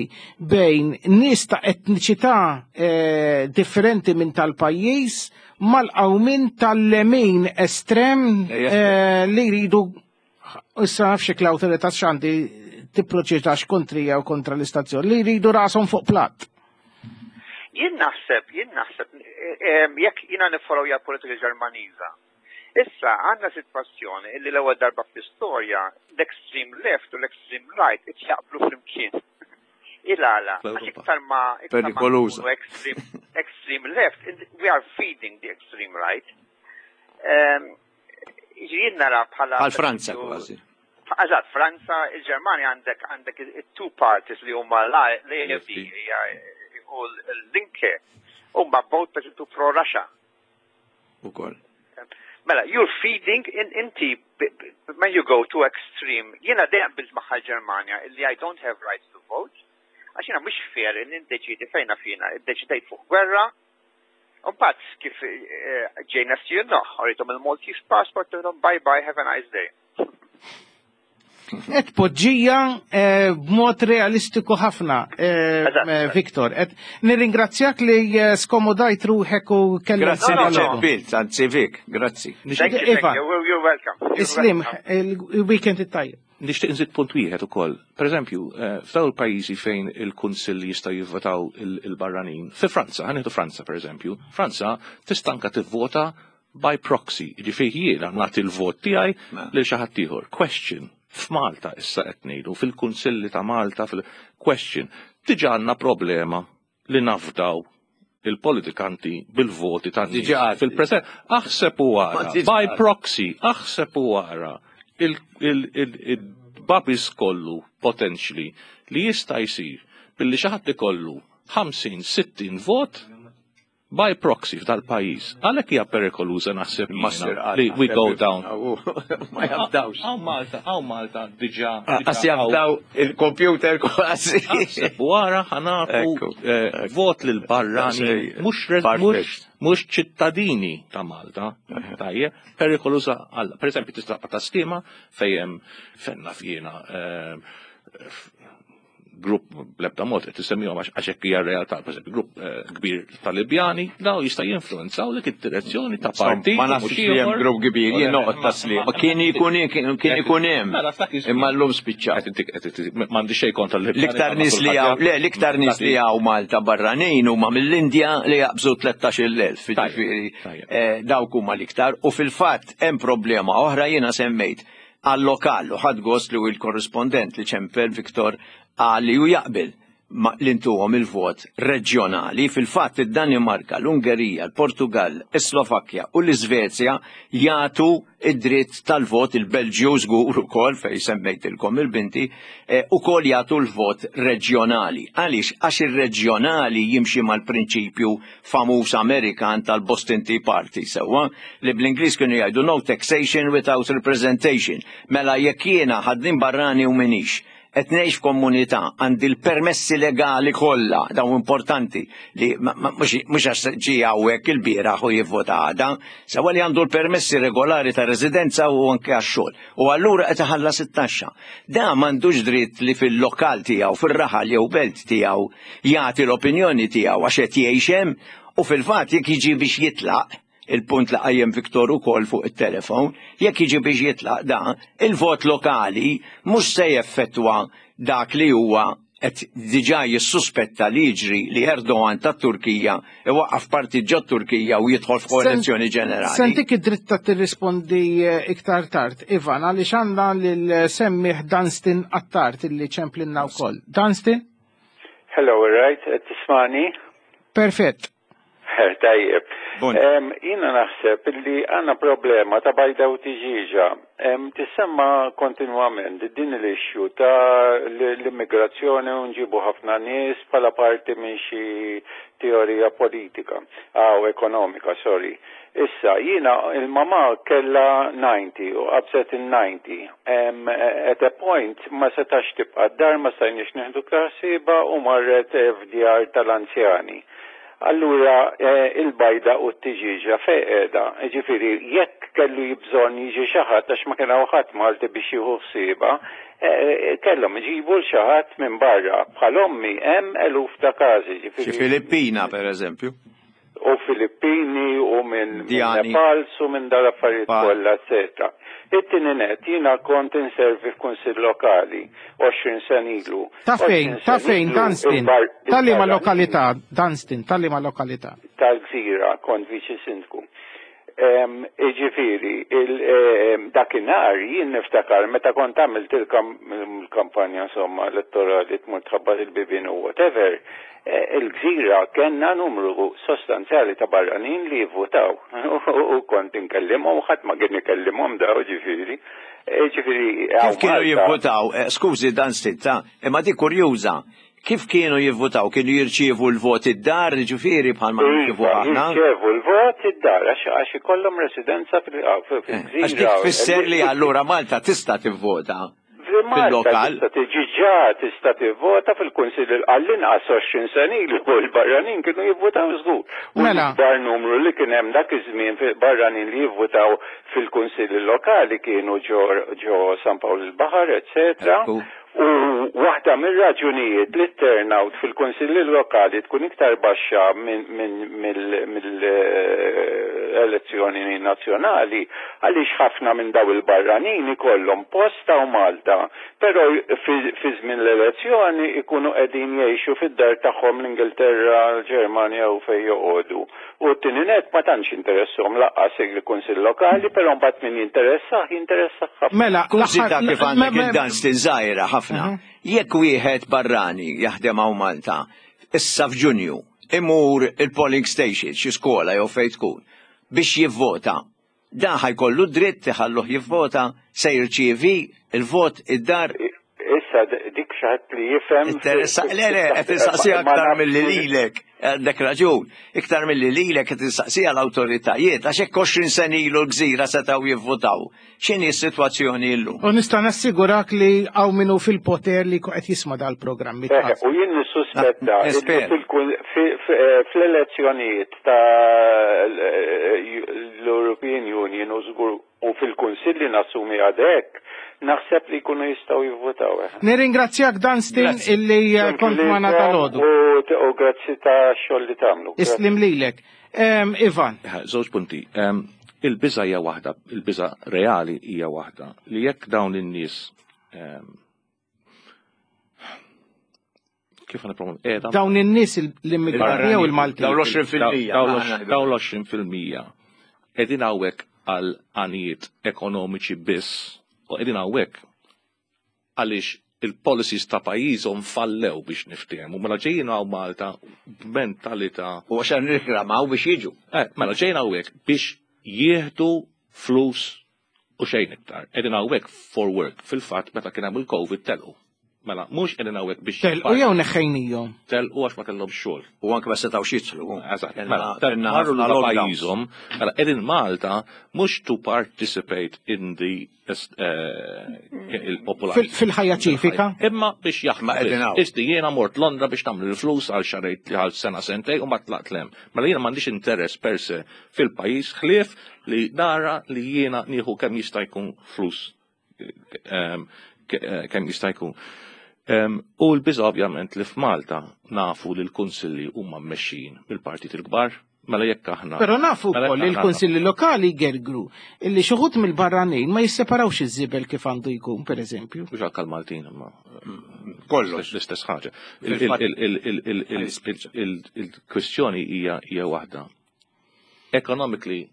bejn nies ta' etniċità eh, differenti minn tal-pajjiż mal-qawmin tal-lemin estrem eh, li jridu, issa nafx l-awtorità x'għandi tipproċedax kontrija u kontra l-istazzjon, li jridu rashom fuq platt. Jien naħseb, jien naħseb, eh, jekk jiena nifollowja politika Ġermaniża. Issa għandna sitwazzjoni illi l-ewwel darba fl-istorja l-extreme left u l-extreme right qed jaqblu flimkien. Il-għala, għax iktar ma iktar ma Perikoluża. nkunu extreme, extreme left, we are feeding the extreme right. Um, Jien nara bħala Għal Franza kważi. Eżatt, Franza, il-Ġermanja għandek għandek il-two parties li huma l-A F D u l-Linke huma both per esempio pro-Russia. Ukoll. Mela, you're feeding in inti b- b- when you go to extreme. Jiena dejjem qbilt magħha l-Ġermanja illi I don't have rights to vote. Għax jiena mhux fair li niddeċidi fejna fina, iddeċidejt fuq gwerra. Mbagħad kif eh, ġejna stjunna, urejthom il-Maltese passport, għedtilhom bye bye, have a nice day. Et poġġija eh, b'mod realistiku ħafna, eh, eh, Viktor. Et nirringrazzjak li eh, skomodajt ruħek u kelli. Grazzi li ċempilt, anzi Vik, grazzi. Thank you, thank you. You're- You're welcome. You're Islim, welcome. il-weekend it-tajjeb. Nixtieq nżid punt wieħed ukoll. Per eżempju, eh, f'dawn il-pajjiżi fejn il-kunsill jista' jivvotaw il- il-barranin, fi Franza, ħa nieħdu Franza per eżempju, Franza tista' anka tivvota by proxy, jiġifieri jiena nagħti l-vot tiegħi lil xi ħadd ieħor. Question. F'Malta issa qed ngħidu, fil-kunsilli ta' Malta, fil-question, diġà għandna problema li nafdaw il-politikanti bil-voti ta' nies Diġà. fil-preżent. Aħseb u Ma wara, diġà. by proxy, aħseb u wara il-babis kollu potentially li jista' jsir billi xi ħadd ikollu ħamsin sittin vot by proxy f'dal-pajjiż. Għalhekk hija perikoluża naħseb jiena li we go down. Ma jafdawx. Hawn Malta, hawn Malta diġà. Għas jafdaw il-computer kważi. Aħseb wara ħa nagħtu eh, vot lil barrani mhux re- mhux mhux ċittadini ta' Malta. Tajjeb, perikoluża għal. Per eżempju, tista' ta' skema fejn hemm fenna fjena eh, Grupp bl-ebda mod qed isemmihom għax hekk hija realtà, pereżempju grupp eh, kbir tal-Libjani, daw jista' jinfluwenzaw dik id-direzzjoni ta' partit. Ma nafx li hemm grupp kbir, jien noqgħod tasli. Ma kien ikun kien ikun hemm. Mela, Imma llum spiċċa. M'għandi xejn kontra l-Libjani. L-iktar nies li hawn, le, l-iktar nies li hawn Malta barranin huma mill-Indja li jaqbżu tlettax-il elf, jiġifieri eh, dawk huma l-iktar. U fil-fatt hemm problema oħra jiena semmejt għal-lokal u ħadt gost li l-korrispondent li ċempel Viktor qal li hu jaqbel li ntuhom il-vot reġjonali. Fil-fatt id-Danimarka, l-Ungerija, l-Portugal, is-Slovakkja u l-Iżvezja jagħtu id-dritt tal-vot, il-Belġju żgur ukoll fejn semmejtilkom il-binti, eh, ukoll jagħtu l-vot reġjonali. Għaliex? Għax ir-reġjonali jimxi mal-prinċipju famuż Amerikan tal-Boston Tea Party, sewwa, li bl-Ingliż kienu jgħidu no taxation without representation. Mela jekk jiena ħaddiem barrani u minix, qed ngħix f'komunità, għandi l-permessi legali kollha, dawn importanti li mhux għax ġie hawnhekk ilbieraħ u jivvota għada, sewwa li għandu l-permessi regolari ta' residenza u anke għax-xogħol. U allura qed iħallas it-taxxa. Da m'għandux dritt li fil-lokal tiegħu, fir-raħal jew belt tiegħu jagħti l-opinjoni tiegħu għax qed jgħix hemm u fil-fatt jekk jiġi biex jitlaq, il-punt li qajjem Viktor ukoll fuq it-telefon, jekk jiġi biex jitlaq da, il-vot lokali mhux se jeffettwa dak li huwa qed diġà jissuspetta li jiġri li Erdogan tat-Turkija iwaqqaf partit ġo Turkija u jidħol f'koalizzjoni ġenerali. Se ntik id-dritt ta' tirrispondi eh, iktar tard, Ivan, għaliex għandna lil semmiegħ Dunstan Attard illi ċemplinna wkoll. Dunstan? Hello, right, tismagħni? Perfett. Tajjeb. Jiena naħseb li għandna problema ta' bajda u tiġiġa. Tissemma kontinwament din l-issue ta' l-immigrazzjoni u nġibu ħafna nies bħala parti minn xi teorija politika, aw ekonomika, sorry. Issa, jiena il-mama kella disgħin u qabżet il-disgħin. At a point ma setax tibqa' d-dar, ma stajniex nieħdu ħsiebha u marret f'djar tal-anzjani. Allura eh, il-bajda u t-tiġiġa fejn qiegħda, ġifieri jekk kellu bżonn jiġi xi ħadd għax ma kien hawn ħadd Malti biex jieħu ħsiebha, eh, kellhom iġibu 'l xi ħadd minn barra. Bħal ommi hemm eluf ta' każi. Xi Filippina per eżempju. U Filippini u minn Indjani. Nepal u minn dal-affarijiet Pa- kollha, eccetera. It-tieni net, jiena kont inservi f'kunsill lokali għoxrin sena ilu. Ta' fejn, għoxrin ta' sena fejn, ilu, Dunstan? il-bar- Tal-liema il-barranin lokalità, Dunstan, tal-liema lokalità. Tal-Gżira, kont viċi sindku. Em, Iġifieri, il- em, dakinhar jien niftakar meta kont għamilt il-kam- il-kampanja insomma elettorali tmur tħabbat il-bibien u whatever, eh, il-Gżira kellna numru sostanzjali ta' barranin li jivvotaw. U kont inkellimhom, ħadd ma kien ikellimhom daw ġifieri. Eh, Ġifieri, Kif hawn kienu Malta- jivvotaw? Eh, Skużi dan sitta, imma di kurjuża. Kif kienu jivvotaw? Kienu jirċievu l-vot id-dar, ġifieri bħalma nirċievu Iva, aħna? jirċievu l-vot id-dar għax għax ikollhom residenza fil- ah, fil- fil-Gżira. Għax dik tfisser li allura Malta tista' tivvota Fil-Malta fil-lokal. tista' tiġi ġa tista' tivvota fil-Kunsill għall-inqas għoxrin sena ilu u l-barranin kienu jivvotaw żgur. U Mela. l-ikbar numru li kien hemm dak iż-żmien barranin li jivvotaw fil-Kunsilli lokali kienu ġo ġo San Pawl il-Baħar, eccetera. U waħda mir-raġunijiet li turnout fil-kunsilli lokali tkun iktar baxxa minn mill-elezzjoni nazzjonali għaliex ħafna minn daw il-barranin ikollhom post hawn Malta, però fi fi żmien l-elezzjoni ikunu qegħdin jgħixu fid-dar tagħhom l-Ingilterra, l-Ġermanja u fejn joqogħdu. U t-tieni net ma tantx interessahom lanqas il-kunsill lokali, però mbagħad min jinteressah jinteressah ħafna. Mela, Kurżità l-aħħar- kif għandek me- me- il-Dunstan żgħira ħafna. Jekk wieħed barrani jaħdem hawn Malta, issa f'Ġunju, imur il-polling station, xi skola jew fejn tkun, biex jivvota, dan ħa jkollu dritt iħalluh jivvota, se jirċievi il-vot id-dar. Issa d- dik xi ħadd li jifhem. Interessa, le, le, qed insaqsi Ma aktar nafx- milli lilek, għandek raġun, iktar milli lilek qed insaqsija l-awtoritajiet, għax hekk għoxrin sena ilu l-Gżira setgħu jivvotaw. X'inhi s-sitwazzjoni llum? U nista' nassigurak li hawn min hu fil-poter li qed jisma' dal-programmi. Eħe, u jien nissuspetta Ah, illi espert. fil- fi- fi- eh, fl-elezzjonijiet ta' l-European Union u żgur u fil-Kunsilli nassumi għadek Naħseb li jkunu jistgħu jivvotaw. eh. Nirringrazzjak Dunstan illi eh, kont magħna dalgħodu. U u grazzi ta' xogħol li tagħmlu. Islim lilek. Em, Ivan, Żewġ punti. Em, Il-biża hija waħda, il-biża reali hija waħda li jekk dawn in-nies em, kif għana problem? Qiegħda dawn in-nies l-immigranti jew il-Maltin. Dawn l-għoxrin fil-mija. Dawn l-għoxrin fil-mija qegħdin hawnhekk għal għanijiet ekonomiċi biss u qegħdin hawnhekk għaliex il-policies ta' pajjiżhom fallew biex niftehmu. Mela ġejjin hawn Malta b'mentalità U għax nirreklamaw biex jiġu. Eh, mela ġejna hawnhekk biex jieħdu flus u xejn iktar. Qegħdin hawnhekk for work. Fil-fatt meta kien hemm il-Covid telqu. Mela mhux qegħdin hawnhekk biex Telqu jew neħħejnihom. telqu għax ma kellhom xogħol. U anke ma setgħux jidħlu. Eżatt, Kellna- mela, kellna marru ħafna lura lockdowns. pajjiżhom, mela qegħdin Malta mhux to participate in the eh, il-popolazzjoni. Fil- Fil-ħajja ċivika. Imma biex Ma jaħdmu. qegħdin hawn. Isti jiena mort Londra biex nagħmel il-flus għal xarejt għal sena sentej u ma tlaqt lem. Mela jiena m'għandix interess per se fil-pajjiż ħlief li nara li jiena nieħu kemm jista' jkun flus ehm, ke- eh, kemm jista' jkun. Ehm, U l-biża ovvjament li f'Malta nafu li l-kunsilli huma mmexxijin mill-partit il-kbar, mela jekk aħna. Però nafu mela jekk wkoll li aħna- l-kunsilli lokali gergru illi xi wħud mill-barranin ma jisseparawx iż-żibel kif għandu jkun, pereżempju. Mhux għal Maltin imma Kollox. l-istess ħaġa. Fil-fatt- Il-kwestjoni hija hija waħda. Economically,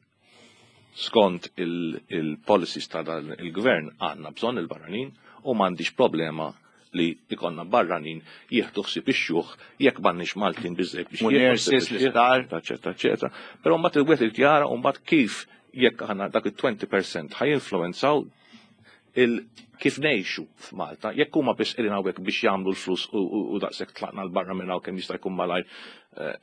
skont il-policies ta' dan il-gvern għandna bżonn il-barranin u m'għandix problema li ikonna barranin jieħdu ħsieb ix-xjuħ jekk m'għandniex Maltin biżejjed biex U jieħdu nurses, ħsieb ix-xjuħ, l-isptar. eċetera, eċetera. Però mbagħad il-wieħed irid jara u mbagħad kif jekk aħna dak il-twenty percent ħajinfluwenzaw il kif ngħixu f'Malta, jekk huma biss qegħdin hawnhekk biex jagħmlu l-flus u, u, u daqshekk tlaqna 'l barra minn hawn kemm jista' jkun malajr, eh,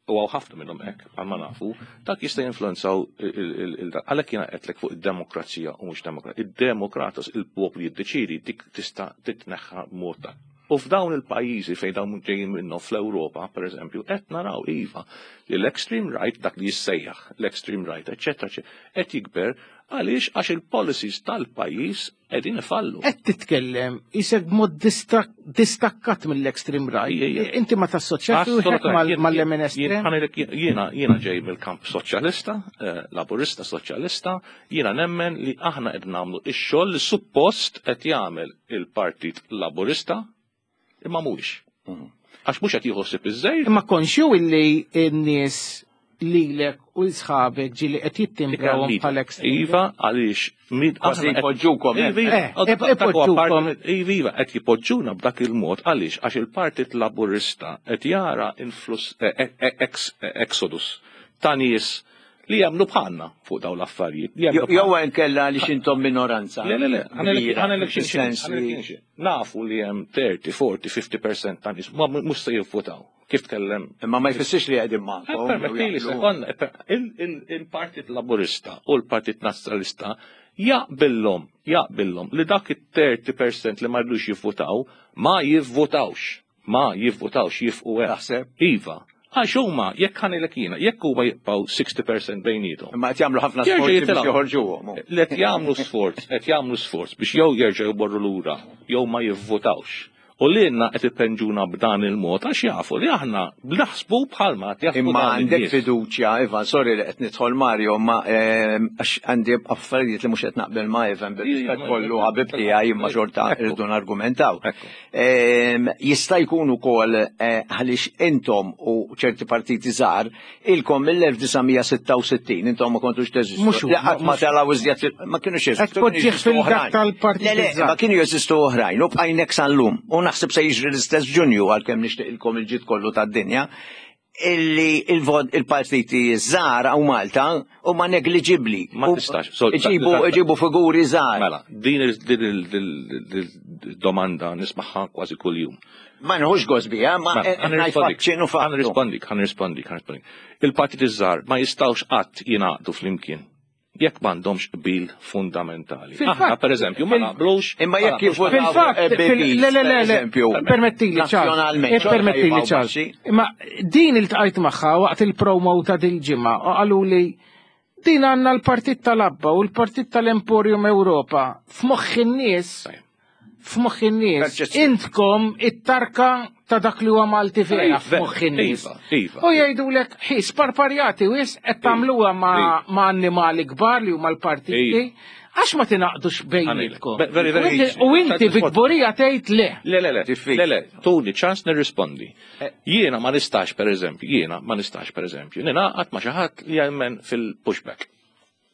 u hawn ħafna minnhom hekk bħalma nafu, dak jista' jinfluwenzaw il għalhekk jiena qedlek fuq id-demokrazija u mhux demokrazija. Id-demokratas il-poplu jiddeċidi dik tista' titneħħa b'mod ta'. U f'dawn il-pajjiżi fejn dawn ġejjin minnhom fl-Ewropa, pereżempju, qed naraw iva li l-extreme right, dak li jissejjaħ l-extreme right, eċetera, eċetera, qed jikber għaliex għax il-policies tal-pajjiż qegħdin ifallu. Qed titkellem isek b'mod distak- distakkat mill-extreme right. Ija, ija. Inti ma tassoċjax ruħek mal- mal-lemin estrem? Jiena jiena ġej mill-kamp soċjalista, eh, laburista soċjalista, jiena nemmen li aħna qed nagħmlu ix-xogħol li suppost qed jagħmel il-Partit Laburista imma mhuwiex. Għax mhux qed jieħu ħsieb iż-żejr. Imma konxju illi n-nies lilek u sħabek ġili qed jittimbrawhom bħal extreme. Iva, għaliex min Kważi aħna qed- jpoġġukom, Iva, iva, Eh, dak- dak huwa ipoġġukom. parti- Iva, iva, qed jipoġġuna b'dak il-mod għaliex għax il-Partit Laburista qed jara influss eh, eh, ex exodus ta' nies li jagħmlu bħalna fuq dawn l-affarijiet. li jagħmlu Jew nkella li xintom minoranza. Le, le, le, Kbira, ħanelek xi fis-sens li- Nafu li hemm trenta, forty, fifty percent ta' nies ma mhux se jivvutaw. Kif tkellem? Imma ma jfissirx li qegħdin magħkom. Permettili sekonda, il- il- il-Partit Laburista u l-Partit Nazzjonalista jaqbillhom, jaqbillhom li dak it-thirty percent li ma rridux jivvutaw ma jivvutawx. Ma jivvutawx jifqu hekk. Taħseb? Iva. Għax huma jekk ħanilek jiena, jekk huma jibqgħu sixty percent bejniethom. Imma qed jagħmlu ħafna Jerġa' sforzi biex jitilgħu. joħorġuhom. Li qed jagħmlu sforz, qed jagħmlu sforz biex jew jerġgħu jmorru lura, jew ma jivvutawx. U lilna qed ipenġuna b'dan il-mod għax jafu li aħna naħsbu bħalma qed jaħsbu Imma dawn għandek in-nies. fiduċja, Ivan, sorry li qed nidħol Mario, ma ehm, għax għandi affarijiet li mhux qed naqbel ma' Ivan, bil-rispett kollu ħabib tiegħi imma xorta irridu nargumentaw. Ehm, Jista' jkun ukoll eh, għaliex intom u ċerti partiti żgħar ilkom mill-elf disa' mija sitta u sittin intom ma kontux teżistu. Mhux hu, Li qatt ma mhux- telgħu iżjed fil- ma kienux jeżistu. Qed tpoġġih kienu jeżistu fil-dak oħrajn. tal-partiti Le, le, żgħar. ma kienu jeżistu oħrajn, u bqajnek sal-lum. U naħseb se jiġri l-istess Ġunju għalkemm nixtieq ilkom il-ġid kollu tad-dinja illi il-vot il-partiti żgħar hawn Malta huma negliġibbli. Ma U tistax. So, Iġibu da- da- iġibu figuri żgħar. Mela, din il- din il- din il-domanda nismagħha kważi kuljum. Ma nħux gost biha, ma Mela, qed ngħid fatt x'inhu ħa fattu. nirrispondik, ħa nirrispondik, ħa nirrispondik. Il-partit iż-żgħar ma jistgħux qatt jingħaqdu flimkien jekk m'għandhomx qbil fundamentali. Fil-fatt- Aħna pereżempju ma fil- naqblux. Imma jekk ma naqblux- jivvotaw Fil-fatt, fil- le, le, le, le, eżempju, permettili Charles, nazzjonalment, eh, permettili xorta Charles. jibqgħu Imma din iltqajt magħha waqt il-promo ta' dil-ġimgħa u qalu li Din għandna l-Partit tal-Abba u l-Partit tal-Emporium Ewropa f'moħħ in-nies, f'moħħ in-nies, intkom it-tarka ta' dak li huwa Malti vera f'moħħ in-nies. Iva, iva. U jgħidulek, ħi, sparparjati wis qed tagħmluha ma' ma' annimali kbar li huma l-partiti. Għax ma tingħaqdux bejnietkom? Be- very, very U inti- easy. U inti bi kburija tgħid le. Le, le, le, le, le, tuni ċans nirrispondi. Jiena ma nistax, per eżempju, jiena ma nistax, per eżempju, ningħaqad ma' xi ħadd li jemmen fil-pushback.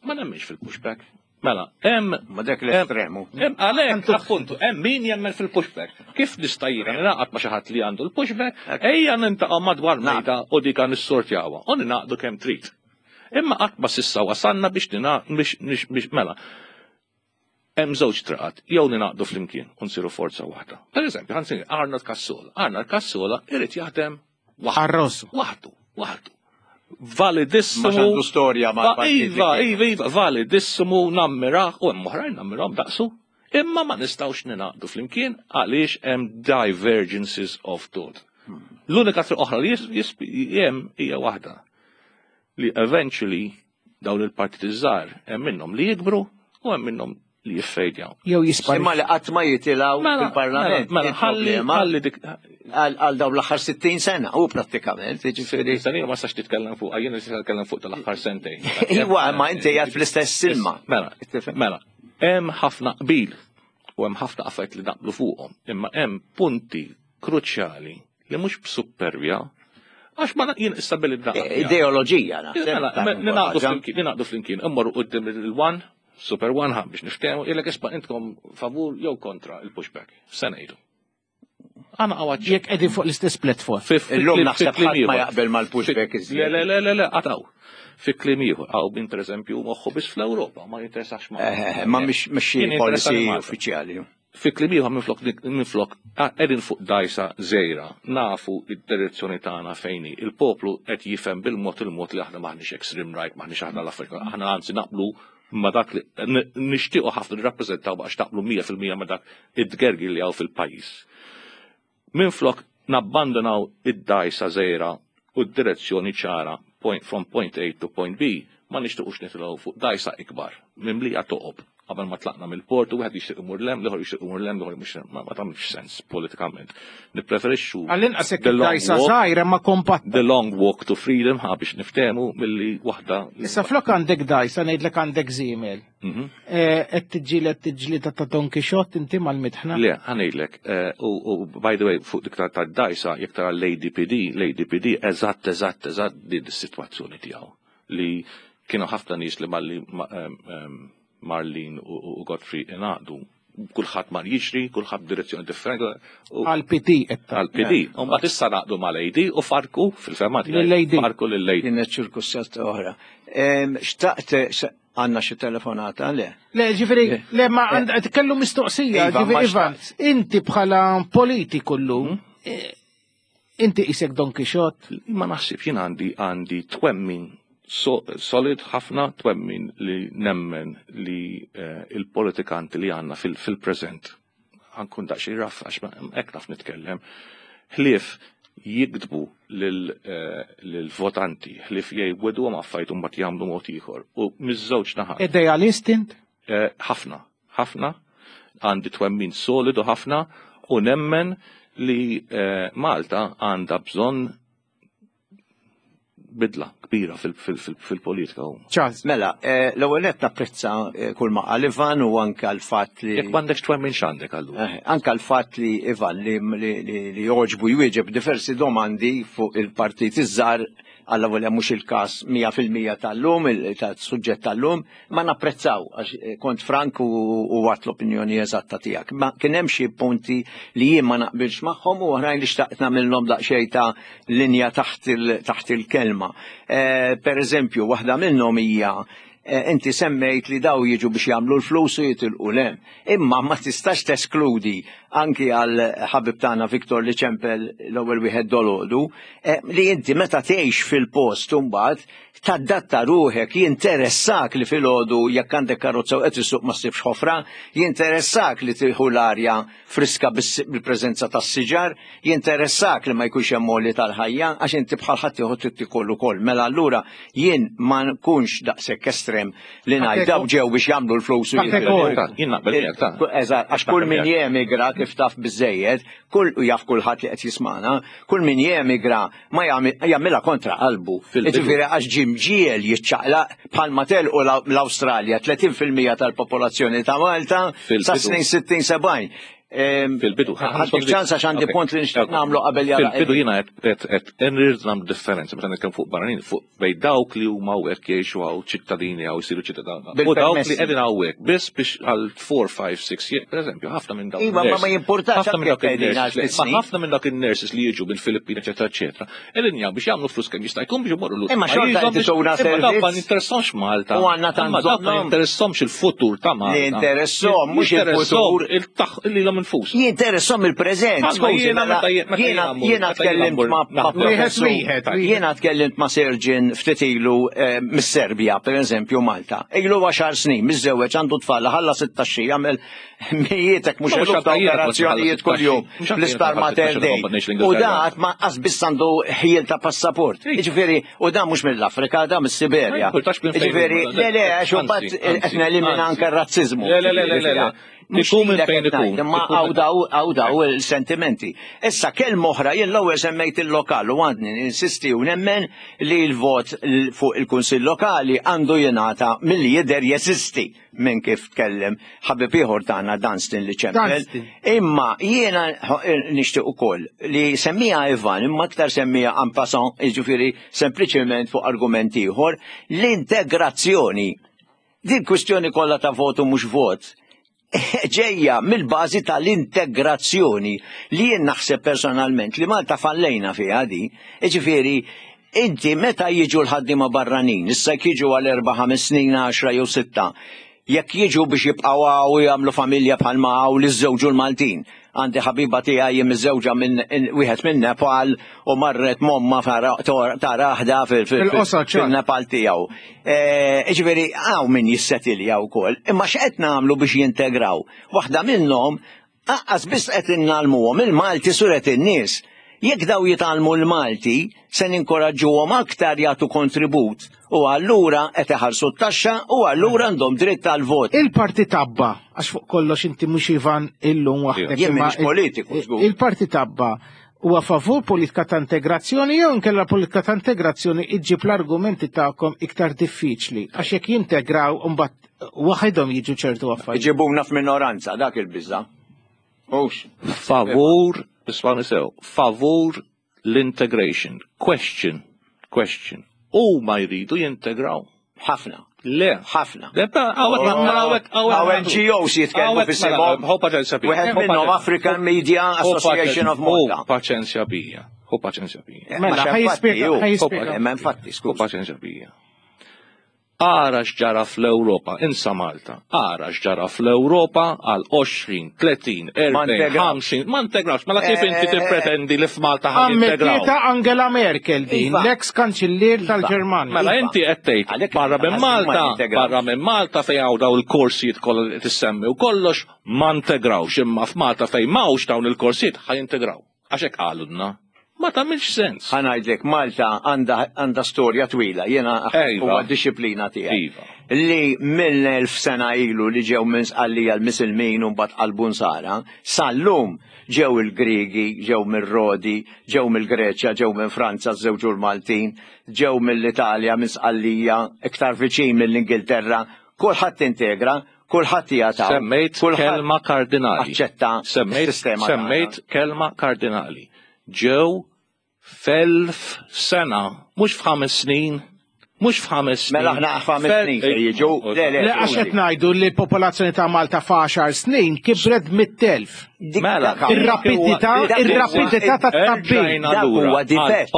Ma nemmenx fil-pushback. Mela, hemm Ma dak l-estremu. Hemm għalhekk appuntu, hemm min jemmen fil-pushback. Kif nista' jiena ningħaqad ma' xi ħadd li għandu l-pushback, ejja nintaqgħu madwar mejda u dika nissortjawha u ninaqdu kemm trid. Imma qatt ma s'issa wasalna biex nina biex biex biex mela. Hemm żewġ triqat, jew ninaqdu flimkien u nsiru forza waħda. Per eżempju, ħa nsemmi Arnold Cassola. Arnold Cassola irid jaħdem waħdu. Waħdu, waħdu. Validissimu. Ma għandu storja Va- mal-partit li Iva, kien. iva, iva, validissimu, nammirah, u hemm oħrajn nammirahom daqsu. Imma ma nistgħux ninaqdu flimkien għaliex hemm divergences of thought. L-unika triq oħra li jis- jis- hemm hija waħda li eventually dawn il-partiti żgħar hemm minnhom li jikbru u hemm minnhom li jiffejdjaw. Jew jispari. Imma li qatt ma jitilgħu Mela, fil-parlament. mela, mela, ħalli- Il-problema ħalli dik Għal għal dawn l-aħħar sittin sena, u prattikament, jiġifieri. Sena ma sax titkellem fuq, jiena nista' nitkellem fuq tal-aħħar sentejn. Iwa, ma inti qiegħed fl-istess ilma. Mela, mela, hemm ħafna qbil u hemm ħafna affarijiet li naqblu fuqhom, imma hemm punti kruċjali li mhux b'suppervja għax ma jien issa billi naqbel. Ideoloġija, naħseb. Mela, ta' ninaqdu ħaġa. flimkien, ninaqdu flimkien, immorru quddiem il-one, Super One ħa biex niftehmu, ilek isma' intkom favur jew kontra il-pushback. Se ngħidu. Għana għawaċ. Jekk qegħdin fuq l-istess platform. Illum naħseb ħadd ma jaqbel mal-pushback iżjed. Le, le, le, le, le, għataw. Fi kliem ieħor, għaw bin per eżempju moħħu biss fl-Ewropa, ma jinteressax ma. Eh, Ma mhix mhix xi Jien policy interessani Malta. uffiċjali. Fi kliem ieħor minflok minflok qegħdin fuq dajsa żgħira, nafu id-direzzjoni tagħna fejn hi. Il-poplu qed jifhem bil-mod il-mod li aħna maħniex extreme right, maħniex aħna l-Afrika, aħna anzi naqblu ma dak li n- nixtiequ ħafna nirrappreżentaw biex naqblu mija fil-mija ma dak id-tgergir li hawn fil-pajjiż. Minflok nabbandonaw id-dajsa żgħira u d-direzzjoni ċara point, from point A to point B, ma nixtiequx nitilgħu fuq dajsa ikbar, mimlija toqob. Qabel ma tlaqna mill-port u wieħed jixtieq imur 'l hemm, l-ieħor jixtieq imur 'l hemm, l-ieħor mhux ma ma tagħmilx sens politikament. Nippreferixxu Għall-inqas jekk the long id-dajsa walk- żgħira ma kompatta. the long walk to freedom ħa biex niftehmu milli waħda. Issa flok għandek dajsa ngħidlek għandek żiemel. Mhm. Eh, Qed tiġġieled tiġġlieda ta' Don Quixote inti mal-mitħna. Le, ħa ngħidlek, eh, u u by the way, fuq dik ta' dajsa, jekk tara l-A D P D, l-A D P D eżatt, eżatt, eżatt din is-sitwazzjoni tiegħu. Li kienu ħafna nies li malli ma- em, em, Marlene u u Godfrey ingħaqdu, kulħadd mar jiġri, kulħadd direzzjoni differenti. u- Għal-P D qed Għal P D. U mbagħad issa naqdu mal-A D u farku fil-fema tiegħi. Lill-A D. Farku lill-A D. Kienet ċirkustanza oħra. Em, Xtaqt, se- għandna xi telefonata, le? Le, ġifieri, le, ma għand kellu mistoqsija, Iva, ġifieri, ma Ivan, inti bħala politiku llum, eh, inti isek Don Quixote? Ma naħsibx, jien għandi għandi twemmin so, solid ħafna, twemmin li nemmen li eh, il-politikanti li għandna fil- fil-preżent, ħa nkun daqsxejn rough għax ma- hekk naf nitkellem, ħlief jikdbu lil- lil-votanti, ħlief jgħidu ma affarijiet u mbagħad jagħmlu mod ieħor. U miż-żewġ naħat. Idealist int? Eh, ħafna, ħafna, għandi twemmin solidu ħafna u nemmen li eh, Malta għandha bżonn bidla kbira fil- fil- fil- fil-politika. Charles. Mela, eh, l-ewwel qed napprezza eh, kull ma qal Ivan u anke l-fatt li Jekk m'għandekx twemmin x'għandek allura? Eh, Anka l-fatt li Ivan li, li, li, li joġbu jwieġeb diversi domandi fuq il-partit iż-żgħar, għalla volja mhux il-każ mija fil-mija tal-lum, il- tal-suġġett tal-lum, ma napprezzaw għax eh, kont frank u, u għat l-opinjoni eżatta tiegħek. Ma kien hemm xi punti li jien ma naqbilx magħhom u oħrajn li xtaqt nagħmilhom daqsxejn ta' linja taħt il- taħt il-kelma. Eh, per eżempju, waħda minnhom hija Inti semmejt li daw jiġu biex jagħmlu l-flus u jitilqu 'l hemm. Imma ma tistax teskludi anki għal ħabib tagħna Viktor li ċempel l-ewwel wieħed dolodu, li inti meta tgħix fil-post imbagħad tadatta ruħek, jinteressak li filgħodu jekk għandek karozza u qed issuq ma ssibx ħofra, jinteressak li tieħu l-arja friska bil-preżenza tas-siġar, jinteressak li ma jkunx hemm għoli tal-ħajja għax inti bħal ħadd ieħor trid tikol ukoll. Mela allura jien ma nkunx daqshekk estrem li ngħid daw ġew biex jagħmlu l-flus u jitilqu. Eżatt, għax kull min jemigra kif taf biżejjed, kull jaf kulħadd li qed jismana, kull min jemigra ma jagħmilha kontra qalbu. Jiġifieri għax ġie mġiegħel jiċċaqlaq bħalma telqu l-Awstralja tletin fil-mija tal-popolazzjoni ta' Malta sa snin sittin sebgħin. Fil-bidu. Għandek ċans għax għandi punt li nixtieq nagħmlu qabel jara. Fil-bidu jiena qed nrid nagħmlu differenza meta nitkellem fuq barranin fuq bejn dawk li huma hawnhekk jgħixu hawn ċittadini hawn jsiru ċittadini. U dawk li qegħdin hawnhekk biss biex għal four, five, six years, pereżempju, ħafna minn dawk. Iva, ma ma jimpurtax ħafna minn ħafna minn dawk in-nurses li jiġu mill-Filippini, eċetera, eċetera. Qegħdin jagħmlu biex jagħmlu flus kemm jista' jkun biex imorru lura. Imma xorta qed ituna servizz. Ma jinteressahomx Malta. U għandna tant ma jinteressahomx il-futur ta' Malta. Li jinteresshom mhux il-futur. Il-lilhom infus. Jinteressom il-preżent. Jiena tkellimt ma' jiena tkellimt ma' surgeon ftit ilu mis-Serbja, pereżempju Malta. Ilu għaxar snin, miżżewweġ, għandu tfal, ħalla sittax jagħmel mijietek mhux eluf ta' operazzjonijiet kuljum fl-isptar Mater Dei. U da qatt ma qas biss għandu ħiel ta' passaport. Jiġifieri, u da mhux mill-Afrika, da mis-Siberja. Jiġifieri, le le, għax imbagħad qed nelimina anke r-razziżmu. Le le le le. Ikun minn fejn ikun. Imma għaw daw il-sentimenti. Issa kelma oħra, jien l-ewwel semmejt il-lokal u għandni insisti u nemmen li l-vot fuq il-Kunsill Lokali għandu jingħata milli jidher jeżisti minn kif tkellem ħabib ieħor tagħna Dunstan li ċempel. Imma jiena nixtieq ukoll li semmija Ivan, imma aktar semmija en passant, jiġifieri sempliċement fuq argument ieħor, l-integrazzjoni. Din kwistjoni kollha ta' votu mhux vot ġejja mill-bażi tal-integrazzjoni li jien naħseb personalment li Malta fallejna fiha di. Jiġifieri, inti meta jiġu l-ħaddiema barranin, issa jekk jiġu għal erba' ħames snin, għaxra jew sitta, jekk jiġu biex jibqgħu hawn u jagħmlu familja bħalma hawn li żżewġu l-Maltin. Għandi ħabiba tiegħi miżżewġa minn wieħed minn Nepal u marret momma ta' raħda fil-Nepal tiegħu. Jiġifieri hawn min jissetilja wkoll, imma x'qed nagħmlu biex jintegraw? Waħda minnhom aqqas biss qed innalmuhom il-Malti suret in-nies. Jekk daw jitgħallmu l-Malti, se ninkoraġġuhom aktar jagħtu kontribut u allura qed iħallsu t-taxxa u allura għandhom dritt għal-vot. Il-Partit Abba, għax fuq kollox inti mhux Ivan illum waħdek. Jien m'iniex politiku, żgur. Il-Partit Abba huwa favur politika ta' integrazzjoni jew inkella politika ta' integrazzjoni iġġib l-argumenti tagħkom iktar diffiċli għax jekk jintegraw mbagħad waħedhom jiġu ċertu affarijiet. Iġibuna f'minoranza dak il-biża'. Hux. Favur, isma' sew, favur l-integration. Question, question. U ma jridu jintegraw. Ħafna. Le. Ħafna. Għaw N G Os jitkellmu fis-simhom. Wieħed minnhom African Media Association of Malta. Hu paċenzja bija. Hu paċenzja bija. Mela, ħajispjega, ħajispjega. Imma infatti, skuż. Hu paċenzja bija. Ara x'ġara fl-Ewropa, insa Malta. Ara x'ġara fl-Ewropa għal għoxrin, tletin, erbgħin, ħamsin, ma integrawx. Mela kif inti tippretendi li f'Malta ħan integraw? Ammettieta Angela Merkel din, l-ex kanċillier tal-Ġermanja. Mela inti qed tgħid barra minn Malta, barra minn Malta fejn hawn dawn il-korsijiet kollha li tissemmi u kollox ma integrawx, imma f'Malta fejn m'hawnx dawn il-korsijiet ħa jintegraw. Għax hekk qalulna. Ma tagħmilx sens. Ħa ngħidlek, Malta għandha storja twila, jiena huwa d-disciplina tiegħi. Li mill-elf sena ilu li ġew minn Sqallija l-Misilmin u mbagħad qalbu Nsara, sal-lum ġew il-Griegi, ġew mir-Rodi, ġew mill-Greċja, ġew minn Franza, żewġu l-Maltin, ġew mill-Italja, minn Sqallija, iktar viċin mill-Ingilterra, kulħadd integra, kulħadd jagħta. Semmejt kelma kardinali. Aċċetta s-sistema. Semmejt kelma kardinali. Ġew f'elf sena, mhux f'ħames snin, Mhux f'ħames snin. Mela aħna f'ħames snin se jiġu. Le, le, Le, għax qed ngħidu li l-popolazzjoni ta' Malta f'għaxar snin kibret mitt elf. Mela, Ir-rapidità, ir-rapidità ta' tkabbir. Dak huwa difett.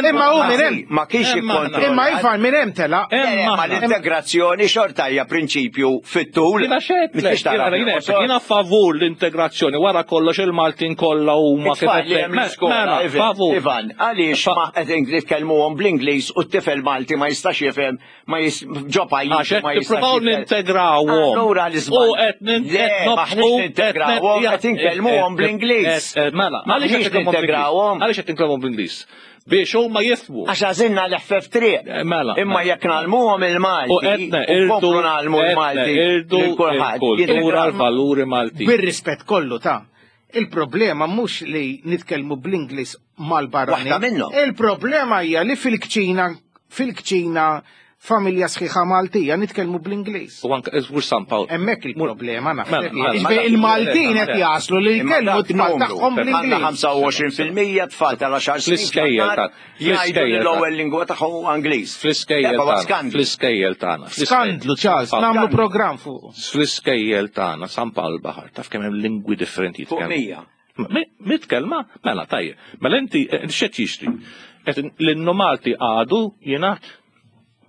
Imma hu minn hemm. Ma kienx ikkontrollat. Imma Ivan minn hemm telaq. Ma l-integrazzjoni xorta hija prinċipju fit-tul. Jiena xedlek, jiena jiena favur l-integrazzjoni wara kollox il-Maltin kollha huma kif It-tfal li hemm l-iskola, Mela, Ivan, favur. Ivan, għaliex ma qed nitkellmuhom bl-Ingliż u t-tifel Malti ma jistax jifhem ma jis ġo pajjiż Għax qed ma jistax nippruvaw jifhem. nintegrawhom. Allura l-iżball. U qed nin- Le, qed maħniex nobqu- nintegrawhom, qed qed inkellmuhom bl-Ingliż. Mela, għaliex qed Maħniex nitkellmuhom bl-Ingliż? nintegrawhom. Għaliex qed nitkellmuhom bl-Ingliż? Biex huma jifhmu. Għax għażilna l-ħfef triq. Mela. Imma jekk nagħlmuhom il-Malti U qed u neqirdu nkomplu nagħlmu qed l-Malti neqirdu lil kulħadd. il-kultura l-valuri Maltin. Bir-rispett kollu ta' il-problema mhux li nitkellmu bl-Ingliż mal-barranin. Waħda minnhom. Il-problema hija li fil-kċina fil-kċina familja sħiħa Maltija nitkellmu bl-Ingliż. U anke mhux San Pawl. Hemmhekk il-problema naħseb. Mela, mela, Jiġifieri Il-Maltin qed jaslu li Imma jkellmu dak t-tfal numru. tagħhom Għandna bl-Ingliż. ħamsa u għoxrin fil-mija tfal tal-għaxar snin Fl-iskejjel fl-aħħar ta' jgħidu li fl-iskejjel l-ewwel lingwa tagħhom huwa Ingliż. Fl-iskejjel Dak huwa tagħna. skandlu. Fl-iskejjel tagħna. Skandlu, Charles, nagħmlu programm fuq. Fl-iskejjel tagħna San Pawl Baħar taf kemm hemm lingwi differenti Fuq jitkellmu. mija. Mi- Mitkellma, mela tajjeb. Mela inti eh, x'qed jixtri? Qed l-innu Malti għadu jingħad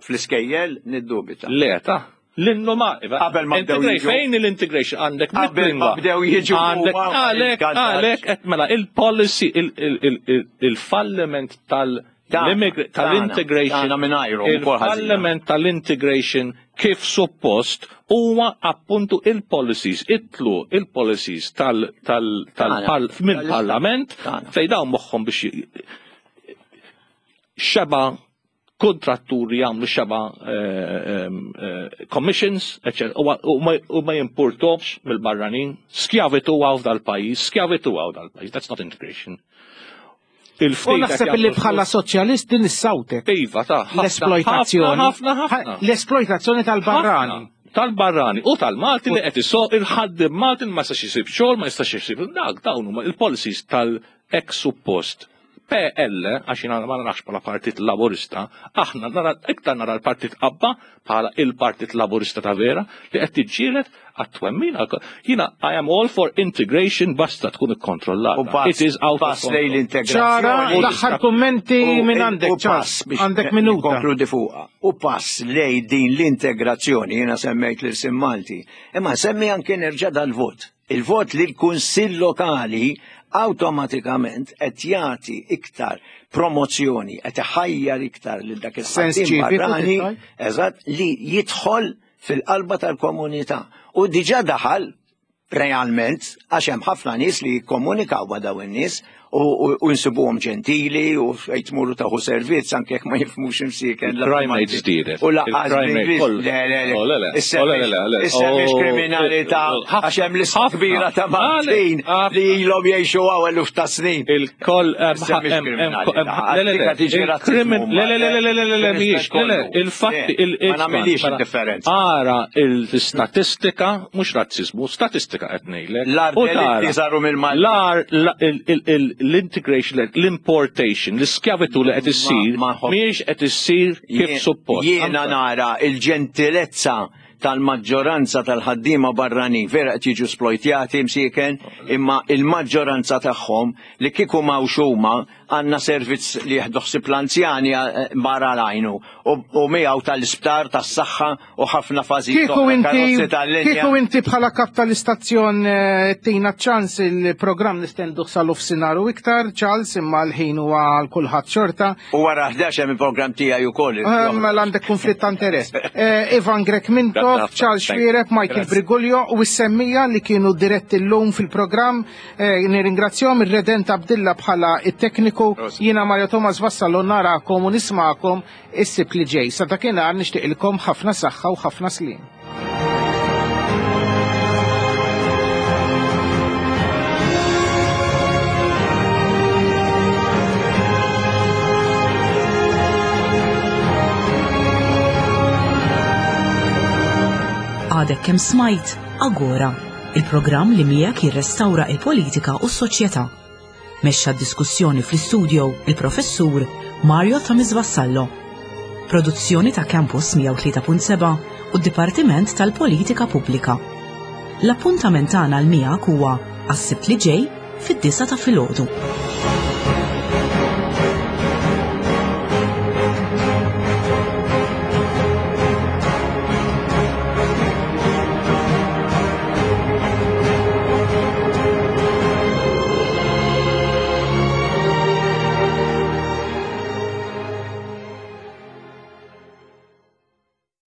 Fl-iskejjel niddubita. Le ta' l-innu Malti. Qabel ma bdew Integra- jiġu. Fejn l-integration għandek Qabel ma mit-lingwa. bdew jiġu Għandek huma għalek il-kantat. għalek qed mela il-policy il- il- il- il- il-falliment tal Tagħna, tal-integration tagħna mingħajrhom ukoll ħażina. il-falliment tal-integration kif suppost huwa appuntu il-policies, itlu il-policies tal tal tal Tagħna. pal mill-parlament fejn dawn moħħhom biex j- xeba kontratturi jagħmlu xeba eh, em, eh, commissions, eccetera, u ma- u ma- u ma jimpurtawx mill-barranin, skjavitu għaw dal-pajjiż, skjavitu għaw dal-pajjiż, that's not integration. U Il-ftit naħseb qed li jagħmlu bħala soċjalist din issawtek. Iva, ta' ħafna, L-esploitazzjoni. ħafna, ħafna. L-esploitazzjoni tal-barrani. Ħafna. Tal-barrani u tal-Malti li qed isoq il-ħaddiem Malti ma jistax isib xogħol, ma jistax isib dak dawn huma il-policies tal-ex suppost. P L, għax jiena ma narax bħala Partit Laburista, aħna nara iktar nara l-Partit Abba bħala il-Partit Laburista ta' vera li qed tiġġieled għat-twemmin. Jiena I am all for integration basta tkun ikkontrollata. U pass- It is out of pass lejn control. l-integrazzjoni. ċara, l-aħħar kummenti U- minn għandek, u Charles. pass biex Għandek minuta. Konkludi fuqha. U pass lej din l-integrazzjoni, jiena semmejt l-irsim Malti. Imma semmi anke nerġa' dal-vot. Il-vot li l-Kunsill Lokali awtomatikament qed jagħti iktar promozzjoni, qed iħajjar iktar lil dak Sens il-ħaddiem ċiviku, barrani, tittaj? eżatt, li jidħol fil-qalba tal-komunità. U diġà daħal realment, għax hemm ħafna nies li jikkomunikaw ma' dawn in-nies u, u, u nsibuhom ġentili u fejn tmuru taħu servizz anke jekk ma jifhmux imsieken. la Il-crime Malti. rate żdiedet. U lanqas Il-crime rate bl-Ingliż. koll- Le, le, le. Oh, le, le. Issa Oh, le, le, le, le. Issa mhix Oh, kriminalità eh, ħafna, għax hemm lista ħafna. kbira ta' Maltin li ilhom jgħixu hawn eluf ta' snin. Il-koll Issa mhix kriminalità. le, le, le, Dik tiġi il-krimin- razzismu le, le, le, le, le, le, le, le, mhijiex, le, le, kollu. il-fatti, Le, il- ma nagħmilix mela, id-differenza. Ara il-statistika, mhux razzismu, statistika qed ngħidlek. L-ar U tara, delitti saru mill-Malti. L-ar, la- il- il- il- l-integration, l-importation, l-iskjavitu li qed issir, mhijiex qed issir kif Jien- suppost. Jiena nara il-ġentilezza tal-maġġoranza tal-ħaddiema barranin vera qed jiġu sploitjati msieken, imma il-maġġoranza tagħhom li kieku m'hawnx huma għandna servizz li jieħdu ħsieb l-anzjani eh, barra l-għajnu u u miegħu tal-isptar, tas-saħħa u ħafna fażijiet Kieku oħra, inti, karozzi tal-linja. kieku inti bħala kap tal-istazzjon eh, tina ċans il-programm nistenduh sal-nofsinhar u iktar, Charles, imma l-ħin huwa għal kulħadd xorta. U wara ħdax hemm il-programm tiegħi ukoll. Eh, Mela għandek konflitt ta' interess. Eh, Ivan Grech Mintoff, Grazzi. Charles Thank you. Xuereb, Michael Grazzi. Briguglio u s-semmija li kienu diretti l-lum fil-programm. Eh, Nirringrazzjahom ir-Redent Abdilla bħala it-tekniku. Jiena Mario Thomas Vassallo narakom u nismakom is-Sibt li ġej. Sa dakinhar nixtieqilkom ħafna saħħa u ħafna sliem. Għadek kemm smajt Agora, il-programm li miegħek jirrestawra il-politika u s-soċjetà. Mexxa d-diskussjoni fl-istudio il-professur Mario Thomas Vassallo. Produzzjoni ta' Campus mija u tlieta punt seba' u d-Dipartiment tal-Politika Pubblika. L-appuntament tagħna għal miegħek huwa għas-Sibt li ġej fid-disgħa ta' filgħodu.